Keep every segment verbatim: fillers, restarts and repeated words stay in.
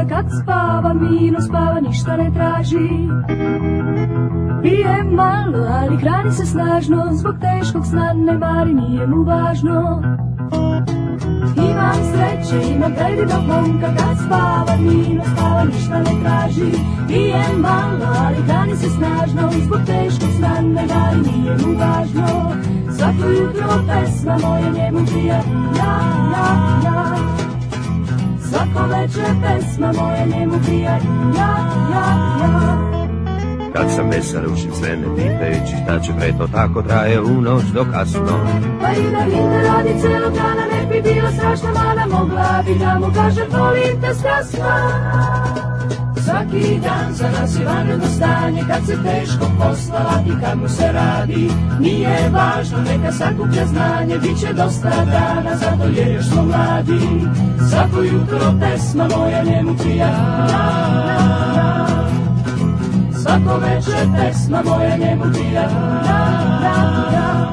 momka kad spava, mirno spava, ništa ne traži. Pije malo, ali hrani se snažno, zbog teškog sna ne mari, nije mu važno. Imam sreće, imam predivnog momka kad spava, mirno spava, ništa ne traži. Pije malo, ali hrani se snažno, zbog teškog sna ne mari, nije mu važno. Svako jutro pesma moja njemu prija, ja, ja, ja. Svako večer pesma moja njemu prija, ja, ja, ja. Kad sam vesel učim sve ne pitajući šta će pre, to tako traje u noć do kasno. Pa i da Rinda radi celog dana, ne bi bila strašna mana, mogla bi da mu kažem volim te strasno. Svaki dan za nas je vanredno stanje, kad se teško posla ladi, kad mu se radi. Nije važno, neka sakuplja znanje, bit će dosta dana, zato je još smo mladi. Svako jutro pesma moja njemu prija, ja, ja, ja. Svako večer pesma moja njemu prija, ja, ja, ja.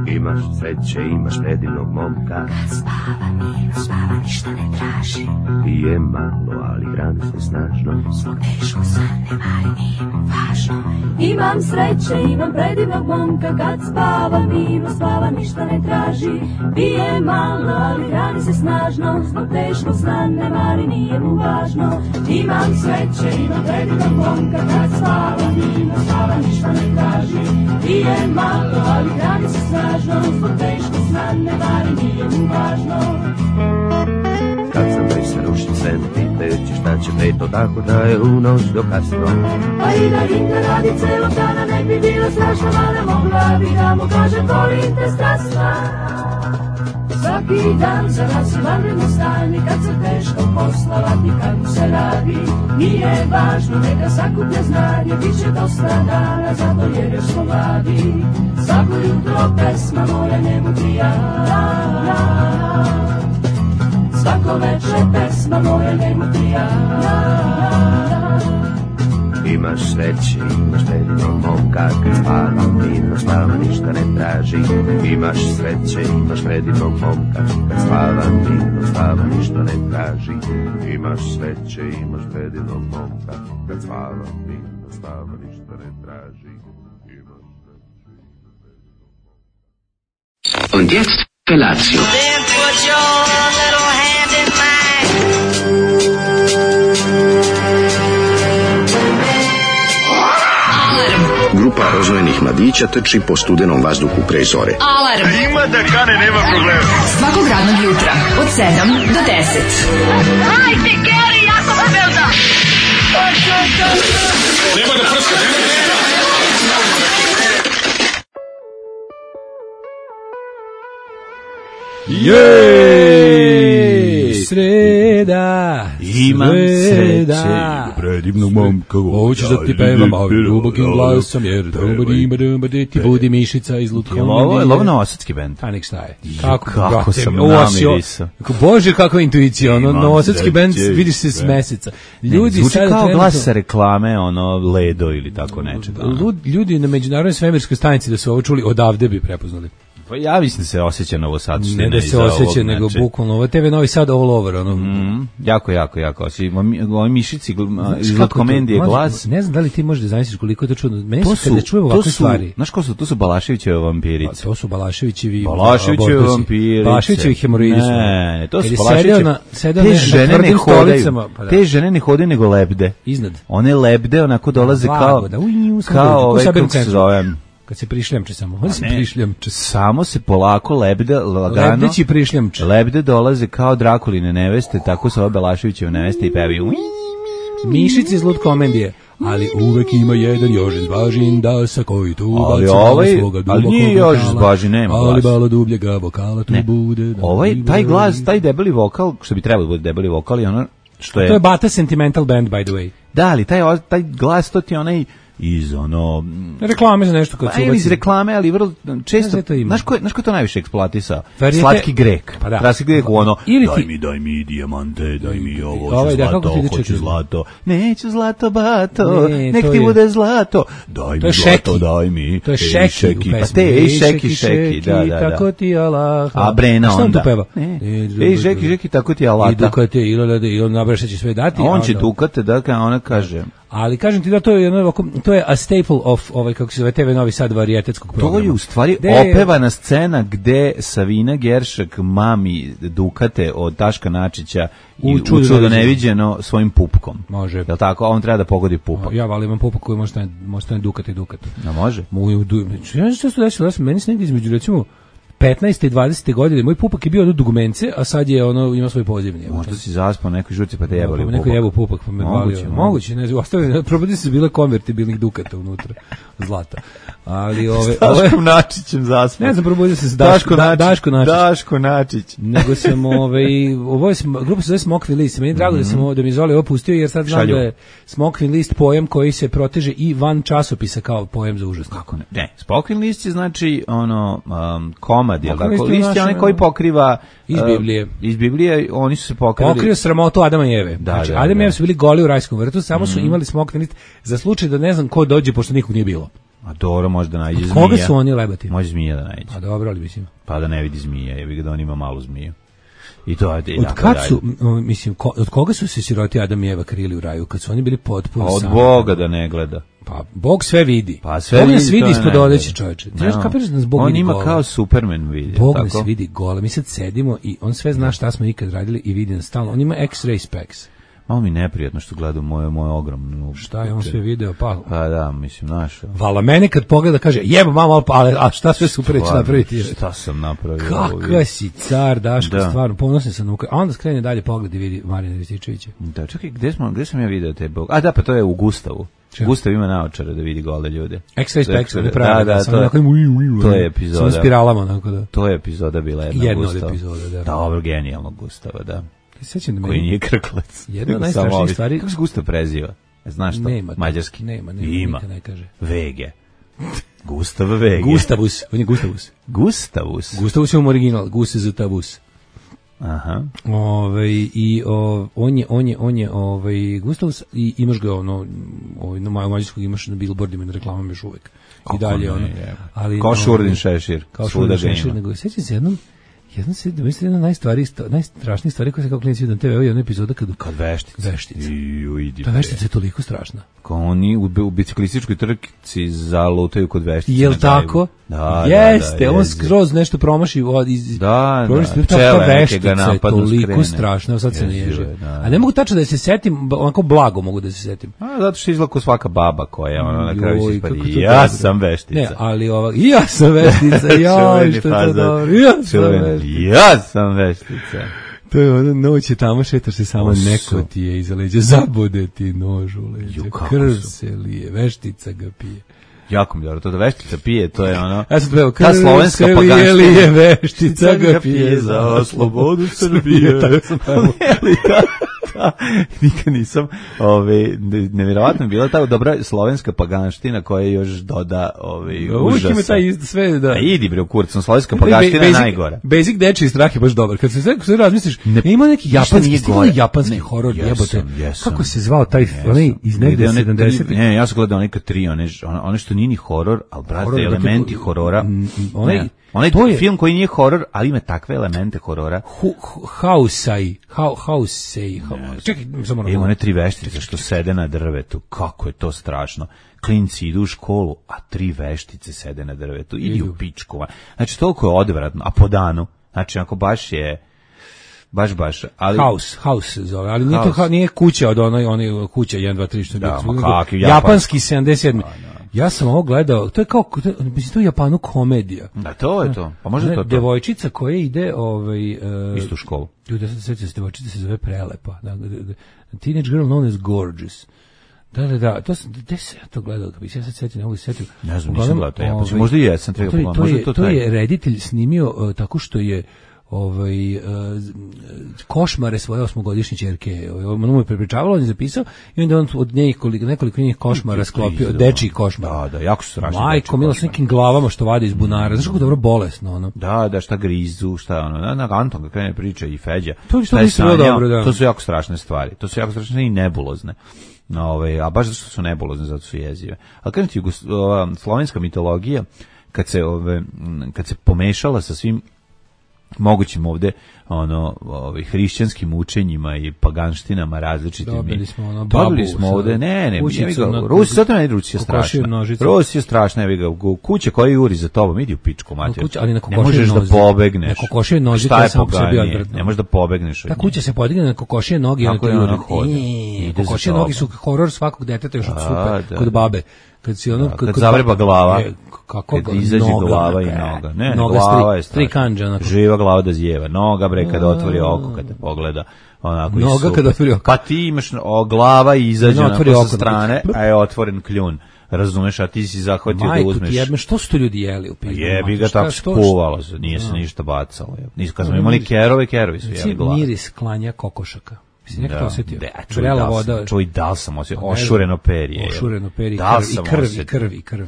Imaš sreće, imaš predivnog momka kad spava, mirno spava, ništa ne traži. Pije malo, ali hrani se snažno, zbog teškog sna ne mari, nije mu važno. Imam sreće, imam predivnog momka kad spava, mirno spava, ništa ne traži. Pije malo, ali hrani se snažno, zbog teškog sna ne mari, nije mu važno. Imam sreće, imam predivnog momka kad spava, mirno spava, ništa ne traži. Pije malo, ali hrani se snažno, zbog teškog sna ne mari, nije mu važno. Kad sam vesel rušim sve ne pitajući šta će pre, to tako traje u noć do kasno. Pa i da Rinda radi celog dana, ne bi bila strašna mana, mogla bi da mu kažem volim te strasna. Svaki dan za nas je vanredno stanje, kad se teško posla ladi, kad mu se radi. Nije važno, neka sakuplja znanje, bit će dosta dana, zato jer još smo mladi. Svako jutro pesma moja njemu prija, ja, ja, ja. Svako večer pesma moja njemu prija, ja, ja, ja. Imaš sreće, imaš predivnog momka kad spava, mirno spava, ništa ne traži. Imaš sreće, imaš predivnog momka kad spava, mirno spava, ništa ne traži. Imaš sreće, imaš predivnog momka kad spava, mirno spava, ništa ne traži. Und jetzt Felatio. Then put your little hand in mine. Grupa rozvojenih mladića trči po studenom vazduhu pre zore. Alarm! Ima da kane, nema problema. Svakog radnog jutra, od sedam do deset. Hajde, Geri, jako se velda! Nema da prska, nema da prska. Jej! Sreda! Imam sreće, predivnog momka. Hoćeš da ti pevam ovim dubokim glasom, jer ti budi mišica iz Lutka. Ovo je ovo novosadski bend. A nek šta je. Kako, kako sam namirisao. Bože, kakva intuicija. Ono, novosadski bend, vidiš se s meseca. Ljudi zvuči kao glas sa reklame, ono, Ledo ili tako nečega. Ljudi na međunarodnoj svemirskoj stanici da su ovo čuli, odavde bi prepoznali. Pa ja mislim da se osjeća Novo Sad. Ne da se osjeća, nego bukvalno. Ovo te ve Novi Sad all over. Ono. Mm, jako, jako, jako. Ovi mišici iz Lotkomendije glas. Ne znam da li ti možeš da zamisliš koliko je to čudno. Meni su kada čujem ovakve stvari. Znaš ko su? To su Balaševićeve vampirice. To su Balaševićevi Balaševićeve vampirice. Balaševićevi hemoroidi su. Ne, to su Balaševićevi. Te žene ne hodaju. Te žene ne hodaju nego lebde. Iznad. One lebde onako dolaze kao kao ovaj kako se zovem. Kad se prišljamče samo, on se prišljamče. Samo se polako lebde, lagano. Lebdeći prišljamče. Lebde dolaze kao Drakuline neveste, tako su ove Balaševićeve neveste i pevaju. Mišice iz Lutkomendije. Ali uvek ima jedan Jožin Zbažin da sa koji tu baci ovaj, svoga dubokog ali nije Jožin Zbažin, nema glas. Ali bala dubljega vokala tu ne. bude. Da ovaj, taj glas, taj debeli vokal, što bi trebalo da bude debeli vokal, je ono što je... To je Bata Sentimental Band, by the way. Da, ali taj, taj glas, to ti onaj... iz ono reklame za nešto kad su pa, iz reklame, ali vrlo često znaš ko znaš ko to najviše eksploatisao? Slatki Grek. Pa da. Slatki Grek ono Ili daj ti... mi daj mi dijamante, daj mi ovo, ovaj, zlato, da, hoću čekaj. zlato. Neću zlato bato, ne, nek ti je... bude zlato. Daj mi zlato, daj mi. To je Šeki, šeki. Pa te ej Šeki, Šeki, da, da, da. Tako ti Allah. A Brena onda. Šta on tu peva? Ej Šeki, Šeki, tako ti Allah. I dukate, i on nabraša će sve dati. On će dukate, da, kao ona kaže. Ali kažem ti da to je jedno, to je a staple of ovaj kako se zove te ve Novi Sad varijetetskog programa. To je u stvari de... opevana scena gde Savina Geršak mami dukate od Daška Načića u i čudo, čudo neviđeno svojim pupkom. Može. Jel tako? On treba da pogodi pupak. Ja valim imam pupak koji može stane, može stane dukate i dukate. A može? Moju ja se to desilo, meni se negdje između recimo petnaeste i dvadesete godine moj pupak je bio od dugmence, a sad je ono ima svoj pozivni. Možda si zaspao nekoj žurci pa te jebali pupak. Neko jebao pupak pa me moguće, balio. Moguće, ne znam, ostavili, probudi se bile konvertibilnih dukata unutra, zlata. Ali ove Daškom Načićem zaspao. Ne znam, probudio se s Daško, da, Daško Načić. Daško Načić. Nego sam ovaj ovo je grupa se zove Smokvin list. Meni je drago mm-hmm. da sam da mi Zoli opustio jer sad znam Šalju. Da je Smokvin list pojam koji se proteže i van časopisa kao pojam za užas. Kako ne? Ne, Smokvin list je znači ono um, komad, je tako? List je onaj koji pokriva iz Biblije. Uh, iz Biblije oni su se pokrili. Pokrio sramotu Adama i Eve. Da, znači da, Adam i da. Eva su bili goli u rajskom vrtu, samo mm-hmm. su imali Smokvin list za slučaj da ne znam ko dođe pošto nikog nije bilo. A dobro, može da nađe zmija. Koga su oni lebati? Može zmija da nađe. A dobro, ali mislim. Pa da ne vidi zmija, jebi ga da on ima malu zmiju. I to je od kad su, mislim, ko, od koga su se siroti Adam i Eva krili u raju? Kad su oni bili potpuno od sami. Od Boga da ne gleda. Pa Bog sve vidi. Pa sve Bog vidi. nas vidi ispod odeće, čoveče. Ti znaš no. kapiraš da nas Bog on vidi ima gola. kao Superman vidi. Bog tako? nas vidi gola. Mi sad sedimo i on sve zna šta smo ikad radili i vidi nas stalno. On ima X-ray specs. Malo mi neprijatno što gleda moje moje ogromno. Šta je on sve video? Pa, pa da, mislim, naš. Vala mene kad pogleda kaže, jebo mama, ali a šta sve super će napraviti? Šta sam napravio? Kakva si car, Daško, da. Stvarno, ponosan sam. A onda skrene dalje pogled i vidi Marijana Rističevića. Da, čekaj, gde, smo, gde sam ja video te Bog? A da, pa to je u Gustavu. Čeo? Gustav ima naočare da vidi gole ljude. X-ray specs, da, pravi, da, da, to, je, to je epizoda. Sa spiralama, onako da. To je epizoda bila jedna, jedna Gustav. od epizoda, da. Dobro, genijalnog Gustava, da. Sećam da koji nije krklac. Jedna od najstrašnijih stvari. Kako se Gustav preziva? Znaš što? Nema, mađarski. Nema, nema, ima. Ne kaže. Vege. Gustav Vege. Gustavus, on je Gustavus. Gustavus. Gustavus je u original, Gustavus. Aha. Ovaj i o, on je on je on je ovaj Gustavus i imaš ga ono ovaj na mađarskog imaš na billboardima na reklamama još uvek. I dalje ono. Ali kao Šurdin Šešir. Kao Šurdin Šešir, nego sećam se jednom Jedno se, da mislim, jedna najstvari, najstrašnija stvari koja se kao klinici vidio na te ve, ovo je jedna epizoda kad... Kad veštica. Veštica. Ju, idi, ta veštica je toliko strašna. Kao oni u, u biciklističkoj trci zalutaju kod veštice. Jel tako? Da, jeste, da, da, on skroz nešto promaši od iz da, promaši, da, ta veštica je toliko skrene. Strašna, sad se ne ježi. Da, a ne mogu tačno da se setim, onako blago mogu da se setim. A zato što izlako svaka baba koja ona na kraju se ispadi. Ja sam veštica. Ne, ali ova, ja sam veštica, ja, što je to dobro. Ja sam veštica. Ja sam veštica. To je ono, noć je tamo, šetaš se samo, Oso. Neko ti je iza leđa, zabode ti nož u leđa, krv se lije, veštica ga pije. Jako mi dobro, to da veštica pije, to je ono... Ja sam tveo, krv se lije, lije, veštica ga pije za slobodu Srbije. Tako sam tveo. Da, nikad nisam, ove, nevjerovatno je bila ta dobra slovenska paganština koja još doda ove, užasa. Uvijek ima taj sve, da. A idi bre u kurcom, slovenska paganština je najgora. Basic dečiji strah je baš dobar. Kad se sve, sve razmisliš, ne, ima neki japanski, stiglo japanski ne, horor, jebote. Kako se zvao taj, onaj iz negde sedamdesetih? Ne, ja sam gledao neka tri, one, one što nije ni horor, ali brate, elementi horora. Onaj, onaj film koji nije horor, ali ima takve elemente horora. Hausai, Hausei, čekaj, samo ima one tri veštice što sede na drvetu. Kako je to strašno. Klinci idu u školu, a tri veštice sede na drvetu. Idi u pičkova. Znači, toliko je odvratno. A po danu, znači, ako baš je baš, baš. Ali... House, house zove, ali nije, to, nije kuća od onoj, onoj kuća jedan, dva, tri, što je da, bilo. Japanski, japanski sedamdeset sedmi. Da, da. Ja sam ovo gledao, to je kao, mislim, to je u Japanu komedija. Da, to je to. Pa možda to to. Devojčica koja ide, ovaj... Uh, istu školu. Ljudi, ja sam sećam se, devojčica se zove Prelepa. Da, da, da, teenage girl known as gorgeous. Da, da, da, to sam, gde se ja to gledao, kad bi se ja sad setio, ne mogu se setio. Ne znam, nisam gledao to, ja, ovaj, možda i jesam, treba to, je, to, je, to je reditelj snimio uh, tako što je ovaj uh, košmare svoje osmogodišnje ćerke. Ono mu je prepričavalo, on je zapisao i onda on od njih koliko, nekoliko njih košmara sklopio, dečiji košmar. Da, da, jako su strašni. Majko, milo s nekim glavama što vade iz bunara. Znaš kako dobro bolesno, ono. Da, da, šta grizu, šta ono. Na, na Anton kad krene priča i Feđa. To, to, je sanjao, dobro, da. To su jako strašne stvari. To su jako strašne i nebulozne. No, ove, a baš zato što su nebulozne, zato su jezive. Ali kažem ti, ova slovenska mitologija, kad se, ove, kad se pomešala sa svim mogućim ovde ono ovaj hrišćanskim učenjima i paganštinama različitim. Dobili smo ono babu. Dobili smo ovde, ne, ne, kućicu, ja ga, Rusi, zato ne Rusija strašna. Rusija strašna, ja ga kuće koji juri za tobom, idi u pičku mater. Kuća, ali na ne možeš da pobegneš. Na kokošije noži, to je samo sebi odvratno. Ne možeš da pobegneš. Ta kuća se podigne na kokošije noge i na to juri. Kokošije noge su horor svakog deteta još od super kod babe. Kad si ono, kad zavreba glava. Kako kad izađe glava i noga. Ne, noga glava je tri kanđa. Živa glava da zjeva. Noga bre kad otvori oko, kad te pogleda. Onako noga kad otvori oko. Pa ti imaš o, glava i izađe onako sa strane, a je otvoren kljun. Razumeš, a ti si zahvatio da uzmeš. Majko, ti što su to ljudi jeli u pizdu? Jebi ga, tako skuvalo se, nije se ništa bacalo. Kad smo imali kerove, kerovi su jeli glava. Miris klanja kokošaka. Mislim, nekako osjetio. Vrela voda. Čuj, da sam osjetio. Ošureno perje. Ošureno perje i krv, i krv, i krv.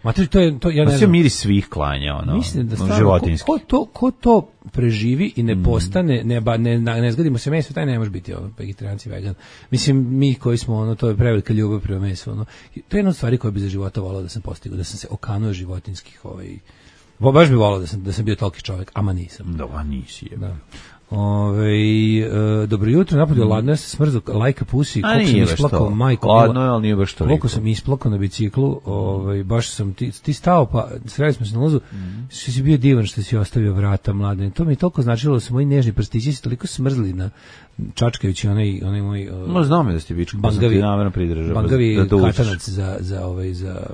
Matri, to je, to, ja ne znam. Miris svih klanja, ono, mislim da stvarno, ko, ko, to, ko to preživi i ne postane, ne, ba, ne, ne zgadimo se meso, taj ne može biti ono, vegetarijanci, vegan. Mislim, mi koji smo, ono, to je prevelika ljubav prema mesu, ono. To je jedna od stvari koja bi za života volao da sam postigao, da sam se okanuo životinskih, ovaj, baš bi volao da sam, da sam bio toliki čovjek, ama nisam. Da, nisi je. Da. Ove, e, dobro jutro, napolje mm. ladno, ja sam smrzao lajka pusi, koliko sam isplakao, majko, ladno je, ali nije baš toliko. Koliko sam isplakao na biciklu, ovaj, baš sam, ti, ti stao, pa sreli smo se na lazu, mm. što si bio divan što si ostavio vrata mladene, to mi je toliko značilo da su moji nežni prstići se toliko smrzli na čačkajući onaj, onaj moj uh, no, znam je da ste bičku, bangavi, pa sam ti namerno pridržao, bangavi da katanac za, za, ovaj, za,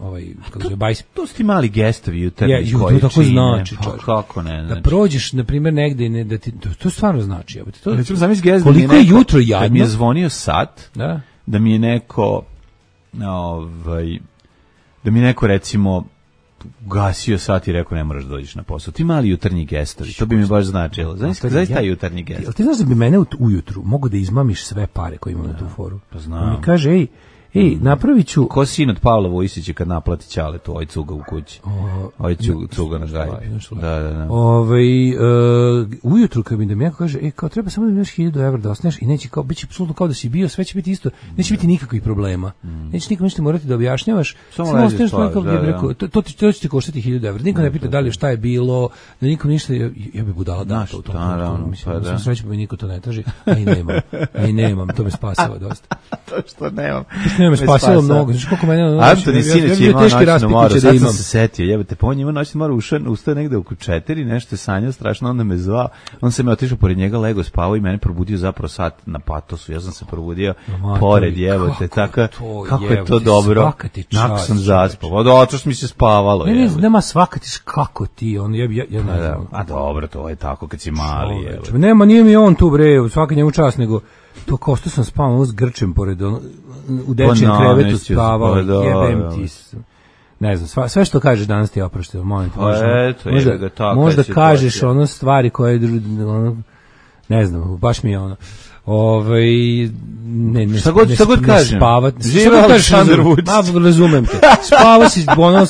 ovaj, kako se bajs. To su ti mali gestovi jutarnji ja, koji to tako znači, pa, kako ne, znači. Da prođeš na primjer negde i ne da ti to, to stvarno znači, jebote. To recimo sam izgezda. Koliko je jutro jadno. Kad mi je zvonio sat, da, da mi je neko ovaj da mi je neko recimo gasio sat i rekao ne moraš da dođeš na posao. Ti mali jutarnji gestovi, to bi mi baš značilo. Znaš kad zaista taj jutarnji gest. Jel ti znaš da bi mene ujutru mogu da izmamiš sve pare koje imam na tu foru? Pa znam. Mi kaže, ej, Ej, napravit ću... Ko sin od Pavla Vojsića kad naplati ćale tu, oj cuga u kući. Oj cuga na gajbi. Da, da, da. Ove, uh, ujutru kad mi da mi jako kaže, e, kao treba samo da mi imaš hiljadu evra da osneš i neće kao, bit će apsolutno kao da si bio, sve će biti isto, neće biti nikakvih problema. Mm. Neće nikom ništa morati da objašnjavaš, samo ostaneš tako gdje bi rekao, to, to, to će ti koštati hiljadu evra. Niko ne pita da li šta je bilo, da nikom ništa, ja, ja bi budala da to u tom trenutku. Mislim, pa da. Srećem, mi niko to ne traži, a i nemam. A i nemam, to me spasava dosta. To što nemam. To me spasilo mnogo. Znaš koliko mene... Antoni Sinić je imao noćnu moru, sad sam se setio, jebate, pa on ima noćnu moru, ustao negde oko četiri, nešto je sanjao strašno, onda me zvao, on se me otišao pored njega, lego spavao i mene probudio zapravo sat na patosu, ja sam se probudio no, pored, jebate, tako, kako je to dobro, nakon sam zaspao, od oto što mi se spavalo. Ne, ne, nema svaka ti, kako ti, on, ja, ja, ja ne znam. A dobro, to je tako kad si mali, jebate. Nema, nije mi on tu, bre, svaka njemu čast, nego to kao što sam spavao s grčem pored ono, u dečijem krevetu spavao, jebem ti. Ne znam, sva, sve što kažeš danas ti je oprošteno, molim te. Možda, eto, možda, ga, tako možda kažeš ono stvari koje, ono, ne znam, baš mi je ono. Ovaj ne ne šta god šta god kažem. Živa Aleksandar Vučić. Ma razumem te. Spava si ono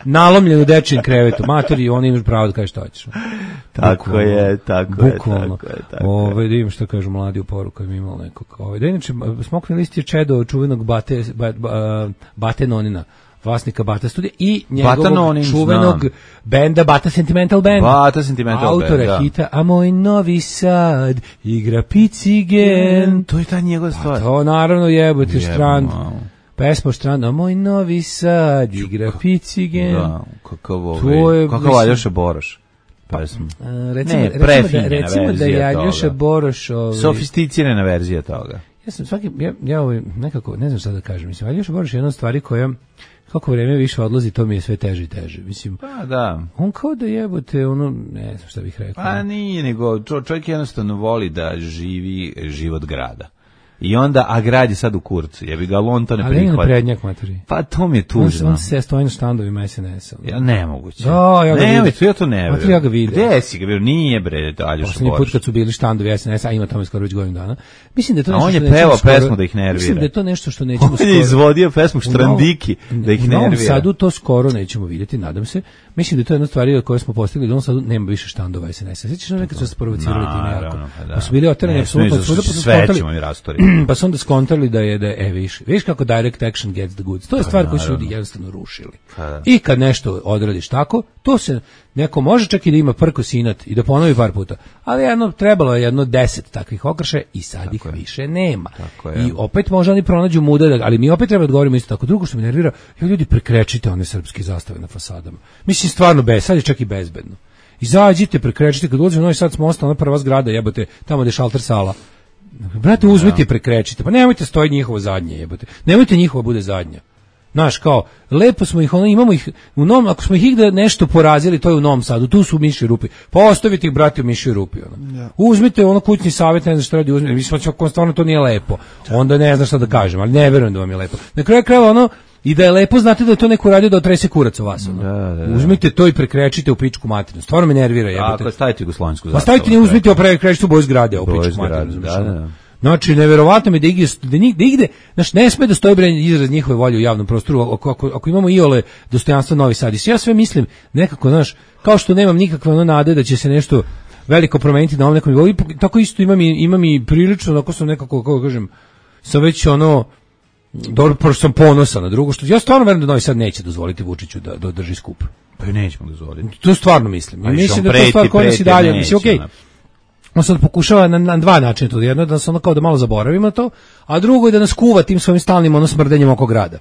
nalomljen u dečijem krevetu. Matori, oni imaš pravo da kažeš šta hoćeš. Tako je, tako je, tako je. Ovaj da im šta kažu mladi u poruku im imao nekog. Ovaj da inače smokvin list je čedo čuvenog Bate Bate Nonina, vlasnika Bata Studija i njegovog čuvenog znam. Benda Bata Sentimental Band. Bata Sentimental Band, autora da. hita A moj Novi Sad igra Picigen. Mm, to je ta njegova stvar. Pa to naravno jebote Štrand. Pesma Štrand, A moj Novi Sad igra Picigen. Da, kakav ovaj, kakav Aljoša Boroš. Pesma. A, recimo, ne, recimo, da, recimo da je Aljoša Boroš... Ovaj, sofisticirana verzija toga. Ja sam svaki, ja, ja ovaj, nekako, ne znam šta da kažem, mislim, Aljoša Boroš je jedna stvari koja, kako vreme više odlazi, to mi je sve teže i teže, mislim. Pa da. On kao da jebote, ono, ne znam šta bih rekao. Pa nije, nego čovjek jednostavno voli da živi život grada. I onda, a grad je sad u kurcu, jebi ga, on to ne ali prihvata. Ali prednjak materi. Pa to mi je tužno. On se stoji na štandovima S N S-a. Ja, nemoguće. Da, ja ga ne, vidim. Ja to ne vidim. Ja ga vidim. Gde si ga vidio? Nije bre, Aljoša Borić. Poslednji put kad su bili štandovi S N S-a, ima tamo skoro već godinu dana. Mislim da je to nešto što nećemo skoro... A on je pevao pesmu da ih nervira. Mislim da je to nešto što nećemo skoro... On je izvodio pesmu Štrandiki da ih nervira. U Novom Sadu to skoro nećemo vidjeti, nadam se. Mislim da je to jedna stvar od koje smo postigli, da u Novom Sadu nema više štandova S N S-a. Sećaš se nekad su se provocirali time jako. Pa su bili oterani apsolutno od svuda, pa su skontali, pa su onda skontali da je, da je, e, viš, viš kako direct action gets the goods. To je stvar koju su ljudi jednostavno rušili. I kad nešto odradiš tako, to se, neko može čak i da ima prkos inat i da ponovi par puta, ali jedno, trebalo je jedno deset takvih okršaja i sad tako ih je. Više nema. I opet možda oni pronađu muda, ali mi opet treba da govorimo isto tako. Drugo što me nervira, je ljudi prekrečite one srpske zastave na fasadama. Mislim, stvarno, bez, sad je čak i bezbedno. Izađite, prekrečite, kad ulazimo u Novi Sad smo ostali na prva zgrada, jebote, tamo gde je šalter sala. Brate, uzmite i prekrečite, pa nemojte stoji njihovo zadnje, jebote. Nemojte njihovo bude zadnja. Znaš, kao, lepo smo ih, ono, imamo ih, u Novom, ako smo ih igde nešto porazili, to je u Novom Sadu, tu su u mišoj rupi, pa ostavite ih, brate, u mišoj rupi, ono. Ja. Uzmite, ono, kućni savjet, ne znam šta radi, uzmite, mislim, ako stvarno to nije lepo, onda ne znam šta da kažem, ali ne verujem da vam je lepo. Na kraju krajeva, ono, i da je lepo, znate da je to neko radio da otrese kurac u vas, ono. Da, da, da. Uzmite to i prekrečite u pičku materinu, stvarno me nervira, jebote. Ako stavite jugoslovensku zastavu. Pa stavite, ne uzmite o prekrečite u boju zgrade, u pičku materinu, da, da. Znači, neverovatno mi da igde, da nigde, igde, znači, ne sme da stoji bre izraz njihove volje u javnom prostoru, ako, ako, ako imamo iole dostojanstvo Novi Sad. I ja sve mislim, nekako, znaš, kao što nemam nikakve ono nade da će se nešto veliko promeniti na ovom nekom nivou, tako isto imam i, imam i prilično, ako sam nekako, kako kažem, sam već ono, dobro, pošto sam ponosan na drugo, što ja stvarno verujem da Novi Sad neće dozvoliti Vučiću da, da drži skup. Pa i nećemo dozvoliti. To stvarno mislim. I mislim da je to stvar koja nas i dalje, mislim, okej. Okay. On sad pokušava na, na dva načina to. Jedno je da nas ono kao da malo zaboravimo to, a drugo je da nas kuva tim svojim stalnim ono smrdenjem oko grada.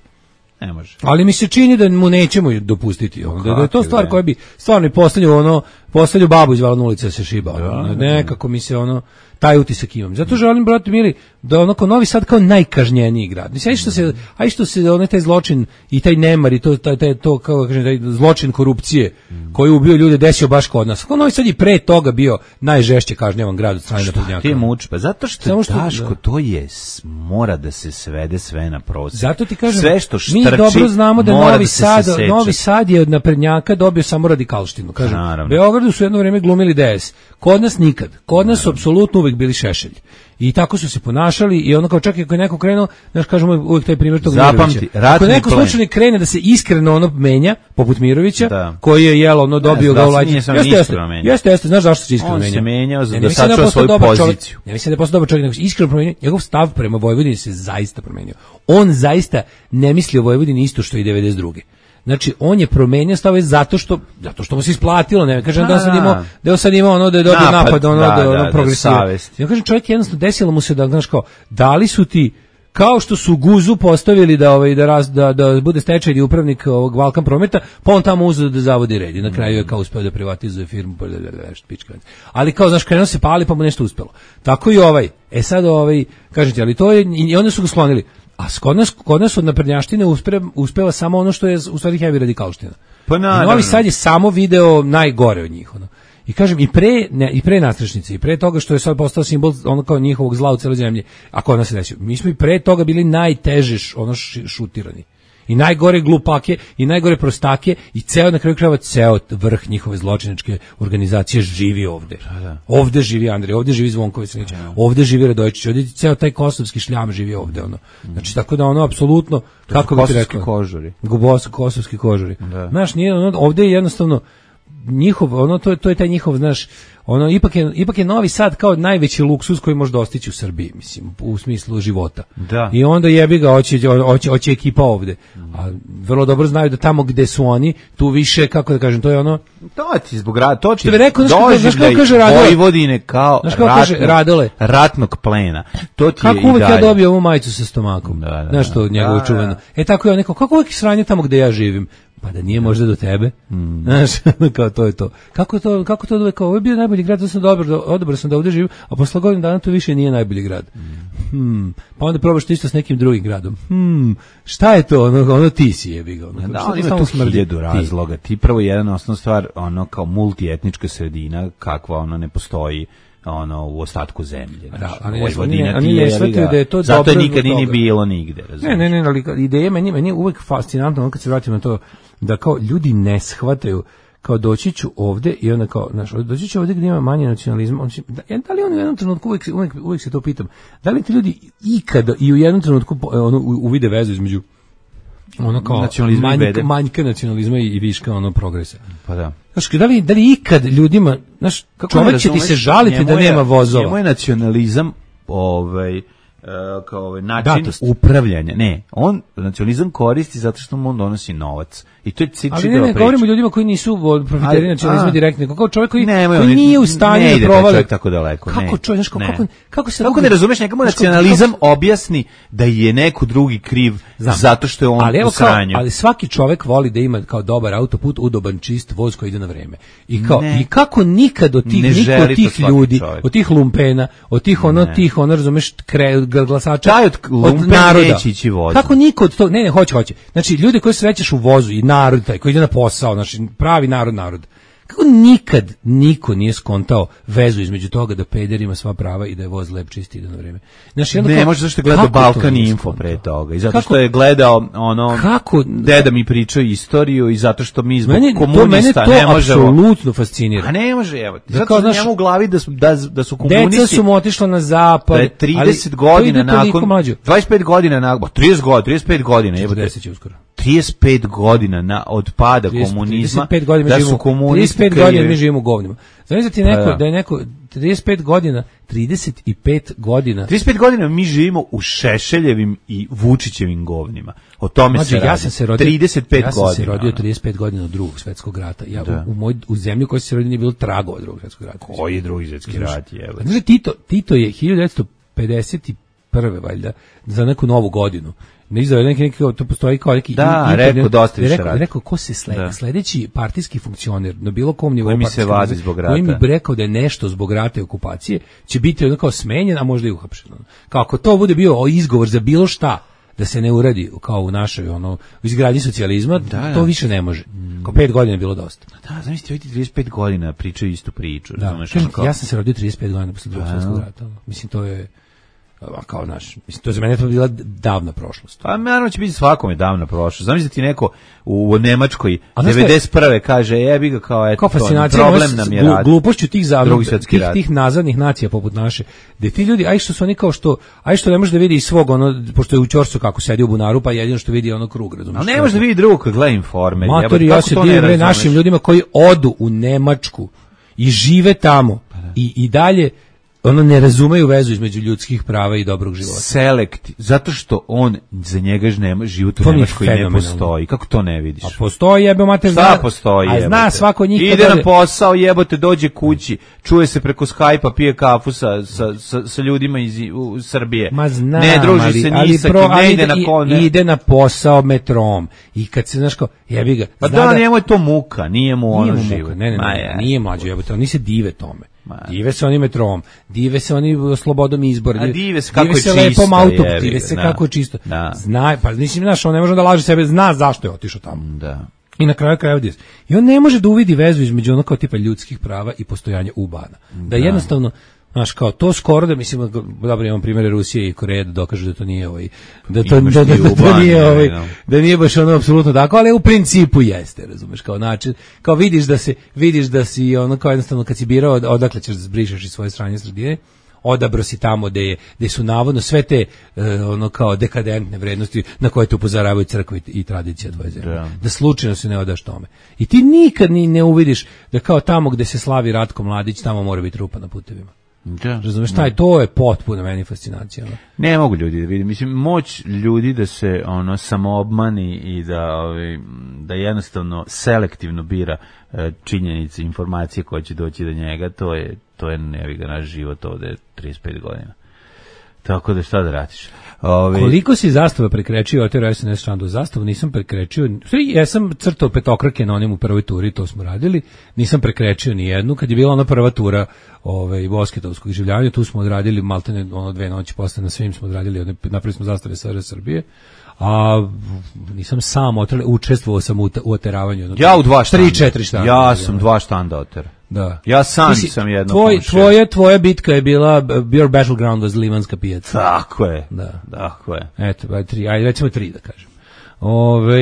Ne može. Ali mi se čini da mu nećemo dopustiti. Ono, da, da je to stvar koja bi stvarno i postavlju ono, postavlju babu iz Valna ulice da se šiba. Ono, nekako mi se ono, taj utisak imam. Zato želim, brate mili, da onako Novi Sad kao najkažnjeniji grad. Mislim, aj što se, aj što se onaj taj zločin i taj nemar i to, taj, taj, to kao kažem, taj zločin korupcije mm. koji je ubio ljude desio baš kod nas. Kao Novi Sad i pre toga bio najžešće kažnjavan grad od strane naprednjaka. Ti muč, pa zato što, što Daško, da. To je, mora da se svede sve na prosek. Zato ti kažem, sve što štrči, mi dobro znamo da Novi da Sad, Novi Sad je od naprednjaka dobio samo radikalštinu. Kažem, u Beogradu su jedno vrijeme glumili D S. Kod nas nikad. Kod nas su apsolutno uvek bili Šešelj. I tako su se ponašali i ono kao čak i ako je neko krenuo, znaš, kažemo uvijek taj primjer tog Zapamti, Mirovića. Ako neko slučajno krene da se iskreno ono menja, poput Mirovića, da. Koji je jelo ono dobio ga u lađi. Jeste, jeste, jeste, jeste, znaš zašto se iskreno menja? On se menjao za da sačuva svoju poziciju. Ne mislim da je postao dobar čovjek, nego se iskreno promenio. Njegov stav prema Vojvodini se zaista promenio. On zaista ne misli o Vojvodini isto što i devedeset druge Znači on je promenio stave zato što zato što mu se isplatilo, ne kažem da sad imao da je sad imao ono da je dobio napad, napad ono da, da, ono da, progresivno. Ja kažem čovjek jednostavno desilo mu se da znaš kao da li su ti kao što su Guzu postavili da ovaj da raz, da da bude stečajni upravnik ovog Balkan Prometa, pa on tamo uzeo da zavodi red i na kraju je kao uspeo da privatizuje firmu, pa nešto pička. Ali kao znaš krenuo se pali pa mu nešto uspelo. Tako i ovaj. E sad ovaj kažete, ali to je i onda su ga sklonili. A kod nas, kod nas od naprednjaštine uspe, uspeva samo ono što je u stvari heavy radikalština. Pa naravno. Novi Sad je samo video najgore od njih. Ono. I kažem, i pre, ne, i pre nastrešnice, i pre toga što je sad postao simbol ono kao njihovog zla u celoj zemlji, a kod nas se desio. Mi smo i pre toga bili najteže ono šutirani. I najgore glupake, i najgore prostake, i ceo, na kraju krajeva, ceo vrh njihove zločinačke organizacije živi ovde. Da, da. Ovde živi Andrej, ovde živi Zvonković, da, da. Ovde živi Radojičić, ovde ceo taj kosovski šljam živi ovde. Ono. Znači, tako da ono, apsolutno, kako bi ti rekao? Kožuri. Gubos, kosovski kožuri. Da. Znaš, nije, ono, ovde je jednostavno, njihov, ono, to, to je taj njihov, znaš, ono, ipak je, ipak je Novi Sad kao najveći luksuz koji može dostići u Srbiji, mislim, u smislu života. Da. I onda jebi ga, hoće, hoće, hoće ekipa ovde. A vrlo dobro znaju da tamo gde su oni, tu više, kako da kažem, to je ono... To ti zbog rada, to ti rekao, znaš kako kaže Radole? Vojvodine kao ratno, Radole? ratnog plena. To ti kako je uvek ja dobio ovu majicu sa stomakom? Da, da, znaš to, njegovo da, čuveno. E tako je on neko, kako uvek sranje tamo gde ja živim? Pa da nije možda do tebe. Mm. Znaš, kao to je to. Kako to, kako to da kao, ovo je bio najbolji grad, da sam dobro, odobro sam da ovdje živim, a posle godinu dana to više nije najbolji grad. Mm. Hmm. Pa onda probaš isto s nekim drugim gradom. Hmm. Šta je to? Ono, ono ti si jebi ga. Ono, da, on ima tu hiljadu razloga. Ti prvo jedan osnovna stvar, ono kao multietnička sredina, kakva ono ne postoji ono u ostatku zemlje. Da, ali oni oni ne shvataju da je to dobro. Zato nikad ni bilo nigde, razumiješ. Ne, ne, ne, ali ideja meni meni je uvek fascinantno kad se vratimo na to da kao ljudi ne shvataju kao doći ću ovde i onda kao, znaš, doći ću ovde gdje ima manje nacionalizma, on će, da, da li on u jednom trenutku, uvijek, uvijek, uvijek se to pitam, da li ti ljudi ikada i u jednom trenutku ono, uvide vezu između ono kao manjka, manjka nacionalizma i, i viška ono progresa. Pa da. Znaš, da li, da li ikad ljudima, znaš, čovjek će ti se žaliti da nema vozova. Njemu je nacionalizam, ovaj, Uh, kao ovaj način Datost. upravljanja. Ne, on nacionalizam koristi zato što mu on donosi novac. I to je čitava priča. Ali ne, ne, govorimo o ljudima koji nisu profiteri nacionalizma direktno, kao čovjek koji, ne, koji oni, nije u stanju da provali. Ne tako daleko. Kako čovjek, znaš, kako, kako, kako se... Kako ne razumeš, nekamo nacionalizam kako, objasni da je neko drugi kriv znam, zato što je on ali u sranju. Ali svaki čovjek voli da ima kao dobar autoput, udoban, čist voz koji ide na vreme. I, kao, i kako nikad od tih, niko od tih ljudi, čovjek. Od tih lumpena, od tih ono, ne. tih ono, razumeš, kre, glasača, od, od naroda. Kako niko od tog, ne, ne, hoće, hoće. Znači, ljudi koji srećeš u vozu i narod taj koji ide na posao, znači pravi narod, narod. Kako nikad niko nije skontao vezu između toga da peder ima sva prava i da je voz lep, čisti ide na vreme. Znači, ne, kao, može zašto je gledao Balkan Info pre toga i zato kako, što je gledao ono, kako, deda mi pričao istoriju i zato što mi zbog meni, komunista to, ne možemo. Mene to apsolutno fascinira. A ne može, evo. Da zato što njemu u glavi da su, da, da su komunisti. Deca su mu otišla na zapad. Da je trideset godina nakon, dvadeset pet godina nakon, trideset godina, trideset pet godina. četrdeset će uskoro. trideset pet godina na, od pada komunizma. Da su komunisti trideset pet godina mi živimo u govnima. Znači da ti neko, da. da je neko trideset pet godina, trideset pet godina. trideset pet godina mi živimo u Šešeljevim i Vučićevim govnima. O tome znači, se radi. Ja sam se rodio trideset pet ja sam godina. se rodio trideset pet godina od Drugog svjetskog rata. Ja da. u, u moj u zemlji u kojoj se rodio nije bilo tragova Drugog svjetskog rata. Koji je Drugi svjetski rat je? Znači Tito, Tito je hiljadu devetsto pedeset prve valjda za neku novu godinu. Ne izdao neki neki to postoji kao neki da, internet, rekao dosta više radi. Rekao ko se sledi, da. sledeći partijski funkcioner na bilo kom nivou mi se vadi zbog rata. Koji mi bi rekao da je nešto zbog rata i okupacije, će biti ono kao smenjen, a možda i uhapšen. Kako to bude bio izgovor za bilo šta da se ne uradi kao u našoj ono u izgradnji socijalizma, da, to da. više ne može. Kao pet godina je bilo dosta. Da, zamislite, vidite trideset pet godina pričaju istu priču. Da, kažem, kao... Ja sam se rodio trideset pet godina posle Drugog svjetskog rata. Mislim to je kao naš, mislim, to za mene to bila davna prošlost. Pa naravno će biti svakome davna prošlost. Zamislite ti neko u, u Nemačkoj devedeset prve kaže, jebi ga kao, eto, kao problem nam je rad. Glupošću tih, tih, tih nazadnih nacija poput naše, gde ti ljudi, aj što su oni kao što, aj što ne može da vidi iz svog, ono, pošto je u ćorsu kako sedi u bunaru, pa jedino što vidi ono krug, razumiješ. Ali ne može da vidi drugog kad gleda Informer. Matori, ja se divim našim ljudima koji odu u Nemačku i žive tamo i, i dalje ono ne razumeju vezu između ljudskih prava i dobrog života. Selekt, zato što on za njega nema život u Nemačkoj ne postoji. Kako to ne vidiš? A postoji, jebe mater, šta postoji? A zna svako njih. Ide na posao, jebote, dođe kući, čuje se preko Skype-a, pije kafu sa, sa, sa, sa ljudima iz u, Srbije. Ma znam, ne druži ali, se ali ni sa kim, ne ide na ko, ne. Ide na posao metrom. I kad se, znaš kao, jebi ga. Pa da, njemu je to muka, nije mu ono život. Ne, ne, ne, nije mlađo, jebote, oni se dive tome. Dive se oni metrom, dive se oni slobodom izbora, dive, dive se kako dive se je lepom čisto, autom, jevi, dive se da, kako je čisto. Da. Zna, pa mislim, znaš, on ne može da laže sebe, zna zašto je otišao tamo. Da. I na kraju krajeva dive. I on ne može da uvidi vezu između ono kao tipa ljudskih prava i postojanja ubana. Da, da jednostavno, znaš, kao to skoro da mislim, dobro imam primjere Rusije i Koreje da dokažu da to nije ovaj, da to, da, da, da, da, da nije ovaj, da nije baš ono apsolutno tako, ali u principu jeste, razumeš, kao način, kao vidiš da se, vidiš da si ono kao jednostavno kad si birao odakle ćeš da zbrišeš iz svoje strane sredine, odabro si tamo gde je, gde su navodno sve te uh, ono kao dekadentne vrednosti na koje te upozoravaju crkva i, i tradicija tvoje zemlje. Da. da slučajno se ne odaš tome. I ti nikad ni ne uvidiš da kao tamo gde se slavi Ratko Mladić, tamo mora biti rupa na putevima. Da, razumeš, taj, to je potpuno meni fascinacija. Ono. Ne mogu ljudi da vidi, mislim, moć ljudi da se ono samoobmani i da, ovaj, da jednostavno selektivno bira e, činjenice, informacije koje će doći do njega, to je, to je neviga naš život ovde trideset pet godina. Tako da šta da radiš? Ove... Koliko si zastava prekrečio, otero S N S Šandu zastavu, nisam prekrečio, ja sam crtao petokrake na onim u prvoj turi, to smo radili, nisam prekrečio ni jednu, kad je bila ona prva tura ove, Bosketovskog življavanja, tu smo odradili maltene ono dve noći posle, na svim smo odradili, napravili smo zastave S R S Srbije, a nisam sam otrali, učestvovao sam u, u oteravanju. Ja u dva štanda. tri četiri štanda. Ja sam dva štanda otera. Da. Ja sam Mislim, sam jedno tvoj, komšija. tvoja, tvoja bitka je bila, your battleground was Livanska pijaca. Tako je. Da. Tako je. Eto, aj tri, ajde recimo tri da kažem. Ove,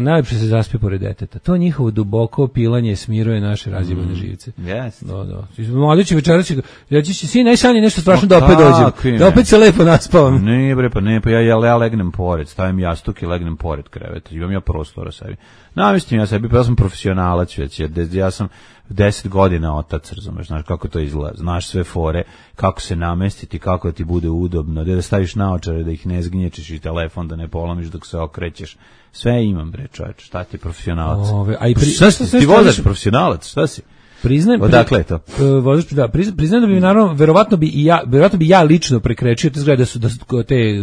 najlepše se zaspi pored deteta. To njihovo duboko pilanje smiruje naše razjebane mm. živce. Yes. Da, da. Mladići večeras će, reći će, sin, najsanje nešto strašno da Ma opet dođem. kakvi Da ne. opet se lepo naspavam. Ne bre, pa ne, pa ja, ja, ja legnem pored, stavim jastuk i legnem pored kreveta. Imam ja prostora sebi. Namestim ja sebi, pa ja sam profesionalac već, ja, ja sam deset godina otac, razumeš, znaš kako to izgleda, znaš sve fore, kako se namestiti, kako da ti bude udobno, gde da staviš naočare, da ih ne zgnječiš i telefon da ne polomiš dok se okrećeš. Sve imam, bre, čoveč, šta ti profesionalac? Ove, a i pri, šta si, ti vozaš profesionalac, šta si? Priznajem, odakle je to? Vozač, da, priznajem da bi naravno verovatno bi i ja, verovatno bi ja lično prekrečio te zgrade da su da su te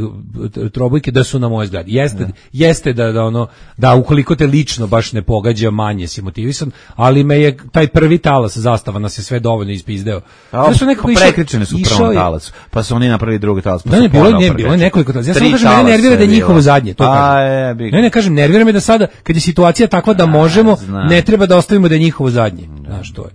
trobojke da su na moje zgradi. Jeste, da. jeste da da ono da ukoliko te lično baš ne pogađa, manje si motivisan, ali me je taj prvi talas zastava nas je sve dovoljno ispizdeo. Zašto nekako pa prekrečene su prvom talasu, pa su oni napravili drugi talas, pa da, su ne, bilo ne, bilo nekoliko talasa. Ja samo kažem mene nervira da je njihovo zadnje, to kažem. Ne, ne kažem, nervira me da sada kad je situacija takva da možemo, ne treba da ostavimo da je njihovo zadnje. Znaš, to je.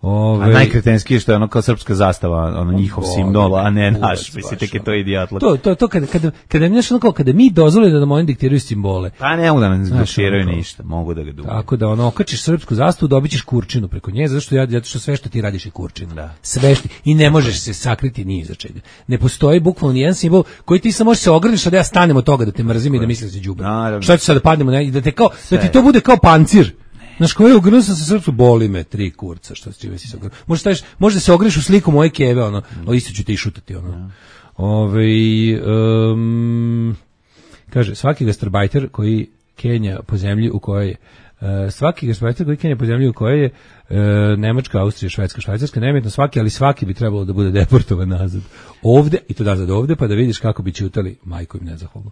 Ove... A najkretenski što je ono kao srpska zastava, ono njihov o, simbol, a ne naš, mislim, tek je to idijatlak. To, to, to kada, kada, kada, mi, ono, kada mi dozvolimo da nam oni diktiraju simbole. Pa ne mogu da nam diktiraju ništa, mogu da ga dugu. Tako da ono, okačiš srpsku zastavu, dobit ćeš kurčinu preko nje, zato što, ja, zato što sve što ti radiš je kurčina. Da. Sve što, i ne možeš se sakriti ni iza čega. Ne postoji bukvalno nijedan simbol koji ti samo možeš se ograniš, a da ja stanem od toga da te mrzim i da mislim da si đubre. Šta će sad da padnemo, ne, da, te kao, da ti to bude kao pancir. Znaš, koji je ogrnuo sam se srpsku, boli me, tri kurca, što s čime si se ogrnuo. Možda, staviš, možda se ogriš u sliku moje keve, ono, o, isto ću te i šutati, ono. Ja. Ove, um, kaže, svaki gastarbajter koji Kenja po zemlji u kojoj je, uh, svaki gastarbajter koji Kenja po zemlji u kojoj je uh, Nemačka, Austrija, Švedska, Švajcarska, nemjetno svaki, ali svaki bi trebalo da bude deportovan nazad. Ovde, i to nazad ovde, pa da vidiš kako bi ćutali, majko im nezahvalno.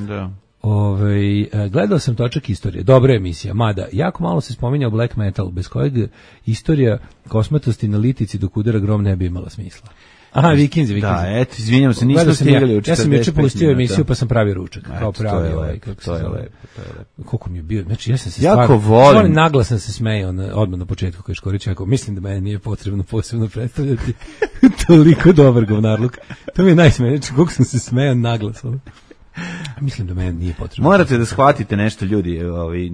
Da. Ove, gledao sam Točak istorije, dobra emisija, mada jako malo se spominjao black metal, bez kojeg istorija kosmatosti na litici dok udara grom ne bi imala smisla. Aha, Vikinzi, Vikinzi. Da, eto, izvinjam se, nismo stigali ja, ja sam juče pustio emisiju pa sam pravio ručak, eto, kao pravi to ovaj, kako to je lepo, to je lepo. Koliko mi je bio, znači ja sam se jako stvarno, volim. stvarno naglasno se smejao odmah na početku kad Škorić rekao, mislim da mene nije potrebno posebno predstavljati toliko dobar govnarluk. To mi je najsmešnije, koliko sam se smejao naglasno. Mislim da meni nije potrebno. Morate da shvatite nešto, ljudi. Ovaj,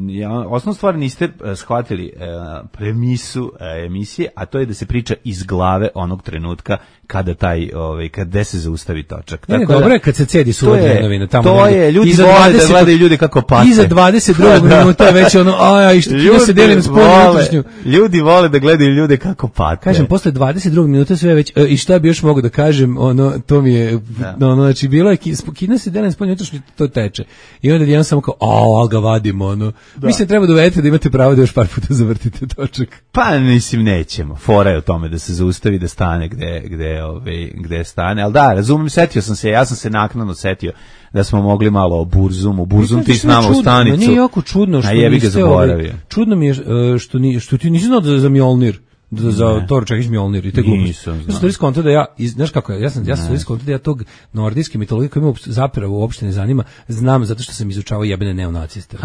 osnovnu stvar niste shvatili uh, premisu uh, emisije, a to je da se priča iz glave onog trenutka kada taj, ovaj, kada se zaustavi Točak. Ne, ne, dobro je kad se cedi suva dnenovina. Tamo to je, ljudi vole da gledaju ljudi kako pate. Iza dvadeset drugog minuta je već ono, a i što kino se delim spolju unutrašnju. Ljudi vole da gledaju ljude kako pate. Kažem, posle dvadeset drugog minuta sve već, e, i šta bi još mogu da kažem, ono, to mi je, da. ono, znači, bilo je, kino se delim spolju unutrašnju, to teče. I onda jedan samo kao, a, al ga vadimo, ono. Da. Mislim, treba da uvedete da imate pravo da još par puta zavrtite Točak. Pa, mislim, nećemo. Fora je o tome da se zaustavi, da stane gde, gde, ove, gde stane. Ali da, razumem, setio sam se, ja sam se naknadno setio da smo mogli malo o Burzumu. Burzum ti s nama u stanicu. Meni je jako čudno što niste ovaj, čudno mi je što, ni, što ti nisi znao da za Mjolnir. Da, za Thor čekiš Mjolnir i te gluposti. Ja sam to iskonto da ja, znaš kako je, ja sam, ja sam to iskonto da ja tog nordijske mitologije koja me zapravo uopšte ne zanima, znam zato što sam izučavao jebene neonaciste.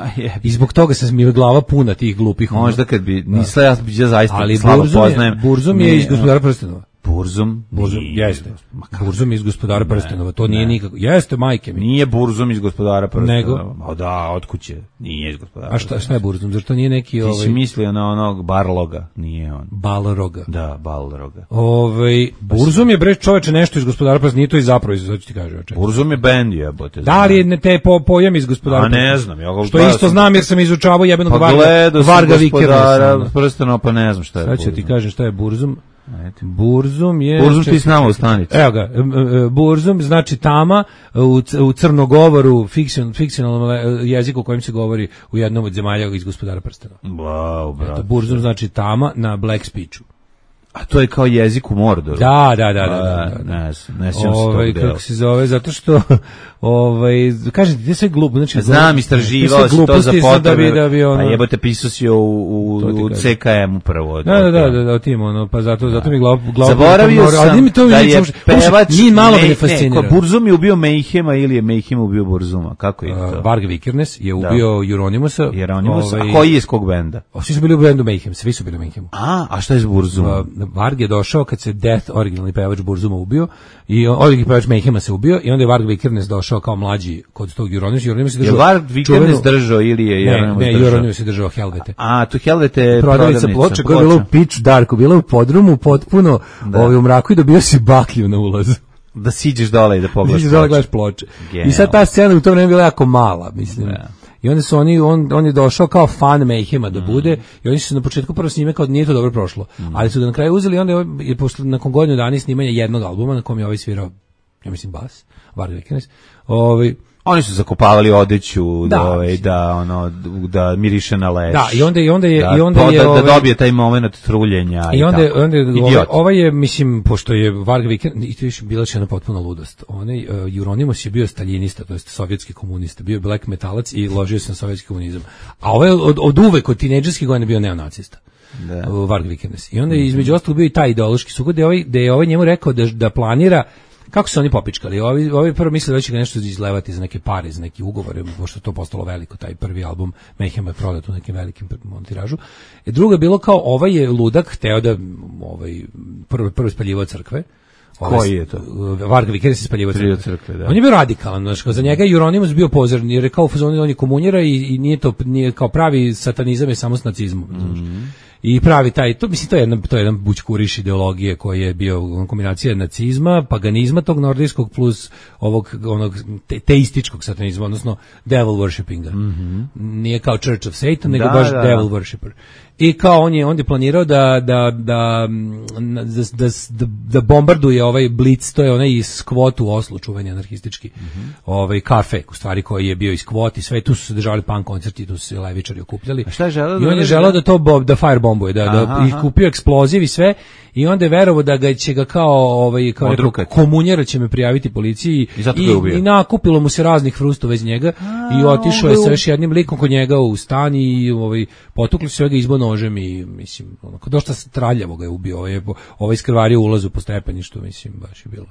I zbog toga se mi je glava puna tih glupih. Možda kad bi, nisla ja, ja zaista slabo poznajem. Burzum je iz Gospodara prstenova. Burzum, Burzum jeste. Burzum iz Gospodara prstenova, to nije nikako. Jeste, majke mi. Nije Burzum iz Gospodara prstenova. Nego, o da, od kuće. Nije iz Gospodara. A šta, šta je Burzum? Zašto nije neki Ti ovaj? si mislio na onog Barloga, nije on. Balroga. Da, Balroga. Ovaj Burzum je bre čoveče nešto iz Gospodara prstenova, nije to iz zapravo, sad ću ti kažem, čoveče. Burzum je bend, jebote. Da li je te po, pojam iz Gospodara prstenova? A ne znam, ja ga što isto znam jer sam izučavao jebenog pa Varga, Varga Vikera prstenova, pa ne znam šta je. Sad ću ti kažem šta je Burzum. Burzum je... Burzum ti s nama u stanici. Evo ga, Burzum znači tama u, u crnogovoru, fikcion, fikcionalnom jeziku kojim se govori u jednom od zemalja iz Gospodara prstenova. Wow, brate. Burzum znači tama na Black Speechu. A to je kao jezik u Mordoru. Da, da, da, da, da, da. Ne, ne sjećam se Ovaj, tog dela. kako se zove, zato što ovaj kažete ti sve glupo, znači znam, istraživao si to za potrebe, da bi, da bi ono, pa jebote, pisao si u, u, u C K M-u prvo. Da, da, da, da, da, tim, ono, pa zato, zato mi glav, glav, zaboravio sam ali mi to da je pevač, ni malo me ne fascinira. Burzum je ubio Mayhema ili je Mayhem ubio Burzuma, kako je to? Varg Vikernes je ubio Jeronimusa. Jeronimusa, a koji je iz kog benda? Svi su bili u bendu Mayhem, svi su bili u Mayhemu. A, a šta je s Burzumom? Varg je došao kad se Death, originalni pevač Burzuma, ubio, i originalni pevač Mayhema se ubio, i onda je Varg Vikernes došao kao mlađi kod tog Jeronimusa. Jeronimus je držao. Je Varg Vikernes držao ili je Jeronimus držao? Ne, Jeronimus je držao Helvete. A, tu Helvete je prodavnica ploča koja je bila u pitch darku, bila u podrumu, potpuno ovaj, u mraku i dobio si baklju na ulazu. Da siđeš dole i da pogledaš ploče. Da dole gledaš ploče. Genial. I sad ta scena u to vreme bila jako mala, mislim. Da. I onda su oni, on, on je došao kao fan Mayhema da bude, mm. i oni su na početku prvo snime kao nije to dobro prošlo, mm. ali su ga na kraju uzeli i onda je posle, nakon godinu dana snimanja jednog albuma na kom je ovaj svirao, ja mislim bas, Varg Vikernes, ovaj, oni su zakopavali odeću da, da, ovaj, da ono da miriše na leš. Da, i onda i onda je da, i onda je da, ovaj, da dobije taj momenat truljenja i, i onda tako. onda ovaj, ovaj je mislim pošto je Varg Vikernes i to je bila jedna potpuna ludost. Onaj uh, Jeronimus je bio staljinista, to jest sovjetski komunista, bio black metalac i ložio se na sovjetski komunizam. A ovaj od, od uvek od tinejdžerskih godina bio neonacista. Da. Uh, Varg Vikernes. I onda je između ostalog bio i taj ideološki sukob da ovaj da je ovaj njemu rekao da da planira. Kako su oni popičkali? Ovi, ovi prvo mislili da će ga nešto izlevati za neke pare, za neki ugovor, pošto je to postalo veliko, taj prvi album Mayhem je prodat u nekim velikim tiražu. I drugo je bilo kao, ovaj je ludak, hteo da, ovaj, prvo, prvo spaljivao crkve. Ovaj, koji je to? Varg Vikernes je spaljivao crkve. crkve da. On je bio radikalan, znači, za njega je Jeronimus bio pozorn, jer je kao fazon, on je komunjera i, i nije to, nije kao pravi satanizam je samo s nacizmom. Mm-hmm. I pravi taj, to mislim to je jedna to je jedan bućkuriš ideologije koji je bio kombinacija nacizma, paganizma tog nordijskog plus ovog onog te, teističkog satanizma, odnosno devil worshipinga. Mm-hmm. Nije kao Church of Satan, nego da, baš da, devil worshipper. I kao on je on je planirao da da da da, da, da, da bombarduje ovaj Blitz, to je onaj iz Skvot u Oslu, čuveni anarhistički mm-hmm. ovaj kafe, u stvari koji je bio iz Skvot i sve tu su se držali punk koncerti, tu su se levičari okupljali. A šta je želeo? I on je želeo da to bob, da firebombuje, da, aha, da i kupio eksploziv i sve, i onda je verovao da ga će ga kao ovaj kao rekao, komunjera će me prijaviti policiji i, i, i nakupilo mu se raznih frusta vez njega. A, i otišao je sa još jednim likom kod njega u stan i ovaj potukli su ga izbo nožem i mislim onako dosta traljavo ga je ubio, ovaj ovaj iskrvario ulazu po stepeništu, mislim baš je bilo.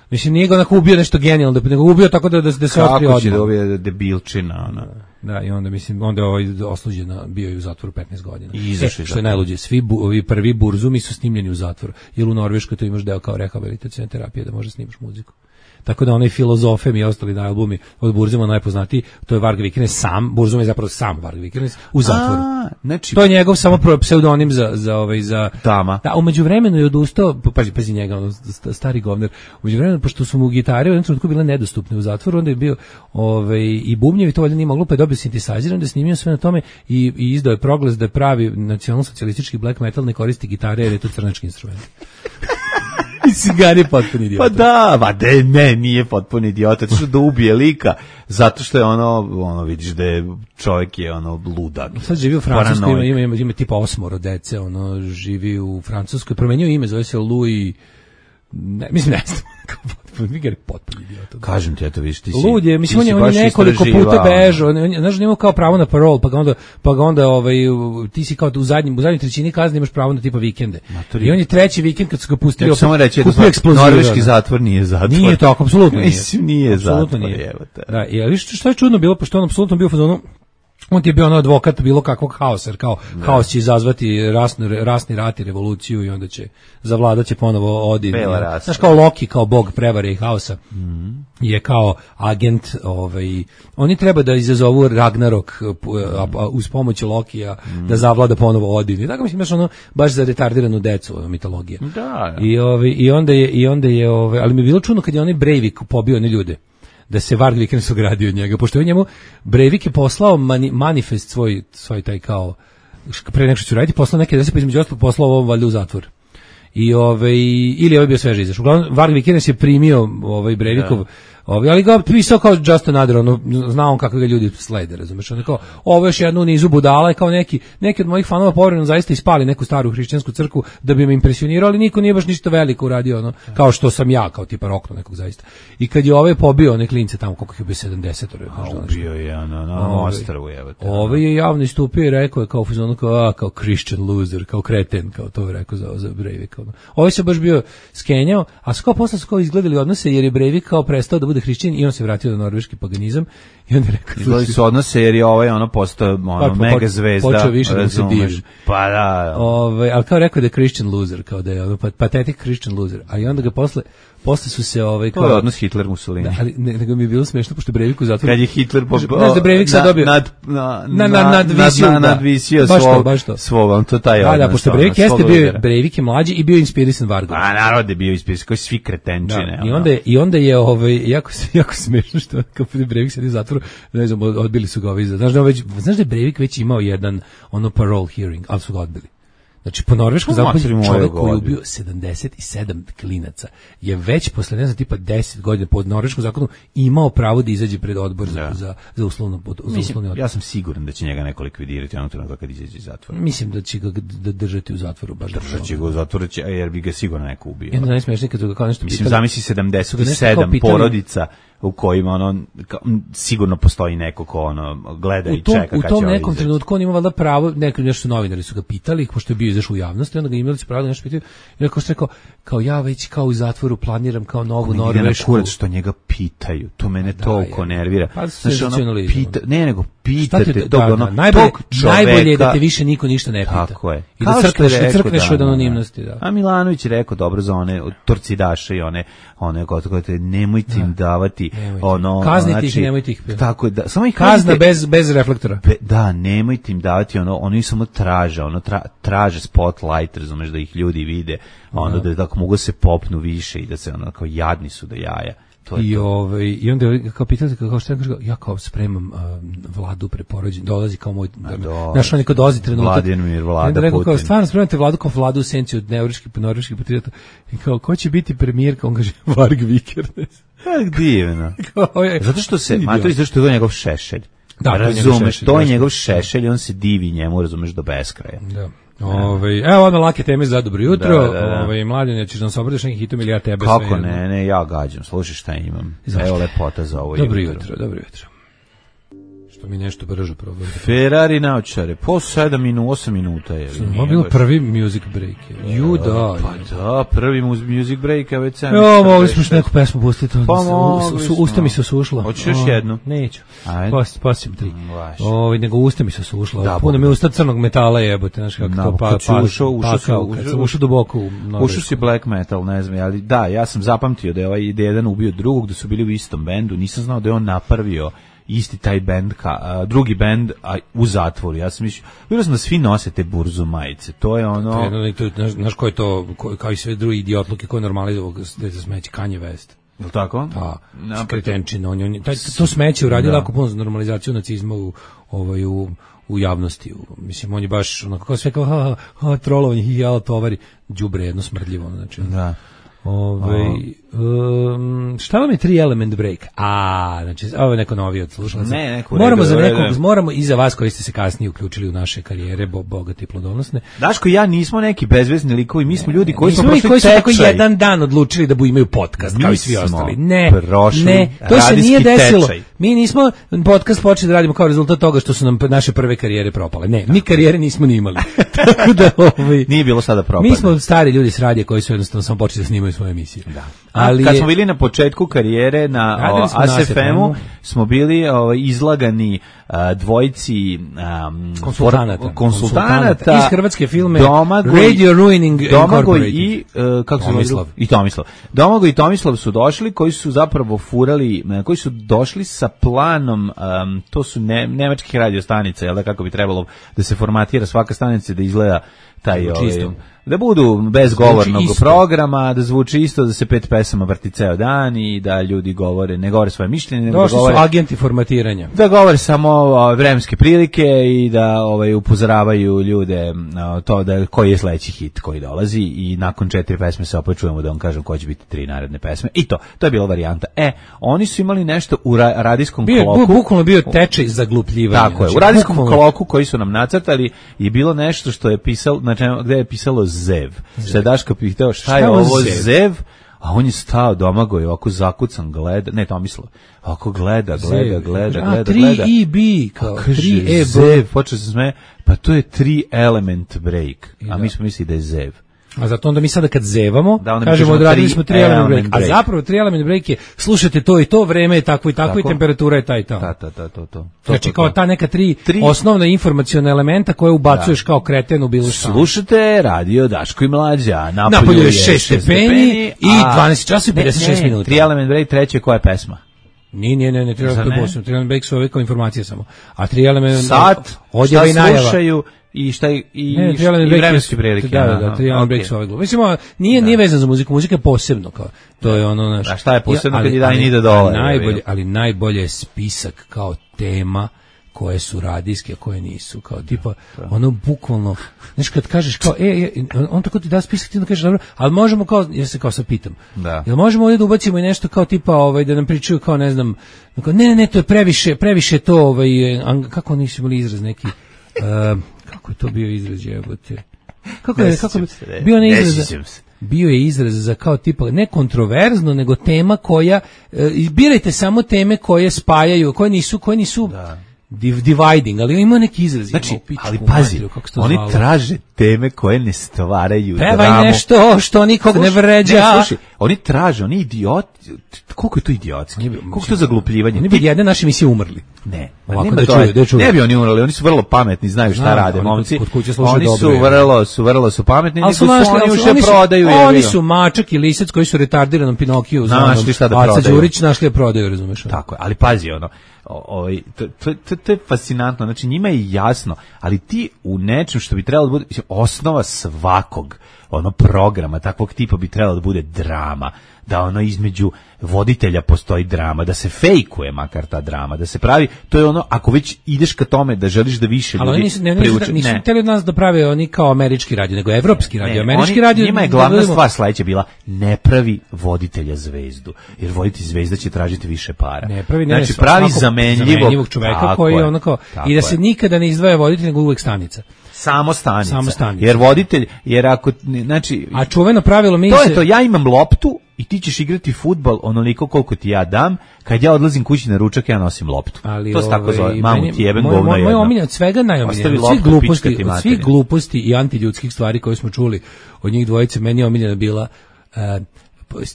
Mislim nije ga onako ubio nešto genijalno, nego ubio tako da da, da se otkrio odmah. Kako će da ubije debilčina, ona. Da, i onda mislim onda je ovaj osuđen, bio je u zatvoru petnaest godina. I izašao, e, što je najluđe, svi bu, ovi prvi Burzumi su snimljeni u zatvoru. Jer u Norveškoj to imaš deo kao rehabilitacione terapije da možeš snimaš muziku. Tako da onaj Filozofem i ostali na albumi od Burzuma najpoznatiji, to je Varg Vikernes sam, Burzum je zapravo sam Varg Vikernes u zatvoru. A, znači, to je njegov samo pseudonim za za ovaj za Tama. Da, umeđu vremenu je odustao, pazi, pazi njega, on stari govner. Umeđu vremenu pošto su mu gitare u jednom trenutku bile nedostupne u zatvoru, onda je bio ovaj i bubnjevi, to valjda nije moglo, pa je dobio sintesajzer, onda je snimio sve na tome i, i izdao je proglas da pravi nacionalno-socijalistički black metal ne koristi gitare jer je to crnački instrument. Cigani potpuni idiot. Pa da, ba de, ne, nije potpuni idiot, zato što da ubije lika, zato što je ono, ono vidiš da je čovjek je ono ludak. Sad živi u Francuskoj, ima, ima, ima, ima tipa osmoro dece, ono živi u Francuskoj, promenio ime, zove se Louis, ne, mislim ne znam, Viger potpuno idiot. Kažem ti, eto vidiš, ti si. Lud je, mislim on je, on je nekoliko puta bežao, znaš, nema kao pravo na parol, pa ga onda pa ga onda ovaj ti si kao u zadnjem u zadnjoj trećini kazne imaš pravo na tipa vikende. Maturi. I on je treći vikend kad su ga pustili, opet samo reći da norveški zatvor nije zatvor. Nije to, apsolutno nije. Mislim nije zatvor, evo te. Da, i viš što je čudno bilo, pošto on apsolutno bio u fazonu. On ti je bio ono advokat bilo kakvog haosa, jer kao ne. Haos će izazvati rasni, rasni rat i revoluciju i onda će zavladat će ponovo Odin. Znaš, kao Loki, kao bog prevare i haosa, mm-hmm. je kao agent, ovaj, oni treba da izazovu Ragnarok mm-hmm. uz pomoć Lokija, mm-hmm. da zavlada ponovo Odin. I tako mislim, baš ono, baš za retardiranu decu mitologija. Da, da. I, ovaj, i onda je, i onda je ovaj, ali mi je bilo čudno kad je onaj Breivik pobio one ljude, da se Varg Vikernes ogradio od njega, pošto je njemu Breivik je poslao mani, manifest svoj, svoj taj kao, pre nek što ću raditi, poslao neke desi, pa između ostalog poslao ovom valjda u zatvor. I ovaj, ili ovaj bio sveže izašao. Uglavnom, Varg Vikernes je primio ovaj Breivikov Ovi, ali ga pisao kao Just Another, ono, znao on kako ga ljudi slede, razumeš, ono kao, ovo još jednu nizu budala, kao neki, neki od mojih fanova povremeno zaista ispali neku staru hrišćansku crkvu da bi me impresionirao, ali niko nije baš ništa veliko uradio, ono, kao što sam ja, kao tipa rokno nekog zaista. I kad je ovaj pobio one klince tamo, koliko ih je bio sedamdeset, a ubio je, ono, na ostrvu, evo te. Ovaj je javno istupio i rekao je kao fuzonu, kao, a, kao Christian loser, kao kreten, kao to je rekao za, za Breivika. Ovaj se baš bio skenjao, a su kao posle su kao izgledali odnose, jer je Breivik kao prestao da bude hrišćanin i on se vratio na norveški paganizam i on je rekao... Izgledali su odnose jer je ovaj ono postao ono, pa, mega zvezda. Počeo više da se divim. Pa da. Ove, ali kao rekao da je Christian loser, kao da je ono, pathetic Christian loser, a i onda ga posle posle su se ovaj kao to je odnos Hitler Mussolini. Da, ali ne, nego mi je bilo smešno pošto Breivik u zatvoru. Kad je Hitler po znaš da Breivik sad dobio nad na na na nadvisio na, nadvisio baš svog to, baš to. svog, on to taj da, odnos. Da, pošto Breivik jeste bio, Breivik je mlađi i bio inspirisan Vargom. A narod je bio inspirisan, kao svi kretenčine. Da, i onda je, i onda je ovaj jako jako smešno što kao Breivik sedi u zatvoru, ne znam, odbili su ga ovi. Znaš da već znaš da je Breivik već imao jedan ono parole hearing, al su ga odbili. Znači, po norveškom zakonu čovjek koji je ubio sedamdeset sedam klinaca je već posle, ne znam, tipa deset godina po norveškom zakonu imao pravo da izađe pred odbor za, za, za uslovno za uslovni odbor. Ja sam siguran da će njega neko likvidirati onog trenutka kad izađe iz zatvora. Mislim da će ga da držati u zatvoru. Baš držat će ga u zatvoru, jer bi ga sigurno neko ubio. Jedno najsmešnije kad su ga kao nešto pitali. Mislim, zamisli sedamdeset sedam porodica u kojima ono kao, sigurno postoji neko ko ono gleda i čeka kad će u tom nekom izaći. Trenutku on ima valjda pravo, neki nešto novinari su ga pitali pošto je bio izašao u javnosti, onda ga imali su pravo da nešto pitaju i rekao što rekao kao ja već kao u zatvoru planiram kao novu norvešku. Kurac što njega pitaju, to mene da, toliko je. nervira. Pa, znači, ono, pita, ne nego pitate te, tog da, ono da, najbolje, tog čoveka. Najbolje je da te više niko ništa ne pita. Tako je. I da crkneš, da crkneš od anonimnosti. Da. A Milanović je rekao dobro za one torcidaše i one, one koje te nemojte im davati ono, kazniti ih, nemojte ih. Tako da, samo ih kazna bez, bez reflektora. Be, da, nemojte im davati ono, oni samo traže, ono tra, traže spotlight, razumeš da ih ljudi vide, ono da, da tako mogu se popnu više i da se ono kao jadni su do jaja. To I to. ovaj i onda kao pitate kao šta kaže ja kao spremam uh, vladu preporođen dolazi kao moj naš on dolazi trenutak Vladimir Vlada rekao, Putin kao stvarno spremate vladu kao vladu u senci od norveških norveških patriota i kao ko će biti premijer kao on kaže Varg Vikernes. Kako divno. Zato što se ma to je zašto je to njegov šešelj. Da, razumeš, to je njegov šešelj i on se divi njemu, razumeš, do beskraja. Da. Ove, evo ono lake teme za dobro jutro. Da, da, da. Ove, Mladine, ćeš nam se obradiš nekih hitom ili ja tebe? Kako sve, ne, ne, ja gađam, slušaj šta imam. Zašto? Evo lepota za ovo dobro jutro. jutro. Dobro jutro. Što mi nešto brže probao. Ferrari naočare, po sedam minuta, osam minuta je. Ovo bilo prvi music break. Ju da. Pa da, prvi music break, a već sam. Jo, mogli smo što neku pesmu pustiti. Pa su, usta mi se osušla. Hoćeš još jednu? Neću. Ajde. Posljem tri. Ovaj nego usta mi se osušla. Da, puno mi usta crnog metala jebote, znaš kako to pa pa. Ušao, ušao, ušao duboko u noge. Ušao si black metal, ne znam, ali da, ja sam zapamtio da je ovaj jedan ubio drugog, da su bili u istom bendu, nisam znao da je on napravio isti taj bend, ka, a, drugi bend a, u zatvoru. Ja sam mislio, vidio sam da svi nose te burzu majice. To je ono... To je, to, znaš ko je to, ko, kao i sve drugi idiotluke, ko je normalizovao da se smeće Kanye West. Je li tako? Pa, skretenčina. On, on, taj, to smeće uradio lako puno za normalizaciju nacizma u, ovaj, u, u javnosti. U, mislim, on je baš onako kao sve kao ha, ha, ha, trolovanje, hi, jala, tovari, đubre jedno smrdljivo. Znači, da. Ove, um, šta vam je tri element break? A, znači, ovo je neko novi od slušalaca. Ne, neko moramo za nekog, moramo i za vas koji ste se kasnije uključili u naše karijere, bo, bogate i plodonosne. Daško i ja nismo neki bezvezni likovi, mi smo ljudi koji nismo smo prošli koji su tako tečaj. jedan dan odlučili da bu imaju podcast, mi kao i svi ostali. Ne, prošli ne, to se nije desilo. Tečaj. Mi nismo podcast počeli da radimo kao rezultat toga što su nam naše prve karijere propale. Ne, mi karijere nismo ni imali. Tako da, ovaj, nije bilo sada propalo. Mi smo stari ljudi s radija koji su jednostavno samo počeli da snimaju svoje emisije. Da. Ali kad smo bili na početku karijere na A S F M-u, smo bili o, izlagani a, dvojici um, konsultanata. konsultanata iz Hrvatske filme Domagoj, Radio Ruining Domagoj i uh, kako se Tomislav. I Tomislav. Domagoj i Tomislav su došli, koji su zapravo furali, koji su došli sa planom, um, to su ne, nemačkih radio stanica, jel da, kako bi trebalo da se formatira svaka stanica da izgleda taj ovaj, da budu bez govornog programa, da zvuči isto, da se pet pesama vrti ceo dan i da ljudi govore, ne govore svoje mišljenje, nego da govore, su agenti formatiranja. Da govore samo o, vremenske prilike i da ovaj upozoravaju ljude o, to da koji je sledeći hit koji dolazi i nakon četiri pesme se opet čujemo da on kaže ko će biti tri naredne pesme. I to, to je bila varijanta. E, oni su imali nešto u ra, radijskom bio, kloku. Bukvalno bio tečaj zaglupljivanja. Tako je. U radijskom bukvalno kloku koji su nam nacrtali je bilo nešto što je pisalo, znači gde je pisalo Zev. Šta je Daško pitao, šta, šta je ovo Zev? Zev? A on je stao Domagoj, ovako zakucan gleda, ne Tomislav, ovako gleda, gleda, gleda, gleda, a, tri gleda. E B, kao tri E B. Zev, počeo se sme, pa to je tri element break, a mi smo mislili da je Zev. A zato onda mi sada kad zevamo, da, kažemo odradili smo tri element break. break. A zapravo tri element break je, slušajte to i to, vreme je takvo i takvo tako? I temperatura je ta i ta. Ta, ta, ta, to, to. Znači to, to, kao ta neka tri, tri... osnovna informaciona elementa koje ubacuješ da. Kao kreten u bilo šta. Slušajte radio Daško i Mlađa, napolju, napolju je šest stepeni i dvanaest časova i pedeset šest minuta. Tri element break, treće koja je pesma? Nije, nije, nije, ne, tri element break su ove kao informacije samo. A tri element sat, šta slušaju i šta i, i, ne, i vremenske prilike. Da, da, da, tri element break su ove glupe. Mislimo, nije, nije vezan za muziku, muzika je posebno. Kao, to je ono, naš, a šta je posebno kad je daj nide dole? Najbolje, ali najbolje je spisak kao tema koje su radijske, a koje nisu, kao tipa, ono bukvalno, znaš kad kažeš kao, e, e on tako ti da spisak, ti da kažeš, dobro, ali možemo kao, ja se kao sad pitam, da. Jel možemo ovdje da ubacimo i nešto kao tipa, ovaj, da nam pričaju kao, ne znam, kao, ne, ne, ne, to je previše, previše to, ovaj, kako nisu imali izraz neki, uh, kako je to bio izraz, jebote, kako je, kako je, bio ne izraz, bio je izraz za kao tipa, ne kontroverzno, nego tema koja, uh, birajte samo teme koje spajaju, koje nisu, koje nisu, da. Dividing, ali ima neki izraz. Znači, ali pazi, oni zvalo. Traže teme koje ne stvaraju Pevaj dramu. Pevaj nešto što nikog sluši, ne vređa. Ne, sluši, oni traže, oni idioti, koliko je to idiotski, koliko je to zaglupljivanje. Oni bi jedne naše emisije umrli. Ne, ovako da čuju, da čuju. Ne bi oni umrli, oni su vrlo pametni, znaju šta Znam, rade, momci. Kod kuće oni dobro, su vrlo, su vrlo su pametni, ali su našli, oni ali uše oni su, prodaju. Oni su Mačak i Lisac koji su retardiranom Pinokiju, našli šta da prodaju. Aca Đurić našli da prodaju, razumeš? Tako je, ali pazi ono. Ovaj to, to, to, to je fascinantno, znači njima je jasno, ali ti u nečem što bi trebalo da bude osnova svakog ono programa takvog tipa bi trebalo da bude drama, da ono između voditelja postoji drama, da se fejkuje makar ta drama, da se pravi, to je ono, ako već ideš ka tome da želiš da više ljudi ali nisu, ne, priuče, nisu ne. Hteli od nas da prave oni kao američki radio, nego evropski radio, ne, američki oni, radio. Njima je glavna stvar sledeća bila, ne pravi voditelja zvezdu, jer voditelj zvezda će tražiti više para. Ne pravi, ne, znači, pravi zamenljivog, zamenljivog čoveka koji je ono kao, i da se je. Nikada ne izdvaja voditelj, nego uvek stanica. Samo stanica. Samo stanica. Jer voditelj, jer ako, znači... A čuveno pravilo mi to se... je to, ja imam loptu i ti ćeš igrati fudbal onoliko koliko ti ja dam, kad ja odlazim kući na ručak, ja nosim loptu. Ali to se tako zove, mamu ti jebem moj, govno moj, jedno. Moj omiljen od svega najomiljen, od svih gluposti, od svih gluposti i antiljudskih stvari koje smo čuli od njih dvojice, meni je omiljena bila... Uh,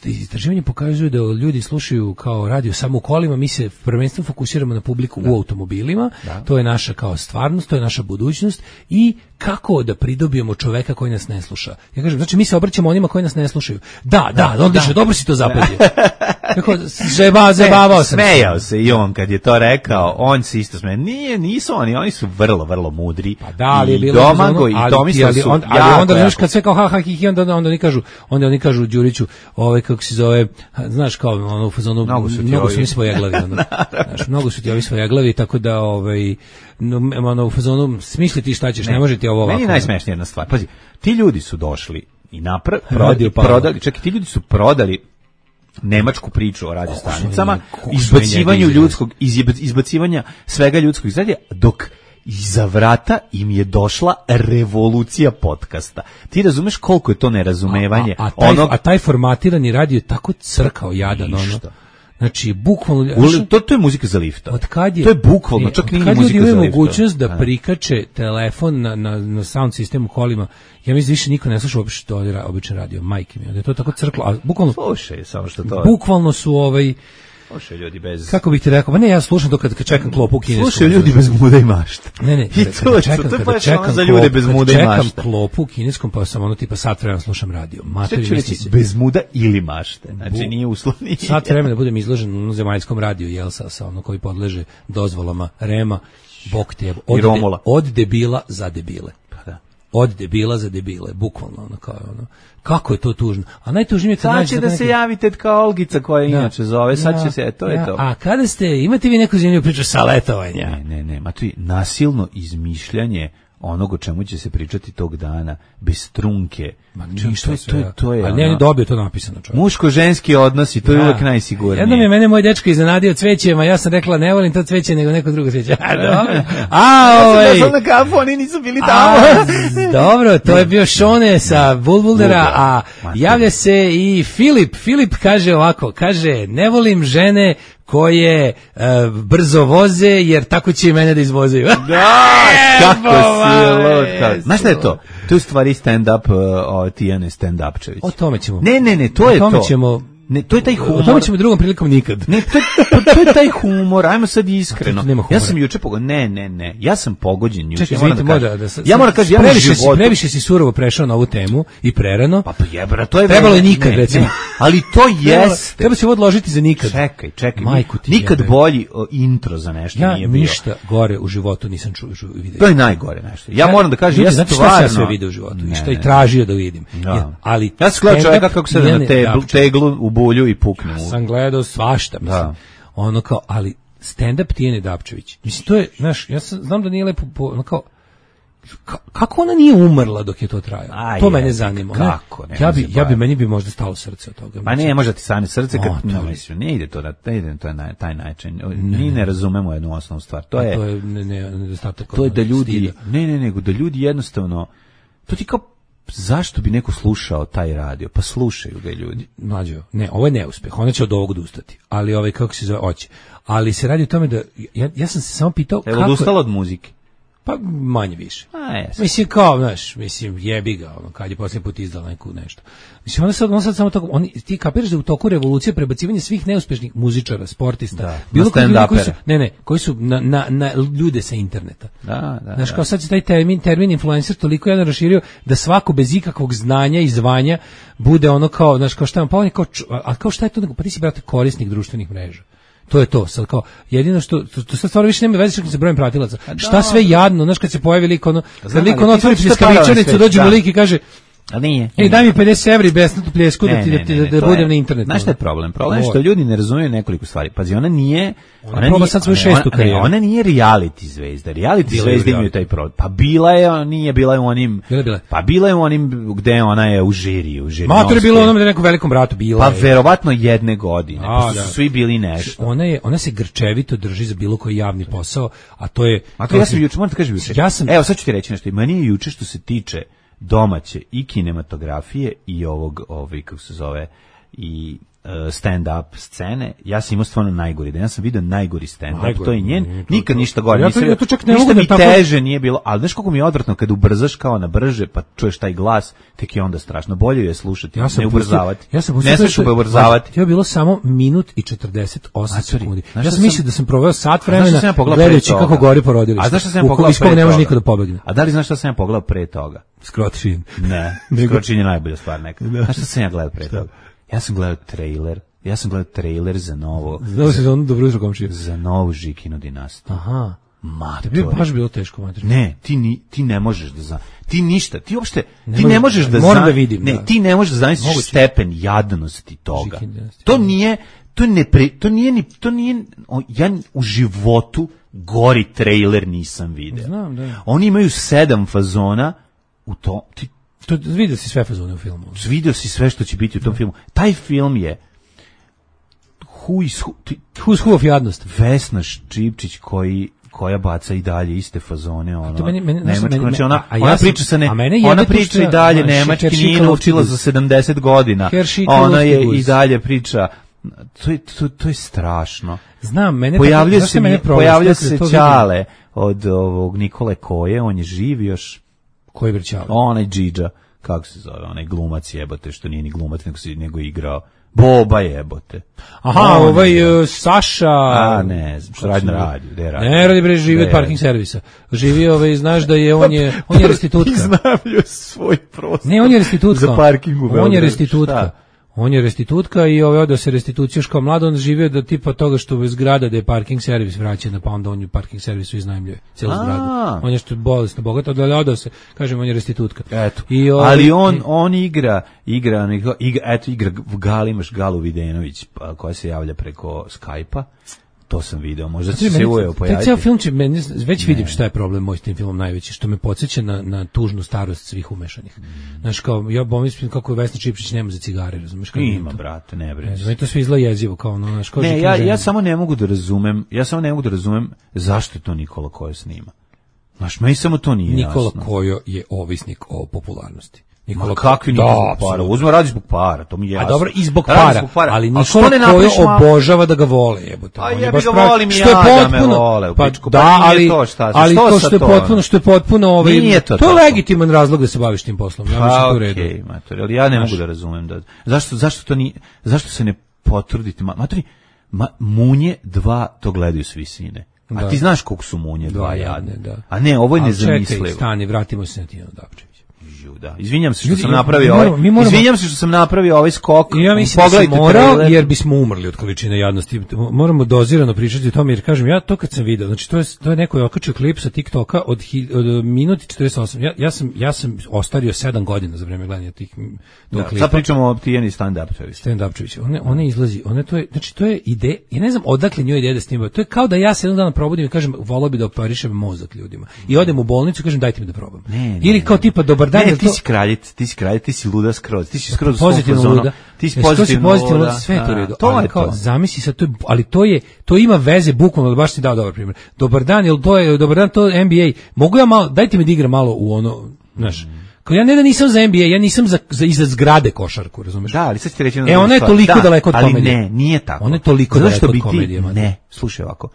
istraživanje pokazuju da ljudi slušaju kao radio samo u kolima, mi se prvenstveno fokusiramo na publiku da. U automobilima, da. To je naša kao stvarnost, to je naša budućnost i kako da pridobijemo čoveka koji nas ne sluša. Ja kažem, znači mi se obraćamo onima koji nas ne slušaju. Da, da, da odlično, da. Dobro si to zapazio. Kako zeba, zebavao sam. Smejao se i on kad je to rekao, on se isto smeje. Nije, nisu oni, oni su vrlo, vrlo mudri. Pa da, ali je bilo Domago i Tomislav su on, ali onda znaš kad sve kao ha ha hi hi onda onda oni kažu, onda oni kažu Đuriću, ovaj kako se zove, znaš kao ono u fazonu mnogo su ti ovi svojeglavi, ono. Znaš, mnogo su ti ovi svojeglavi, tako da ovaj no, ono u fazonu smisli ti šta ćeš, ne, ne može ti ovo ovako. Meni je najsmešnija jedna stvar. Pazi, ti ljudi su došli i napra prodali, prodali, čekaj, ti ljudi su prodali nemačku priču o radiostanicama, izbacivanju ljudskog, izbacivanja svega ljudskog izradija, dok iza vrata im je došla revolucija podcasta. Ti razumeš koliko je to nerazumevanje? A, a, a, taj, onog... a taj formatirani radio je tako crkao jadan, ono. Znači, bukvalno... U, to, to je muzika za lifta. Od kad je, to je bukvalno, čak nije muzika za lifta. Od kad ljudi imaju mogućnost da prikače telefon na, na, na sound sistemu kolima, ja mislim više niko ne sluša uopšte običan radio, majke mi, da je to tako crklo, a bukvalno... Slušaj, samo što to... Bukvalno su ovaj... Slušaju ljudi bez... Kako bih ti rekao? Pa ne, ja slušam to kad, kad čekam klopu u kineskom. Slušaju ljudi bez muda i mašta. Ne, ne, I to, čekam, to je baš ono za ljude bez muda i mašta. Čekam klopu u kineskom, pa sam ono tipa sat vremena slušam radio. Materi, ću reći, bez muda ili mašte. Znači, nije uslovni. Sat vremena da budem izložen u zemaljskom radiju, jel, sa, sa ono koji podleže dozvolama Rema, bok te, od, de, od debila za debile. Pa da. od debila za debile, bukvalno ono kao ono. Kako je to tužno? A najtužnije kad nađete da se javite kao Olgica koja inače zove, sad će se, to je to. A kada ste, imate vi neku zanimljivu priču sa letovanja? Ne, ne, ne, ma to je nasilno izmišljanje onog o čemu će se pričati tog dana, bez trunke. Ma ništa, to, to, to, to je. Ali ne, on je dobio to napisano, čovjek. Muško-ženski odnosi, to je uvijek najsigurnije. Jednom je mene moj dečko iznenadio cvećima, ja sam rekla ne volim to cveće nego neko drugo cveće. A, dobro. A, ovaj. Ja sam došla na kafu, oni nisu bili tamo. A, dobro, to je bio Šone sa Bulbuldera, a javlja se i Filip. Filip kaže ovako, kaže, ne volim žene koje uh, brzo voze, jer tako će i mene da izvozaju. Da, kako si lud. Znaš šta je to? To je u stvari stand-up, uh, Tijane stand-upčević. O tome ćemo. Ne, ne, ne, to je to. O tome ćemo. Ne, to je taj humor. O tome ćemo drugom prilikom nikad. Ne, to je, to je taj humor, ajmo sad iskreno. Nema ja sam juče pogođen, ne, ne, ne, ja sam pogođen juče. Čekaj, ja moram da, da, da, da, ja moram kažem, ja previše, životu... si, previše si surovo prešao na ovu temu i prerano. Pa, pa jebra, to je... Trebalo je nikad, ne, recimo. Ne, ali to jeste. Treba se ovo odložiti za nikad. Čekaj, čekaj. Majku ti nikad jebe. bolji o, intro za nešto ja nije bio. Ja ništa gore u životu nisam čuo vidio. To je najgore nešto. Ja, ja moram da kažem, ljudi, ja znači stvarno... šta sam sve video u životu i šta i tražio da vidim. Ja, ja ali ja sam gledao čovjeka kako se na teglu, teglu u bulju i pukne. Sam gledao svašta, mislim. Da. Ono kao, ali stand-up Tijane Dapčević. Mislim, to je, znaš, ja sam, znam da nije lepo, po, ono kao, ka, kako ona nije umrla dok je to trajalo? A to je, mene zanima. Kako? Ne, ja bi, ja bi, meni bi možda stalo srce od toga. Pa ne, možda ti stane srce kad, o, no, mislim, ne ide to, ne ide to na taj način. Mi ne razumemo jednu osnovnu stvar. To je, to je ne, ne, nedostatak. To je da ljudi, stida. ne, ne, nego da ljudi jednostavno, to ti kao, zašto bi neko slušao taj radio? Pa slušaju ga ljudi. Mlađo, ne, ovo je neuspeh. Ona će od ovog odustati. Ali ovaj kako se zove, hoće. Ali se radi o tome da ja, ja sam se samo pitao Evo, kako odustala od muzike. Pa manje više. A, jesam. Mislim kao, znaš, mislim jebi ga, ono kad je posljednji put izdala neku nešto. Mislim ona sad, ona sad samo tako, oni ti kapiraš da u toku revolucije prebacivanje svih neuspešnih muzičara, sportista, da, bilo koji su, ne, ne, koji su na, na, na ljude sa interneta. Da, da. Znaš, kao sad se taj termin, termin influencer toliko jedan raširio da svako bez ikakvog znanja i zvanja bude ono kao, znaš, kao šta vam, pa on je kao, a kao šta je to, pa ti si brate korisnik društvenih mreža. To je to, sad kao, jedino što, to, to sad stvarno više nema veze sa brojem pratilaca. Šta sve jadno, znaš kad se pojavi lik ono, kad lik ono otvori pljeskavičanicu, dođe mu lik i kaže, a nije. Ej, daj mi pedeset evra i besplatnu pljesku da ti da, ti, da, da budem na internetu. Znaš šta je problem? Problem je što ljudi ne razumiju nekoliko stvari. Pazi, ona nije, ona, ona nije, sad svoju šestu karijeru. Ona nije reality zvezda. Reality zvezde imaju taj problem. Pa bila je, nije bila je u onim, bila, bila. pa bila je u onim gde ona je u žiriju, u žiri. Mater je bilo u onom da nekom velikom bratu bila. Pa je. Verovatno jedne godine. A, pa su da. Svi bili nešto. Ona je, ona se grčevito drži za bilo koji javni posao, a to je. A to ja sam juče, moram da kažem juče. Ja sam, evo sad ću ti reći nešto. Meni je juče što se tiče domaće i kinematografije i ovog, ovaj, kako se zove, i uh, stand-up scene, ja sam imao stvarno najgori, da ja sam vidio najgori stand-up, najgori, to je njen, nije, to, nikad to, ništa gore, ja to, ja to čak ne ništa mogu mi da teže tako... nije bilo, ali znaš kako mi je odvratno kad ubrzaš kao na brže, pa čuješ taj glas, tek je onda strašno, bolje je slušati, ja ne ubrzavati, ja sam ne smiješ ubrzavati. To je bilo samo minut i četrdeset osam sekundi. Ja sam mislio da sam proveo sat vremena gledajući kako gori porodilište. A znaš šta sam ja pogledao pre toga? Ne može niko da pobegne. A da li znaš šta sam ja pogledao pre toga? Skročin. Ne, Skročin je najbolja stvar nekad. Znaš šta sam ja gledao pre toga? Ja sam gledao trailer, ja sam gledao trailer za novo... Znao se za ono Dobro jutro komšije? Za novu Žikinu dinastiju. Aha. Matori. To bi baš bilo teško, matori. Ne, ti, ni, ti ne možeš da znaš. Ti ništa, ti uopšte, ne ti ne možeš da moram da vidim. Ne, da. ti ne možeš da zamisliš stepen jadnosti toga. To nije, to ne pre, to nije ni, to nije, ja u životu gori trailer nisam video. Znam, da. Oni imaju sedam fazona u to, ti to vidio si sve fazone u filmu. Vidio si sve što će biti u tom filmu. Taj film je who is who, ti, who's who of jadnost. Vesna Ščipčić koji koja baca i dalje iste fazone, ono. To meni, meni, nemačko, meni, znači ona, a ja ona sam, priča se ne, a ona priča i dalje nemački, nije naučila za sedamdeset godina. Ona je i dalje priča. To je, to, to je strašno. Znam, mene pojavlja tako, se, mene pojavlja se Ćale od ovog Nikole Koje, on je živ još. Koji vrćao? Onaj Džidža, kako se zove, onaj glumac jebote, što nije ni glumac, nego, si, nego igrao. Boba jebote. Aha, on ovaj uh, Saša... A, ne znam, što radi na radiju, gde radi? Ne radi, bre, živi od parking servisa. Živi, ovaj, znaš da je, on je, on je restitutka. Iznajmio svoj prostor. Ne, on je restitutka. Za parking u Beogradu. On je restitutka. On je restitutka i ovaj odao se restitucija još kao mlad, on živio da tipa toga što bez zgrada da je parking servis vraćena, pa onda on je parking servisu iznajmljuje celu zgradu. On je što bolesno bogato, da odao se, kažem, on je restitutka. Eto. I ovaj, ali on on igra, igra, igra, eto igra Gal, imaš Galu Videnović koja se javlja preko Skype-a. To sam video, možda će se uveo pojaviti. Ceo film će, meni, već vidim šta je problem moj s tim filmom najveći, što me podsjeća na, na tužnu starost svih umešanih. Mm. Znaš, kao, ja pomislim kako je Vesna Čiplić nema za cigare, razumeš? Kao ima, to, brate, ne brini. Ne, to sve izgleda jezivo, kao ono, znaš, kao ne, ja, ja samo ne mogu da razumem, ja samo ne mogu da razumem zašto to Nikola Kojo snima. Znaš, meni samo to nije Nikola jasno. Nikola Kojo je ovisnik o popularnosti. Nikola kakvi da, para, uzme radi zbog para, to mi je jasno. A dobro, i zbog para, zbog para. Ali Nikola Kojo obožava da ga vole, jebote. A ja bih ga volim i ja da me vole u pičku, pa, da, ali, to šta, ali to što je potpuno, što je potpuno ovaj, to, to je legitiman razlog da se baviš tim poslom, ja mislim to u redu. Okej, mater, ali ja ne mogu da razumem da, zašto, zašto to ni, zašto se ne potrudite, mater, ma, Munje dva to gledaju s visine. A da. Ti znaš koliko su Munje dva jadne, da. A ne, ovo je nezamislivo. Čekaj, stani, vratimo se na Tijanu Dapčević. Da. Izvinjam se što sam napravio ovaj. Izvinjam se što sam napravio ovaj skok. Ja mislim da sam morao, jer bismo umrli od količine jadnosti. Moramo dozirano pričati o tome, jer kažem, ja to kad sam video, znači to je, to je neko je okačio klip sa TikToka od, od minuti četrdeset osam. Ja, ja, sam, ja sam ostario sedam godina za vreme gledanja tih da, klipa. Sad pričamo o Tijani stand-upčević. Stand-upčević. One, one izlazi, one to je, znači to je ide, ja ne znam odakle njoj ideja da snima. To je kao da ja se jednog dana probudim i kažem, volao bi da operišem mozak ljudima. I odem u bolnicu i kažem, dajte mi da probam. Ne, ne, ili kao tipa, dobar dan. Ne, ti si kraljic, ti si kraljic, ti si luda skroz, ti si skroz pozitivno luda, ti si pozitivno luda, sve je to u redu. To je kao, zamisli sad, to je, ali to je, to ima veze bukvalno, baš ti dao dobar primjer. Dobar dan, jel to je, dobar dan, to je N B A, mogu ja malo, dajte mi da igram malo u ono, znaš, kao ja ne da nisam za N B A, ja nisam za, za iza zgrade košarku, razumeš? Da, ali sad ti reći e, ona je toliko da, daleko od komedije. Ali ne, nije tako. Ona je toliko daleko od komedije. Ne, slušaj ovako,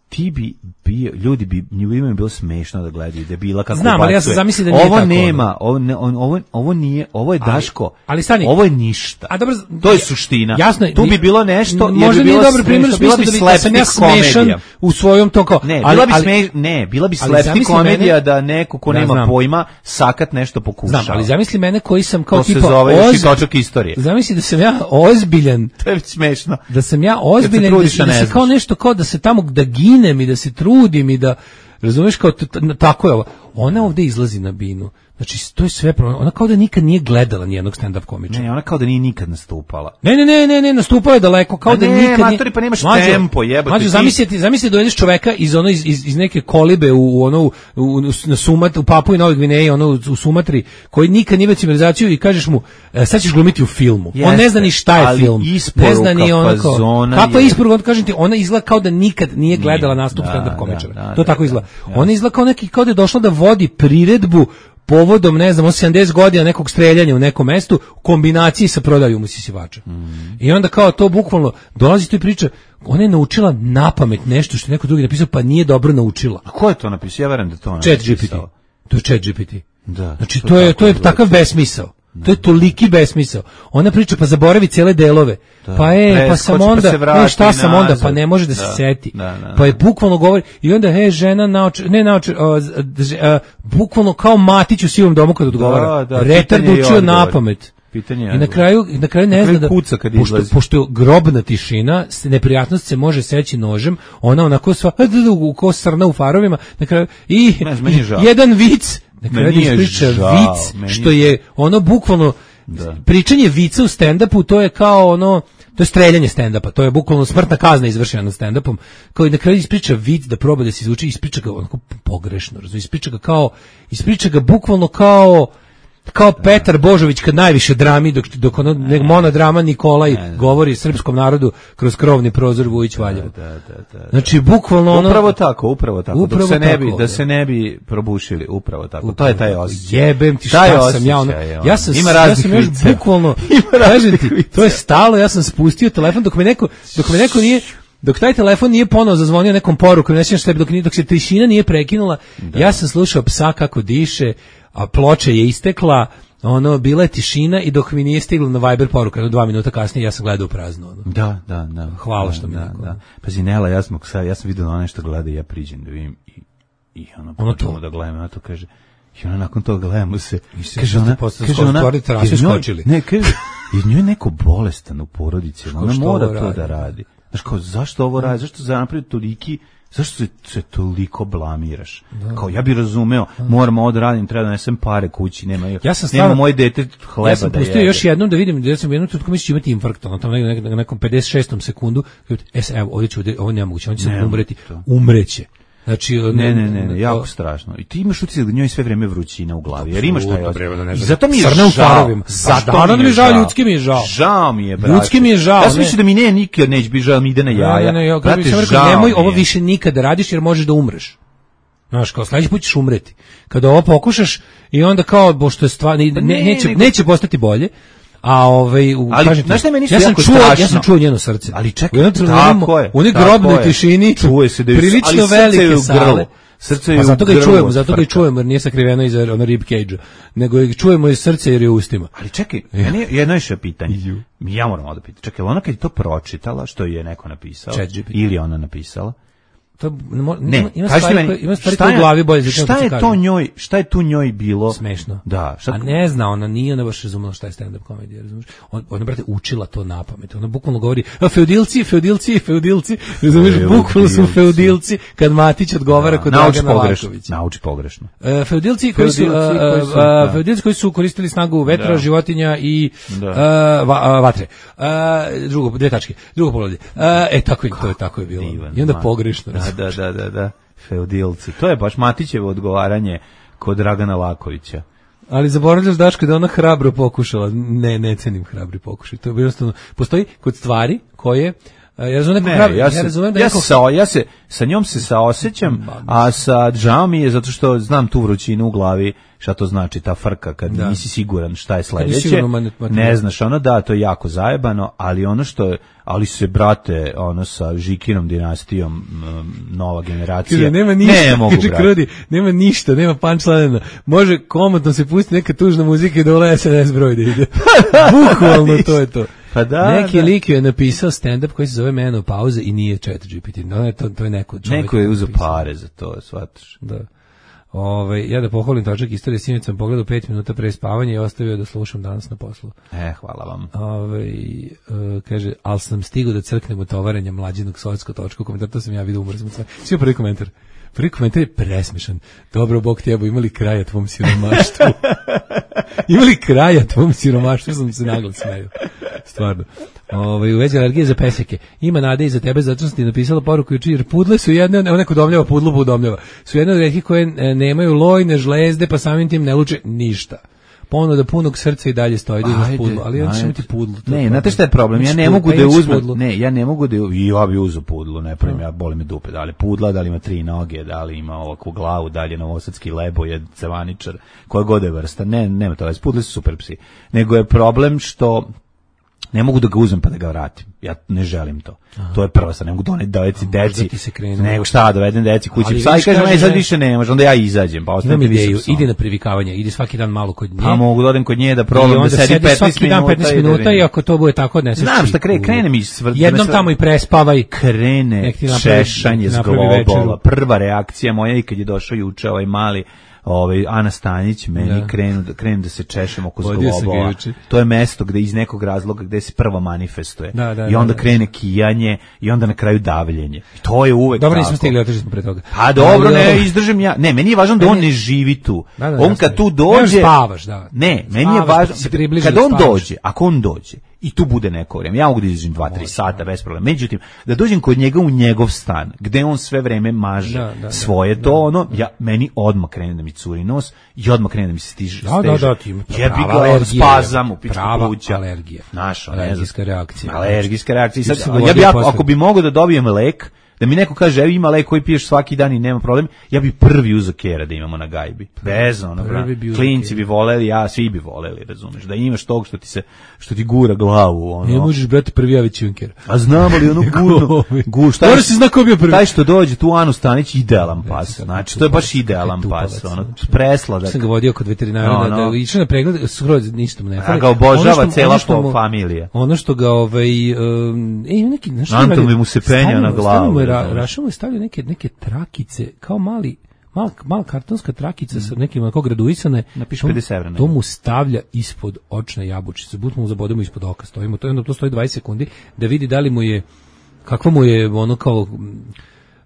ti bi bio, ljudi bi, njima bi bilo smešno da gledaju, da je bila kako znam, ali ja sam zamislio da nije ovo tako. Nema, ovo nema, ovo, ovo nije, ovo je Daško, ali, ali stani, ovo je ništa. A dobro, to je suština. Jasno, tu bi bilo nešto, možda nije dobar primjer u smislu da, da sam ja smešan u svojom to kao. Ne, bila bi smeš, ne, bila bi slepti komedija da neko ko nema pojma sakat nešto pokušava. Znam, ali zamisli mene koji sam kao tipa to se zove još i točak istorije. Zamisli da sam ja ozbiljan. To je smešno. Da sam ja ozbiljan, da se kao nešto kao da se tamo da ginem i da se trudim i da razumeš kao tako je ovo. Ona ovde izlazi na binu. Znači, to je sve problem. Ona kao da nikad nije gledala nijednog stand-up komičara. Ne, ona kao da nije nikad nastupala. Ne, ne, ne, ne, ne, nastupala je daleko, kao A da ne, nikad nije... Ne, pa nemaš mađo, tempo, jebote. Mađo, zamislite, zamislite dovedeš čoveka iz ono iz, iz, iz neke kolibe u ono u, u, na Sumat, u Papui i Novoj Gvineji, ono u, u Sumatri, koji nikad nije civilizaciju i kažeš mu, e, sad ćeš glumiti u filmu. Jeste, on ne zna ni šta je film. Ne zna ni ono kao. Kako je isporuka, kažem ti, ona izgleda kao da nikad nije gledala nastup da, stand-up komičara. Da, da, to da, tako izgleda. Da, ona izgleda kao neki kao da je došla da vodi priredbu povodom, ne znam, sedamdeset godina nekog streljanja u nekom mestu u kombinaciji sa prodajom usisivača. Mm. I onda kao to bukvalno dolazi tu i priča, ona je naučila napamet nešto što je neko drugi napisao, pa nije dobro naučila. A ko je to napisao? Ja verujem da to napisao. Chat G P T. To je Chat G P T. Da. Znači to, to je to je takav besmisao. To je toliki besmisao. Ona priča, pa zaboravi cijele delove. Da, pa e, pa sam onda, pa ne, šta sam onda, pa ne može da, da se seti. Da, da, da. Pa je bukvalno govori, i onda, he, žena nauči, ne nauči, bukvalno kao Matić u sivom domu kad odgovara. Da, da, retard učio napamet. Pitanje I na kraju, na kraju ne zna da, kuca kad pošto, pošto je grobna tišina, neprijatnost se može seći nožem, ona onako sva, ko srna u farovima, na kraju, i, ne, i jedan vic, na kraju da ispriča vic, što je ono bukvalno, da. Pričanje vica u stand-upu, to je kao ono, to je streljanje stand-upa, to je bukvalno smrtna kazna izvršena na stand-upom, kao i na kraju ispriča vic da proba da se izvuče, ispriča ga onako pogrešno, razumiješ, ispriča ga kao, ispriča ga bukvalno kao, kao Petar Božović kad najviše drami, dok, dok ono ne, monodrama Nikolaj ne, ne. govori srpskom narodu kroz krovni prozor Vujić Valjevo. Da, da, da, da. Znači bukvalno ono upravo tako, upravo tako, upravo dok se ne bi tako, da se ne bi probušili, upravo tako. Upravo, to je taj osjećaj. Jebem ti šta taj sam ja ono. Ja sam ima ja sam još bukvalno kažem ti, to je stalo, ja sam spustio telefon dok me neko dok me neko nije dok taj telefon nije ponovo zazvonio nekom porukom, ne sjećam šta je, dok, dok se tišina nije prekinula, da. Ja sam slušao psa kako diše, a ploča je istekla, ono, bila je tišina i dok mi nije stiglo na Viber poruka, no dva minuta kasnije ja sam gledao u prazno. Ono. Da, da, da. Hvala da, što mi da, neko. Da. Pazi, Nela, ja sam, ja sam vidio na nešto gleda i ja priđem da vidim i, i ono, ono počemo da gledamo, a to kaže, i ona nakon toga gledamo se, kaže ona, kaže ona, kaže ona, ne, kaže, I njoj je neko bolestan u porodici, ona mora to radi? da radi. Znaš, kao, zašto ovo radi? Zašto za napravio toliki, zašto se, se toliko blamiraš? Da. Kao, ja bih razumeo, moram ovo da radim, treba da nesem pare kući, nema, ja sam nema moje dete hleba ja sam da jede. pustio još jednom da vidim, da sam jednom tutko misli imati infarkt, ono tamo na nekom pedeset šestom sekundu, es, evo, ovdje ću, ovo nema moguće, on će sad umreti, umreće. Znači, ne, ne, ne, ne, jako strašno. I ti imaš utisak da njoj sve vreme vrućina u glavi, jer imaš taj osjećaj. Zato mi je žao. Zato mi je žao, ljudski mi je žao. Žao mi je, brate. Ljudski mi je žao. Ja sam mislio da mi ne nikad neće biti žao, mi ide na jaja. Ne, ne, ne, brate, žao. Nemoj ovo više nikad da radiš jer možeš da umreš. Znaš, kao sledeći put ćeš umreti. Kada ovo pokušaš i onda kao, bo što je stvar, ne, ne, neće, nego... neće postati bolje. A ovaj, u, ali, kažete, znaš šta je meni ja sam jako čuo, strašno? Ja sam čuo njeno srce. Ali čekaj, tako je. U onoj grobnoj tišini, čuje se da je, prilično velike sale. Srce je pa zato ga i čujemo, zato ga i frka. čujemo, jer nije sakriveno iza ono rib cage-a, nego ga čujemo iz srca jer je u ustima. Ali čekaj, meni jedno još pitanje. Ja moram da pitam. Čekaj, ona kad je to pročitala, što je neko napisao, ili ona napisala, to ne, ne, ima stvari, meni, koje, ima stvari koje u glavi bolje šta je to kažem. njoj, šta je tu njoj bilo smešno? Da, šta... A ne zna, ona nije ona baš razumela šta je stand up komedija, razumiješ? On, ona brate učila to napamet. Ona bukvalno govori: "A feudilci, feudilci, feudilci", razumiješ? Bukvalno su feudilci kad Matić odgovara da, kod Dragana Lakovića. Nauči pogrešno. E, feudilci koji su, feudilci koji su, a, feudilci koji su koristili snagu vetra, da. životinja i da. a, va, a, vatre. A, drugo, dve tačke. Drugo poglavlje. E tako je to je tako je bilo. Divan, I onda pogrešno. Da, da, da, da. Feudilci. To je baš Matićevo odgovaranje kod Dragana Lakovića. Ali zaboravljaš, Daško, da ona hrabro pokušala. Ne, ne cenim hrabri pokušaj. To je jednostavno, postoji kod stvari koje ja razumem neko hrabro, ja, se, ja razumem da ja, neko... sa, ja se sa njom se saosećam, a sa žao mi je zato što znam tu vrućinu u glavi, šta to znači ta frka kad da. nisi siguran šta je sledeće. Ne znaš, ono da, to je jako zajebano, ali ono što je, ali se brate, ono sa Žikinom dinastijom nova generacija. Kaže, nema ništa, ne mogu, kaže, krudi, nema ništa, nema punchline. Može komotno se pusti neka tužna muzika i dole es en es broj da ide. Bukvalno to je to. Pa da, neki da. lik je napisao stand-up koji se zove Menopauza i nije chat G P T. No, to, to je neko čovjek. Neko je uzeo pare za to, shvataš. Da. Ove, ja da pohvalim točak istorije, sinoć sam pogledao pet minuta pre spavanja i ostavio da slušam danas na poslu. E, hvala vam. Ove, uh, kaže, ali sam stigao da crknem u tovarenja mlađinog sovjetsko točku, komentar, to sam ja vidio, umro sam sve. Svi prvi komentar. Prvi komentar je presmešan. Dobro, Bog ti jebo, imali kraja tvom siromaštvu. Imali kraja tvom siromaštvu, sam se naglo smeju. Stvarno. Ovaj u vezi alergije za peseke. Ima nade i za tebe, zato sam ti napisala poruku juče, jer pudle su jedne, evo neko domljava, pudlu podomljava. Su jedne od retkih koje nemaju lojne žlezde, pa samim tim ne luče ništa. Ponuda punog srca i dalje stoji da imaš pudlu, ali ja ćeš imati pudlu. Ne, znate šta je problem? Ja ne mogu da uzmem, ne, ja ne mogu da i ja bih uzeo pudlu, ne pravim, ja boli me dupe, da li pudla, da li ima tri noge, da li ima ovakvu glavu, da li je novosadski lebojed, cevaničar, koja god je vrsta. Ne, nema to, pudle su super psi. Nego je problem što ne mogu da ga uzmem pa da ga vratim. Ja ne želim to. Aha. To je prva stvar. Ne mogu doneti deci, deci. Nego šta, dovedem deci kući. Psa i kažem, aj sad više ne može, onda ja izađem. Pa imam ideju, idi na privikavanje, idi svaki dan malo kod nje. Pa mogu da odem kod nje da probam da sedi petnaest minuta. Dan petnaest minuta i ako to bude tako odneseš. Znam šta krene, krene mi svrt. Jednom tamo i prespavaj. Krene češanje z globola. Prva reakcija moja i kad je došao juče ovaj mali ovaj Ana Stanić meni da. krenu da krenu da se češem oko zglobova. To je mesto gde iz nekog razloga gde se prvo manifestuje. Da, da, i onda da, krene kijanje i onda na kraju davljenje. I to je uvek dobro, nismo stigli, otišli smo pre toga. A dobro, ne, izdržim ja. Ne, meni je važno da on ne živi tu. Da, da, on kad tu dođe, ne spavaš, da. Ne, meni je važno kad on dođe, ako on dođe i tu bude neko vrijeme. Ja mogu da izađem dva tri sata bez problema. Međutim, da dođem kod njega u njegov stan, gde on sve vreme maže da, da, svoje da, to, da, ono, ja, meni odmah krene da mi curi nos i odmah krene da mi se stiže. Da, da, da, ti ja bih ga spazam u pičku pluća. Alergija. Naša, alergijska reakcija. Alergijska reakcija. Sad, ja bih, ako, ako bi mogao da dobijem lek, da mi neko kaže, evo ima lek koji piješ svaki dan i nema problem, ja bi prvi uzeo kera da imamo na gajbi. Bez ono, bi klinci bi voleli, ja, svi bi voleli, razumeš, da imaš tog što ti se, što ti gura glavu, ono. Ne možeš, brate, prvi ja već junker. A znamo li ono gurno, gu, šta je, si zna ko bio prvi. Taj što dođe tu Anu Stanić, idealan pas, znači, to je baš idealan pas, ono, presladak. Sam ga vodio kod veterinara, da, da išao na pregled, skroz ništa mu ne fali. A ga obožava cela familija. Ono što ga, ovaj, e, neki, znaš, Anton bi mu se penjao na glavu. Ra, Rašo mu je stavio neke, neke trakice, kao mali, Mala, mala kartonska trakica mm. sa nekim onako graduisane. Napiše pedeset evra. To mu stavlja ispod očne jabučice. Bud mu zabodemo ispod oka. Stojimo, to, to stoji dvadeset sekundi da vidi da li mu je, kakva mu je ono kao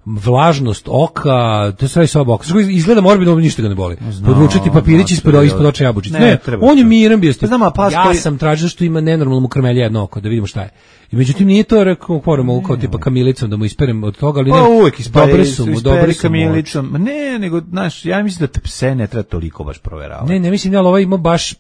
vlažnost oka, to sve soba oka. Izgleda morbidno, ništa ga ne boli. Podvučiti papirić ispod, ispod očne jabučice. Ne, ne on je miran bio. Znam, ja sam tražio što ima nenormalno mu krmelja jedno oko, da vidimo šta je. I međutim nije to rekao poremo kao tipa kamilicom da mu isperem od toga, ali ne. Pa uvek ispere, dobre su mu, dobre su kamilicom. Ma ne, nego znaš, ja mislim da te pse ne treba toliko baš proveravati. Ne, ne mislim da ovaj ima baš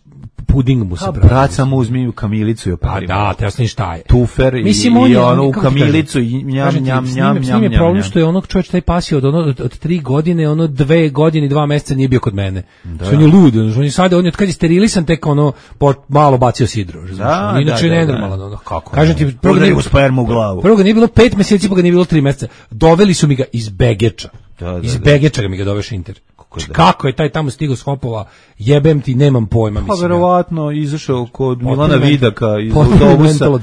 puding mu se pravi. Brat samo uzmi u kamilicu i operi. A da, te jasno šta je. Tufer i, mislim, i ono u kamilicu i njam, njam, njam, njam. S njim je problem što je onog čovječ taj pas je od, ono, od, od tri godine, ono dve godine i dva meseca nije bio kod mene. Da. On je lud, on je sada, on je od kad je sterilisan tek ono po, malo bacio sidro. Da, inače da, je da, nenormalan. da. Ono. Kako? Kažem ti, prvo ga nije u spermu u glavu. Prvo ga nije bilo pet meseci, pa ga nije bilo tri meseca. Doveli su mi ga iz Begeča. Da, da, iz da. Begeča mi ga doveš Inter. Kako, kako je taj tamo stigao s Hopova, jebem ti, nemam pojma. Pa verovatno izašao kod Milana Vidaka iz autobusa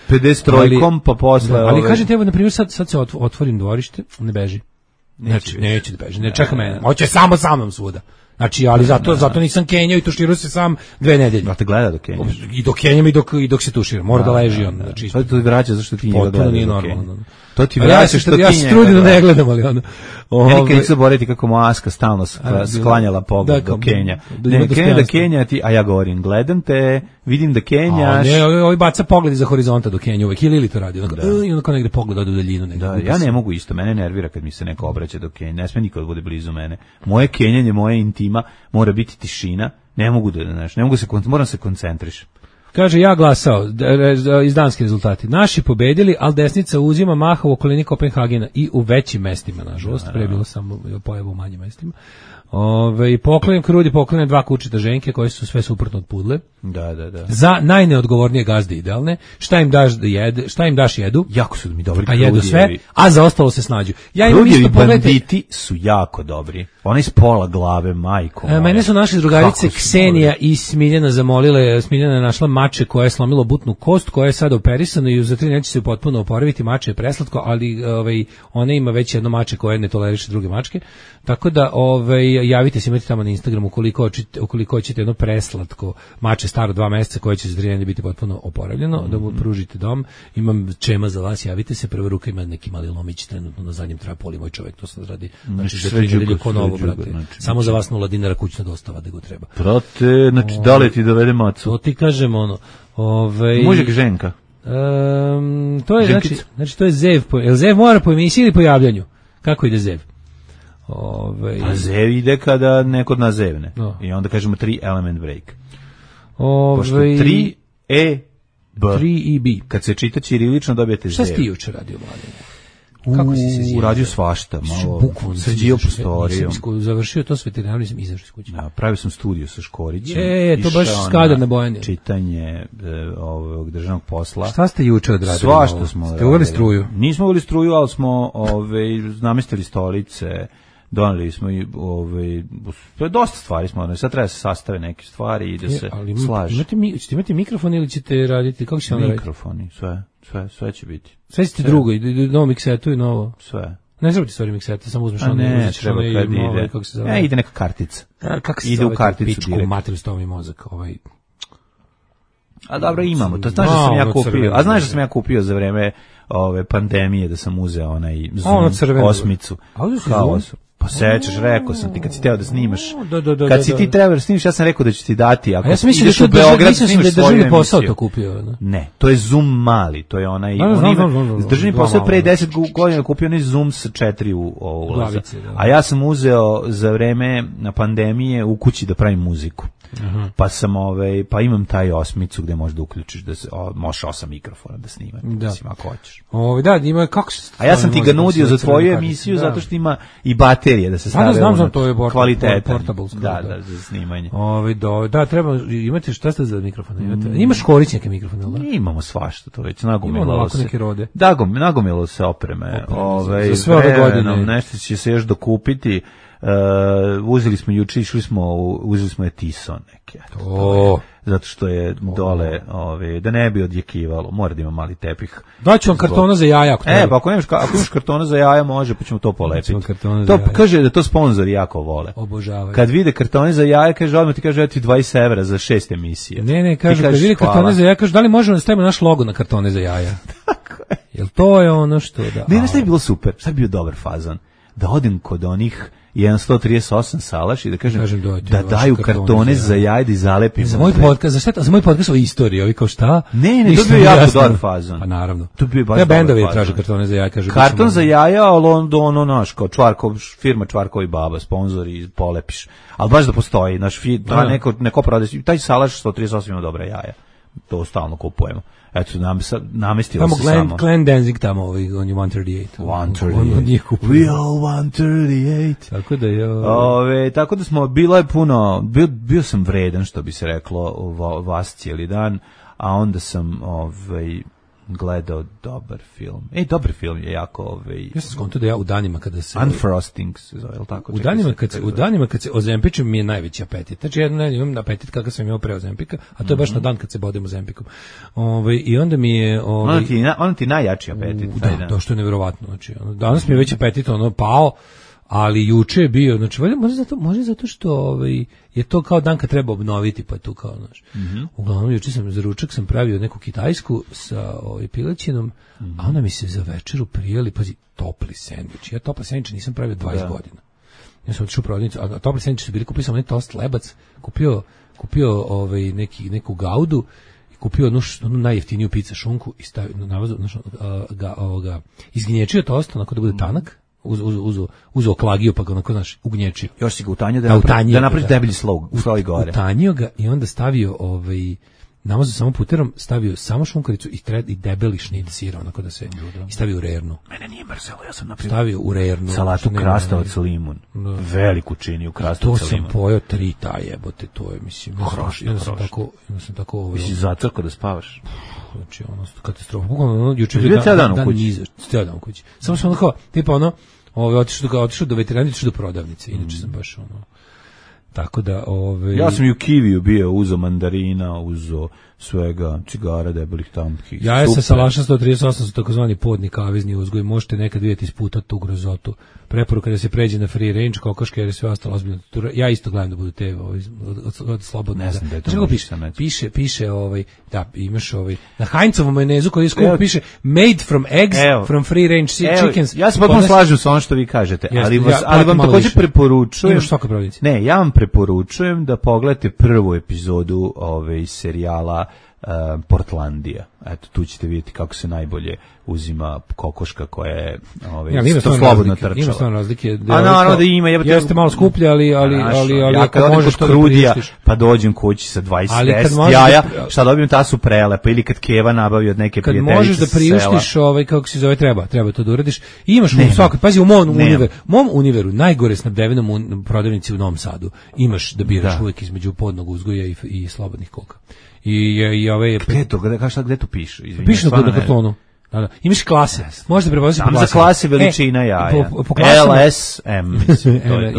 pedeset trojkom, pa posle... Da, ali ove... kažem te, evo, na primjer, sad, sad se otvorim dvorište, ne beži. Znači, neće da beži, ne čeka mene. Hoće samo sa mnom svuda. Znači, ali zato, zato nisam kenjao i tuširao se sam dve nedelje. Da te gleda dok kenjaš. I dok kenjam i dok, i dok se tušira. Mora da, da leži on. Znači, to ti vraća zašto ti njega gleda nije normalno. To ti vraća što ti ja se trudim da ne gledam, ali ono... Ja nikad nisam zaboraviti kako moja Aska stalno sklanjala pogled do Kenja. Ne, krene da Kenja ti, a ja govorim, gledam te, vidim da Kenjaš. Ne, ovaj baca pogled iza horizonta do Kenja uvek, ili ili to radi, i onda kao negde pogled od u daljinu. Da, ja ne mogu isto, mene nervira kad mi se neko obraća do Kenja, ne sme niko da bude blizu mene. Moje kenjanje, moje intima, mora biti tišina, ne mogu da, znaš, ne mogu se, moram se koncentrišem. Kaže, ja glasao, iz danski rezultati. Naši pobedili, ali desnica uzima maha u okolini Kopenhagena i u većim mestima, nažalost, pre bilo samo pojavu u manjim mestima. Ove, poklanjam krudi, poklanjam dva kučita ženke koje su sve suprotno od pudle. Da, da, da. Za najneodgovornije gazde idealne. Šta im daš da jede, šta im daš jedu? Jako su mi dobri. A jedu sve, a za ostalo se snađu. Ja im isto banditi su jako dobri. Oni iz pola glave, majko. E, mene su naše drugarice Ksenija i Smiljana zamolile, Smiljana je našla mače koje je slomilo butnu kost, koja je sada operisana i za tri neće se potpuno oporaviti, mače je preslatko, ali ovaj, ona ima već jedno mače koje ne toleriše druge mačke. Tako da ovaj, javite se, imate tamo na Instagramu ukoliko hoćete, ukoliko hoćete jedno preslatko mače staro dva meseca koje će za tri biti potpuno oporavljeno, mm-hmm. da mu pružite dom. Imam čema za vas, javite se, prva ruka ima neki mali lomić trenutno na zadnjem trapoli, moj čovjek to sad radi. Znači, znači sve džugo, ko novo, brate. Znači, samo za vas nula dinara kućna dostava da go treba. Brate, znači da li ti dovede macu? To ti kažem ono. Ovaj Mužek ženka. Um, to je znači, znači to je zev, po, jel zev mora po emisiji ili po javljanju? Kako ide zev? Ove, a zev ide kada neko nas zevne. No. I onda kažemo tri element break. Ove, Pošto tri e b. tri i b. Kad se čita ćirilično dobijete zev. Šta si ti juče radio, Mladine? Kako si se zjevio? Radio svašta, malo sređio prostoriju. Nisam završio to s veterinarom, nisam izašao iz kuće. Ja, pravio sam studiju sa Škorićem. Je, to baš skadar na Bojani. Čitanje e, ovog državnog posla. Šta ste juče odradili? Svašta smo odradili. Ste uveli struju? Nismo uveli struju, ali smo ove, namestili stolice, doneli smo i ove, dosta stvari smo, sad treba se sastave neke stvari i da se ali slaže. Imate, mi, ćete imati mikrofon ili ćete raditi, kako će vam raditi? Mikrofoni, sve, sve, sve će biti. Sve ćete drugo, i novo miksetu i novo? Sve. Ne treba ti stvari miksete, samo uzmeš ono. Ne, treba kad ide. Ovaj, kako se zove? Ne, ide neka kartica. A, kako se ide zove? U karticu pičku, materiju stomi mozak, ovaj... A dobro, imamo, to znaš da sam ja kupio, a znaš da sam ja kupio za vreme ove pandemije, da sam uzeo onaj Zoom osmicu. Kao pa sećaš, rekao sam ti kad si teo da snimaš. Da, da, da, kad si ti trebao da snimiš, ja sam rekao da ću ti dati, ako ja sam ideš da u Beograd, snimiš da državni posao to kupio, ne? Ne, to je Zoom mali, to je onaj, da, on ima, no, no, no, državni posao pre deset godina kupio onaj Zoom sa četiri u ulaza. A ja sam uzeo za vreme na pandemije u kući da pravim muziku. Aha. Pa sam ovaj pa imam taj osmicu gde možeš da uključiš da se o, možeš osam mikrofona da snimaš, da. Mislim, ako hoćeš. Ovaj da, ima kako se. A ja sam ti ga nudio za tvoju emisiju da. Zato što ima i baterije da se stave. Ja znam, znam, to je kvalitetan. Portable, da, da, za snimanje. Ovaj da, da, treba imate šta ste za mikrofone? Imate. Mm. Imaš Škorić neke mikrofone, da? Imamo svašta, to već nagomilalo se. Neke rode. Da, nagomilalo se opreme. opreme ovaj za sve ove godine. Nešto će se još dokupiti. Uh, uzeli smo juče, išli smo, uzeli smo Etison neke. O, zato što je dole, ove, da ne bi odjekivalo, mora da ima mali tepih. Daću vam kartona za jaja. Ako e, pa ako nemaš, ako imaš kartona za jaja, može, pa ćemo to polepiti. To jaja. Kaže da to sponzori jako vole. Obožavaju. Kad vide kartone za jaja, kaže, odmah ti kaže, ja ti dvadeset evra za šest emisije. Ne, ne, kažu, kažeš, kad vide kartone hvala. za jaja, kažu, da li možemo da stavimo naš logo na kartone za jaja? Tako je. Jel to je ono što da... Ne, ne, šta je bilo super, šta je bio dobar fazon? Da odim kod onih sto trideset osam Salaš i da kažem, kažem da daju kartone za jaja i zalepim. Za moj podcast, za šta, za moj podcast o istoriji, ovi kao šta? Ne, ne, to bi bio jako dobar fazon. Pa naravno. To bi bio baš ja dobar bendovi fazon. traže kartone za jaja, kažu. Karton za jaja, ali onda ono naš, kao Čvarkov, firma Čvarkovi baba, sponzori, polepiš. Ali baš da postoji, naš, da, neko, neko prodaje, taj Salaš sto trideset osam ima dobra jaja. To stalno kupujemo. Eto, nam, namestilo tamo se Glenn, samo. Glenn Danzig tamo, ovaj, on je one thirty-eight. one thirty-eight. We all one thirty-eight. Tako da je... Ove, tako da smo, bilo je puno, bio, bio sam vredan, što bi se reklo, vas cijeli dan, a onda sam ovaj, gledao dobar film. Ej, dobar film je jako... Ovaj, ja sam skonto da ja u danima kada se... Unfrosting se zove, je li tako? U danima, kad se, u danima kad se ozempičem mi je najveći apetit. Znači ja ne imam apetit kakav sam imao pre ozempika, a to je baš mm-hmm. na dan kad se bodem ozempikom. Ove, I onda mi je... Ove, ono, ti, ono ti najjači apetit. U, da, to što je nevjerovatno. Znači, ono, danas mi je već apetit ono pao, ali juče je bio, znači može zato, može zato što ovaj, je to kao dan kad treba obnoviti, pa tu kao, znaš. Mm-hmm. Uglavnom, juče sam za ručak sam pravio neku kitajsku sa ovaj, pilećinom, mm-hmm. a onda mi se za večeru prijeli, pazi, topli sendvič. Ja topli sendvič nisam pravio dvadeset da. godina. Ja sam otišao u prodavnicu, a topli sendvič su bili, kupio sam onaj tost lebac, kupio, kupio ovaj, neki, neku gaudu, kupio onu, onu najjeftiniju pizza šunku i stavio na navazu, znaš, ga, ovoga, izgnječio tost, onako da bude tanak, uz, uz, uz, uzeo klagiju pa ga onako, znaš, ugnječio. Još si ga utanjio da, da, napravi, da napraviš deblji slog, sloj gore. Utanjio ga i onda stavio, ovaj, namazao samo puterom, stavio samo šunkaricu i, tred, i debeli šnit sira, onako da se, Ljuda. I stavio u rernu. Mene nije mrzelo, ja sam napravio stavio u rernu. Salatu krastavac limun. Da. Veliku činiju krastavac limun. To sam pojeo tri ta jebote, to je, mislim, hroš, ja sam tako, ja sam tako, ovaj, mislim, zatrko da spavaš. Znači, ono, katastrofa. Ono, juče je dan, dan, dan, dan u kući. Cijel dan u kući. Samo sam ono kao, tipa ono, ovaj, otišao do, otišao do veterana, otišao do prodavnice. Inače sam baš ono, tako da, ove... Ja sam i u Kiviju bio, uzo mandarina, uzo svega, cigara, debelih tampkih. Ja sam Salaša sto trideset osam su takozvani podni kavezni uzgoj. Možete nekad vidjeti isputati tu grozotu. Preporuka da se pređe na free range, kokoške, jer je sve ostalo ozbiljno. Ja isto gledam da budu te ovaj, od, od slobodno. Ne znam da je to piše, piše, piše, ovaj, da, imaš ovaj, na Heinzovom majonezu koji je skup, piše made from eggs, evo, from free range evo, chickens. Ja se potpuno slažem sa ono što vi kažete, Jeste, ali, vas, ja, ali vam također preporučujem, ne, ja vam preporučujem da pogledate prvu epizodu ovaj, serijala uh, Portlandija. Eto, tu ćete vidjeti kako se najbolje uzima kokoška koja je ovaj, ja, ima slobodno trčala. Ima stvarno razlike. Da, a naravno da ima. Jebate, jeste malo skuplje, ali, ali, ali, ali, ali ja ako možeš to krudija, pa dođem kući sa dvadeset jaja, da, šta dobijem tasu prelepa, ili kad Keva nabavi od neke prijateljice. Kad možeš da priuštiš, ovaj, kako se zove, treba, treba to da uradiš. I imaš u svakoj, pazi, u mom univeru, mom univeru, najgore snabdevenom prodavnici u Novom Sadu, imaš da biraš da. Uvijek između podnog uzgoja i, i slobodnih koka. I, i, i ove... Gde to, gde, šta, gde to piše? Piše na, na kartonu. Da, da. Imaš klase. Možete prepoznati po klase. Za klase veličina e, jaja. Po, po klasama, L S M.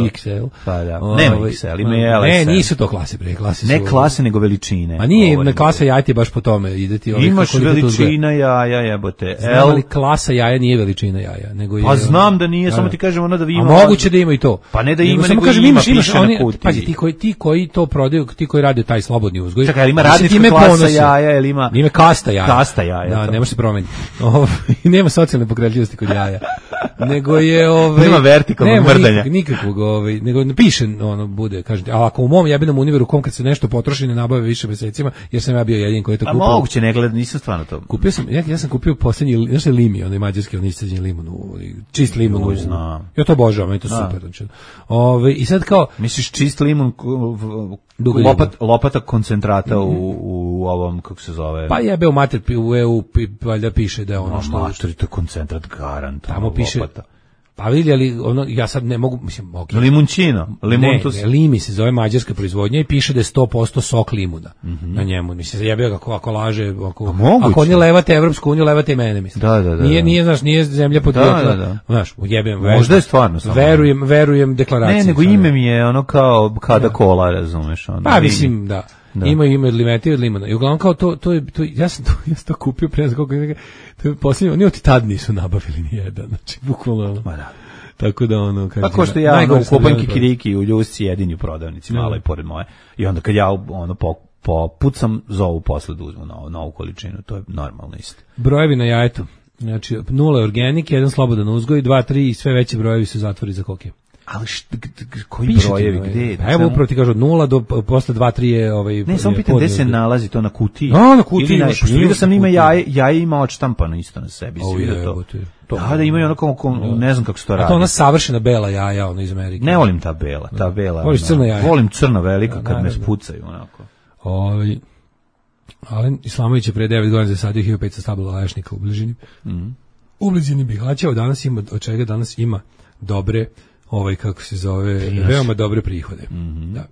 X L. Pa da. Nema X L, ima L S M. Ne, nisu to klase, bre, klase su. Ne klase, nego veličine. A nije, na klasa jaja ti baš po tome ide ti. Imaš veličina jaja, jebote. Znam, ali klasa jaja nije veličina jaja, nego je. Pa znam da nije, samo ti kažem ono da vi ima. A moguće da ima i to. Pa ne da ima, nego ima, piše na kutiji. Pazi, ti koji ti koji to prodaju, ti koji rade taj slobodni uzgoj. Čekaj, ima radnička klasa jaja ili ima? Ima kasta jaja. Kasta jaja. Da, ne može se promeniti. Nema socijalne pokretljivosti kod jaja. Nego je ovaj nema vertikalnog mrdanja. Nikakvog, ovaj, nego ne piše ono bude, kažete, a ako u mom jebenom univeru kom kad se nešto potroši ne nabave više mesecima, jer sam ja bio jedini koji je to kupio. A moguće ne gleda, nisam stvarno to. Kupio sam, ja, ja sam kupio poslednji, znaš li limi, onaj mađarski, onaj isceđeni limun, čist limun. Uj, znam. Ja to obožavam, meni to da. Super. Znači. Ovaj i sad kao misliš čist limun lopat, lopata koncentrata mm-hmm. u, u ovom, kako se zove? Pa jebe u mater u E U valjda piše da je ono što mater, to je koncentrat garant. Tamo piše lopata. Pa vidi, ali ono, ja sad ne mogu, mislim, okay. Limunčino, limuntus. Ne, ne, limi se zove mađarska proizvodnja i piše da je sto posto sok limuna mm-hmm. na njemu. Mislim, zajebio ga ako, ako laže, ako, ako oni levate Evropsku uniju, levate i mene, mislim. Da, da, da. Nije, nije, znaš, nije zemlja podrijetla. Da, da, da. Znaš, ujebim. Možda je stvarno. Samo. Verujem, verujem deklaraciji. Ne, nego ime mi je ono kao kada da. Kola, razumeš. Ono, pa, mislim, da. Da. Ima ime od limeti i od limana. I uglavnom kao to, to je, to, ja sam to, ja sam to kupio pre za koliko je, to je posljednje, oni od tad nisu nabavili ni jedan, znači, bukvalno. Ma da. Tako da ono kaže. Tako što ja ono, kupam kikiriki u Ljusci jedini u prodavnici, malo i pored moje. I onda kad ja ono po, po pucam zovu posle da uzmu novu, novu količinu, to je normalno isto. Brojevi na jajetu. Znači nula je organik, jedan slobodan uzgoj, dva, tri i sve veći brojevi su zatvori za koke. Ali šta, koji piše brojevi, gde? Pa evo upravo ti kažu od nula do posle dva tri je ovaj. Ne, samo pitam gde se nalazi to na kutiji. A, na kutiji. Vidio sam ima jaje, jaje ima odštampano isto na sebi. Oh, je, to. To. Da, da imaju ono kao, kao ne znam kako se to radi. A to ona savršena bela jaja, ono iz Amerike. Ne volim ta bela, ta bela. Voliš crna jaja? Volim crna velika kad me spucaju onako. Ovaj Alen Islamović je pre devet godina zasadio hiljadu petsto stabala lešnika u blizini. Mhm. U blizini Bihaća, danas ima od čega danas ima dobre ovaj kako se zove, Prinaš. veoma dobre prihode. Mm-hmm. Da.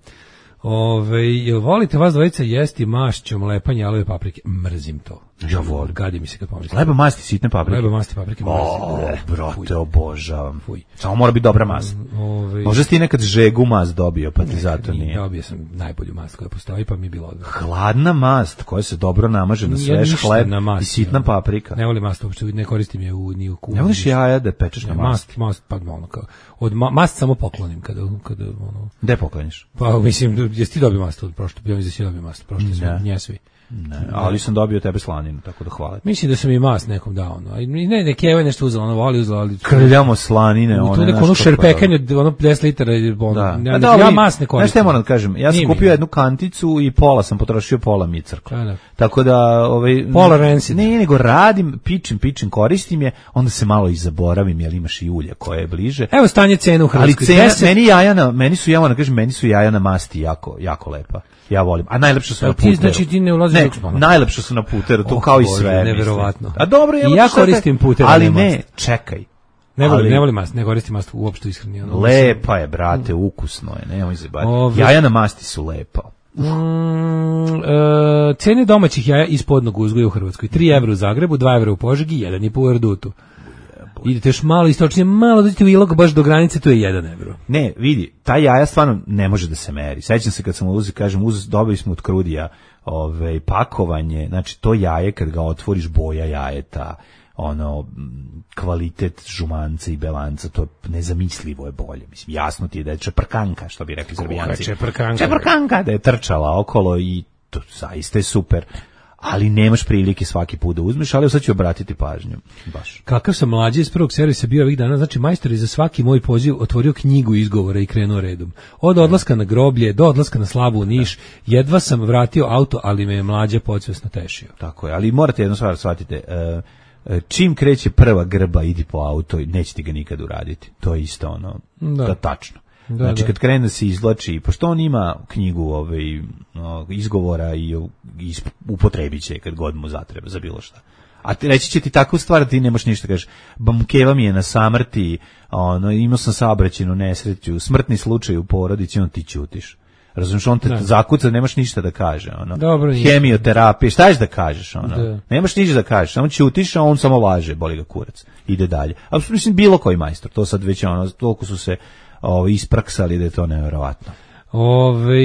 Ove, jel volite vas dvojica jesti mašćom lepanje alove paprike? Mrzim to. Ja volim. Gadi mi se kad pomislim. Leba masti sitne paprike. Leba masti paprike. O, brate, obožavam. Fuj. Samo mora biti dobra mast. Ove, Možda si ti nekad žegu mast dobio, pa ti ne, zato nije. Dobio sam najbolju mast koja postoji, pa mi je bilo odvrlo. Hladna mast koja se dobro namaže na svež hleb na mast, i sitna paprika. Ne volim mast uopšte, ne koristim je u, ni u kuhinji. Ne voliš jaja da pečeš na mast? Mast, mast, pa ono kao. Od ma, mast samo poklonim kada, kada ono. Gde pokloniš? Pa mislim, jesi ti dobio mast od prošle, ja mislim da si dobio mast, prošle sve, nje svi. Ne, ali sam dobio tebe slaninu, tako da hvala. Mislim da sam i mast nekom dao, no. Ne, ne, Keva je nešto uzela, ono voli uzela, ali krljamo slanine, one. Tu neko ono šerpekanje, ono deset litara, ono. Da. Ja, da, ja mast ne koristim. Znaš šta moram da kažem, ja sam kupio jednu kanticu i pola sam potrošio, pola mi je crkla. Da, da. Tako da, ovaj pola rensi. Ne, nego radim, pičim, pičim, koristim je, onda se malo i zaboravim, jer imaš i ulje koje je bliže. Evo stanje cena u Hrvatskoj. Ali cena, deset meni jaja na, meni su ja moram da kažem, meni su jaja na masti jako, jako lepa. Ja volim. A najlepše su na puteru. Ti znači ti ne ulaziš ne, najlepše su na puteru, to oh, kao i sve. Neverovatno. A dobro, ja, ja koristim puter, ali ne, ne čekaj. Ne volim, ali, ne volim mast, ne koristim mast uopšte iskreno. Ono, lepa je, brate, ukusno je, nemoj se baviti. Jaja na masti su lepa. Mm, e, cene domaćih jaja iz podnog uzgoja u Hrvatskoj. tri evra u Zagrebu, dva evra u Požegi, jedan i po u Erdutu. Idete još malo istočnije, malo dođete u Ilok baš do granice, to je jedan evro. Ne, vidi, ta jaja stvarno ne može da se meri. Sećam se kad sam uzeo, kažem, uz, dobili smo od Krudija ovaj, pakovanje, znači to jaje kad ga otvoriš, boja jajeta, ono, kvalitet žumanca i belanca, to je nezamislivo je bolje. Mislim, jasno ti je da je čeprkanka, što bi rekli Srbijanci. Čeprkanka. Čeprkanka, da je trčala okolo i to zaista je super. Ali nemaš prilike svaki put da uzmeš, ali sad ću obratiti pažnju. Baš. Kakav sam mlađi iz prvog servisa bio ovih dana, znači majstor je za svaki moj poziv otvorio knjigu izgovora i krenuo redom. Od odlaska na groblje do odlaska na slavu u Niš, jedva sam vratio auto, ali me je mlađa podsvesno tešio. Tako je, ali morate jednu stvar shvatite, uh, čim kreće prva grba, idi po auto, nećete ga nikad uraditi. To je isto ono, da. To je tačno. Da, znači, da. Kad krene da se izvlači, pošto on ima knjigu ovaj, no, izgovora i is, upotrebit će kad god mu zatreba za bilo šta. A ti, reći će ti takvu stvar da ti nemaš ništa, kažeš, bamkeva mi je na samrti, ono, imao sam saobraćajnu nesreću, smrtni slučaj u porodici, on ti ćutiš. Razumiješ, on te da. zakuca, nemaš ništa da kaže. Ono. Dobro, hemioterapije, šta ješ da kažeš? Ono? Da. Nemaš ništa da kažeš, samo ćutiš, a on samo laže, boli ga kurac, ide dalje. A mislim, bilo koji majstor, to sad već ono, toliko su se ovo, ispraksali da je to nevjerovatno. Ove,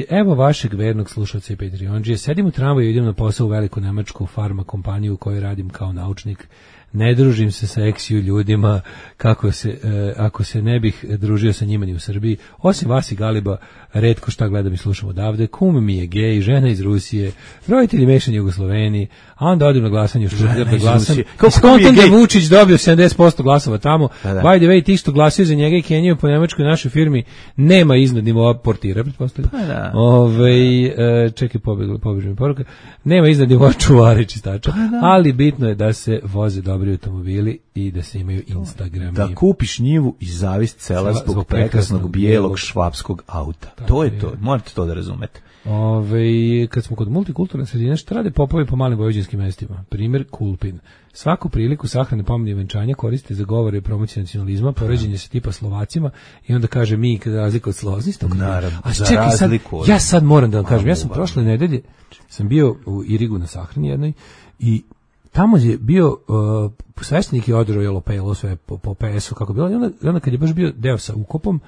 evo vašeg vernog slušalca i Patreonđije. Sedim u tramvaju i idem na posao u veliku nemačku farma kompaniju u kojoj radim kao naučnik. Ne družim se sa eksiju ljudima kako se, e, ako se ne bih družio sa njima ni u Srbiji. Osim vas i Galiba, retko šta gledam i slušam odavde. Kum mi je gej, žena iz Rusije, roditelji mešani Jugosloveni, a onda odim na glasanje u Štutgart da glasam. Skontam da Vučić dobio sedamdeset posto glasova tamo. Da, da. By the way, ti što glasio za njega i Keniju po nemačkoj našoj firmi nema iznad nivoa portira, pretpostavljam. Pa da. Ove, e, čekaj, pobjegla, pobježna poruka. Nema iznad nivoa čuvari čistača, pa da. Ali bitno je da se voze dobro dobri automobili i da se imaju Instagrami. Da kupiš njivu i zavis cela zbog, zbog prekrasnog bijelog švapskog auta. Tako to je, je to, morate to da razumete. Ove, kad smo kod multikulturne sredine, šta rade popovi po malim vojvođanskim mestima? Primjer, Kulpin. Svaku priliku sahrane pomene i venčanja koriste za govore i promociju nacionalizma, poređenje se tipa Slovacima i onda kaže mi kada razliku od Slovacista. Naravno, a za čekaj, sad, razliku od... ja sad moram da vam kažem, ja sam prošle nedelje, sam bio u Irigu na sahrani jednoj i tamo je bio uh, sveštenik je održao jelo pelo sve po, po P S-u kako bilo i onda, onda kad je baš bio deo sa ukopom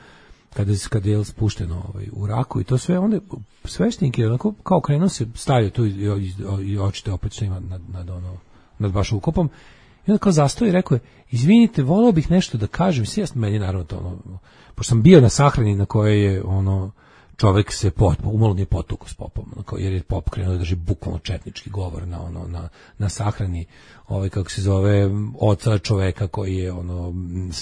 kada kad je spušteno ovaj u raku i to sve onda sveštenik je onako kao krenuo se stavio tu i, i, i očite opet što ima nad, nad ono nad baš ukopom i onda kao zastao i rekao je izvinite voleo bih nešto da kažem sve jasno meni naravno to ono pošto sam bio na sahrani na kojoj je ono čovjek se pot, umalo nije potukao s popom, onako, jer je pop krenuo da drži bukvalno četnički govor na ono na na sahrani, ovaj kako se zove oca čoveka koji je ono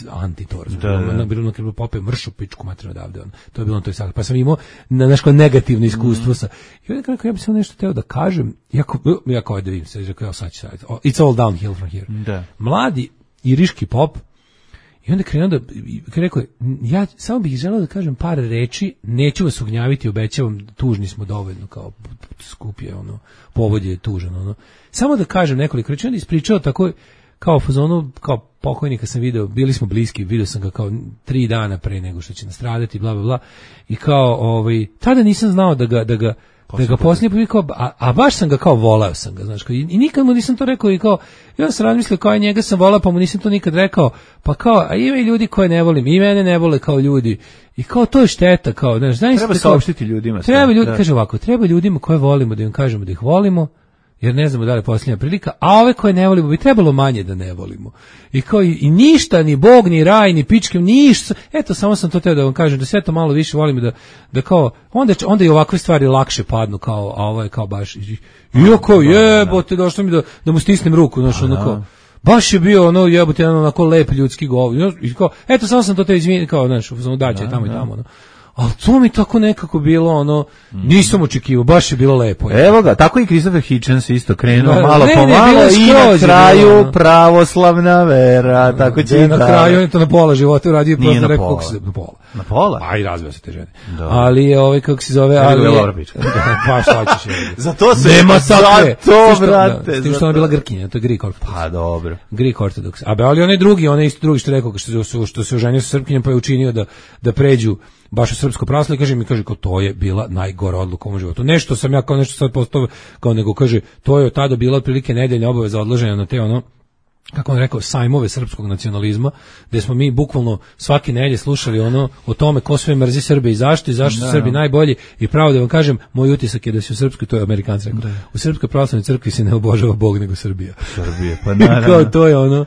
anti-tor. Na bilo na pop je mršu pičku materinu odavde on. To je bilo na toj sahrani. Pa sam imao na nešto negativno iskustvo sa. I onda kako ja bih samo nešto teo da kažem, jako jako da vidim se, rekao ja sad ću sad. It's all downhill from here. Da. Mladi iriški pop. I onda krenuo da, rekao je, ja samo bih želeo da kažem par reči, neću vas ugnjaviti, obećavam, tužni smo dovoljno, kao skup je, ono, povod je tužan, ono. Samo da kažem nekoliko reči, onda ispričao tako, kao fazonu, kao pokojnika sam video, bili smo bliski, video sam ga kao tri dana pre nego što će nastradati, bla, bla, bla, i kao, ovaj, tada nisam znao da ga, da ga, da ga poslije povikao, a, a baš sam ga kao volao sam ga, znaš, kao, i, i nikad mu nisam to rekao i kao, ja sam razmislio kao i njega sam volao, pa mu nisam to nikad rekao, pa kao, a ima i ljudi koje ne volim, i mene ne vole kao ljudi, i kao to je šteta, kao, znaš, znaš, treba saopštiti ljudima. Treba ljudi, da. Kaže ovako, treba ljudima koje volimo da im kažemo da ih volimo, jer ne znamo da li je posljednja prilika, a ove koje ne volimo bi trebalo manje da ne volimo. I kao i, i ništa, ni Bog, ni raj, ni pičke, ništa. Eto, samo sam to teo da vam kažem, da sve to malo više volimo, da, da kao, onda, onda i ovakve stvari lakše padnu, kao, a ovo je kao baš, iako jebote, došlo mi da, da mu stisnem ruku, znaš, ono kao, baš je bio ono jebote, ono, onako lep ljudski govor. I kao, eto, samo sam to te izvinio, kao, znaš, daće tamo i tamo, ono. Ali to mi tako nekako bilo, ono, nisam očekivao, baš je bilo lepo. Je. Evo ga, tako i Christopher Hitchens isto krenuo da, malo ne, po ne, malo i na kraju bilo, pravoslavna vera, tako će na kraju on je to na pola života uradio, prosto rekao kako se na pola. Na pola? A i razveo se te žene. Da. Ali je ovaj, kako se zove, ali je... Pa šta ćeš je. Za to se... Nema takve. Za to, brate. S tim što ona bila Grkinja, to je Greek Orthodox. Pa dobro. Greek Orthodox. A be, ali onaj drugi, onaj isto drugi što je rekao, što se, što se oženio sa Srpkinjem, pa je učinio da, da pređu baš u srpsko pravoslavlje, kaže mi, kaže, kao to je bila najgora odluka u mom životu. Nešto sam ja kao nešto sad postao, kao nego kaže, to je od tada bila otprilike nedeljna obaveza odloženja na te ono, kako on rekao, sajmove srpskog nacionalizma, gde smo mi bukvalno svake nedelje slušali ono o tome ko sve mrzi Srbe i zašto i zašto su Srbi najbolji i pravo da vam kažem, moj utisak je da se u srpskoj, to je Amerikanci rekao, da. U srpskoj pravoslavnoj crkvi se ne obožava Bog nego Srbija. Srbije, pa naravno. Kao to je ono,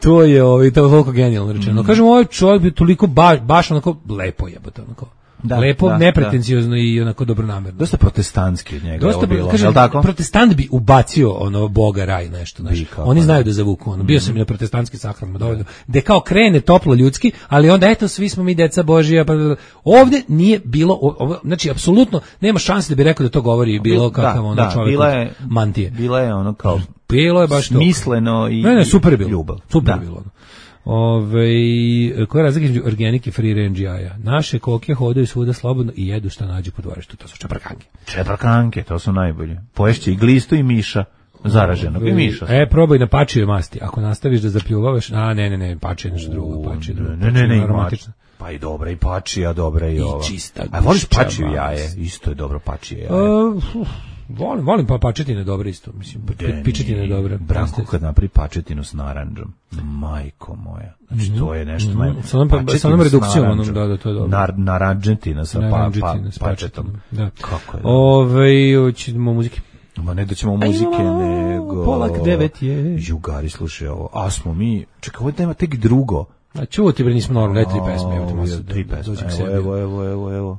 to je ovaj, to je toliko genijalno rečeno. Mm. Kažem, ovaj čovjek bi toliko baš, baš onako lepo jebote, onako. Da, lepo, da, nepretenciozno da. I onako dobronamerno. Dosta protestantski od njega. Dosta, bilo, kažem, tako? Protestant bi ubacio ono Boga, raj, nešto. Znači. Oni znaju da zavuku. Ono. Bio mm-hmm. sam i na protestantskim sahranama dovoljno. Gde kao krene toplo ljudski, ali onda eto, svi smo mi deca Božija. Pa, ovdje nije bilo, ovo, znači, apsolutno nema šanse da bi rekao da to govori bilo kakav ono da, čovjek bila je, mantije. Bila je ono kao bilo je baš smisleno i, ne, ne, super je bilo. Ljubav. Super je bilo. Ove, koja je razlika između organike i free range jaja? Naše koke hodaju svuda slobodno i jedu šta nađu po dvorištu. To su čeprkanke. Čeprkanke, to su najbolje. Poješće i glistu i miša. Zaraženog i miša. E, probaj na pačije masti. Ako nastaviš da zapljuvavaš, a ne, ne, ne, pačije nešto drugo. Pačije drugo. Ne, ne, ne, aromatično. Pa i dobra i pačija, dobra i ova. I čista gušća. A voliš pačiju jaje? Isto je dobro pačije jaje. Uh, Volim, volim pa pačetine dobro isto, mislim, pičetine je dobro. Branko kad napravi pačetinu s narandžom, majko moja, znači to je nešto mm-hmm. najbolje. Sa onom, sa onom redukcijom, onom, da, da, to je dobro. Nar, naranđetina sa pa, pa, pačetom. Da. Kako je? Ove, hoćemo muzike. Ma ne da ćemo muzike, nego... Polak devet je. Jugari, slušaj ovo, a smo mi, čekaj, ovo nema tek drugo. A čuti, bre, nismo normalno, ne tri pesme, evo ti masu. Tri pesme, evo, evo, evo, evo.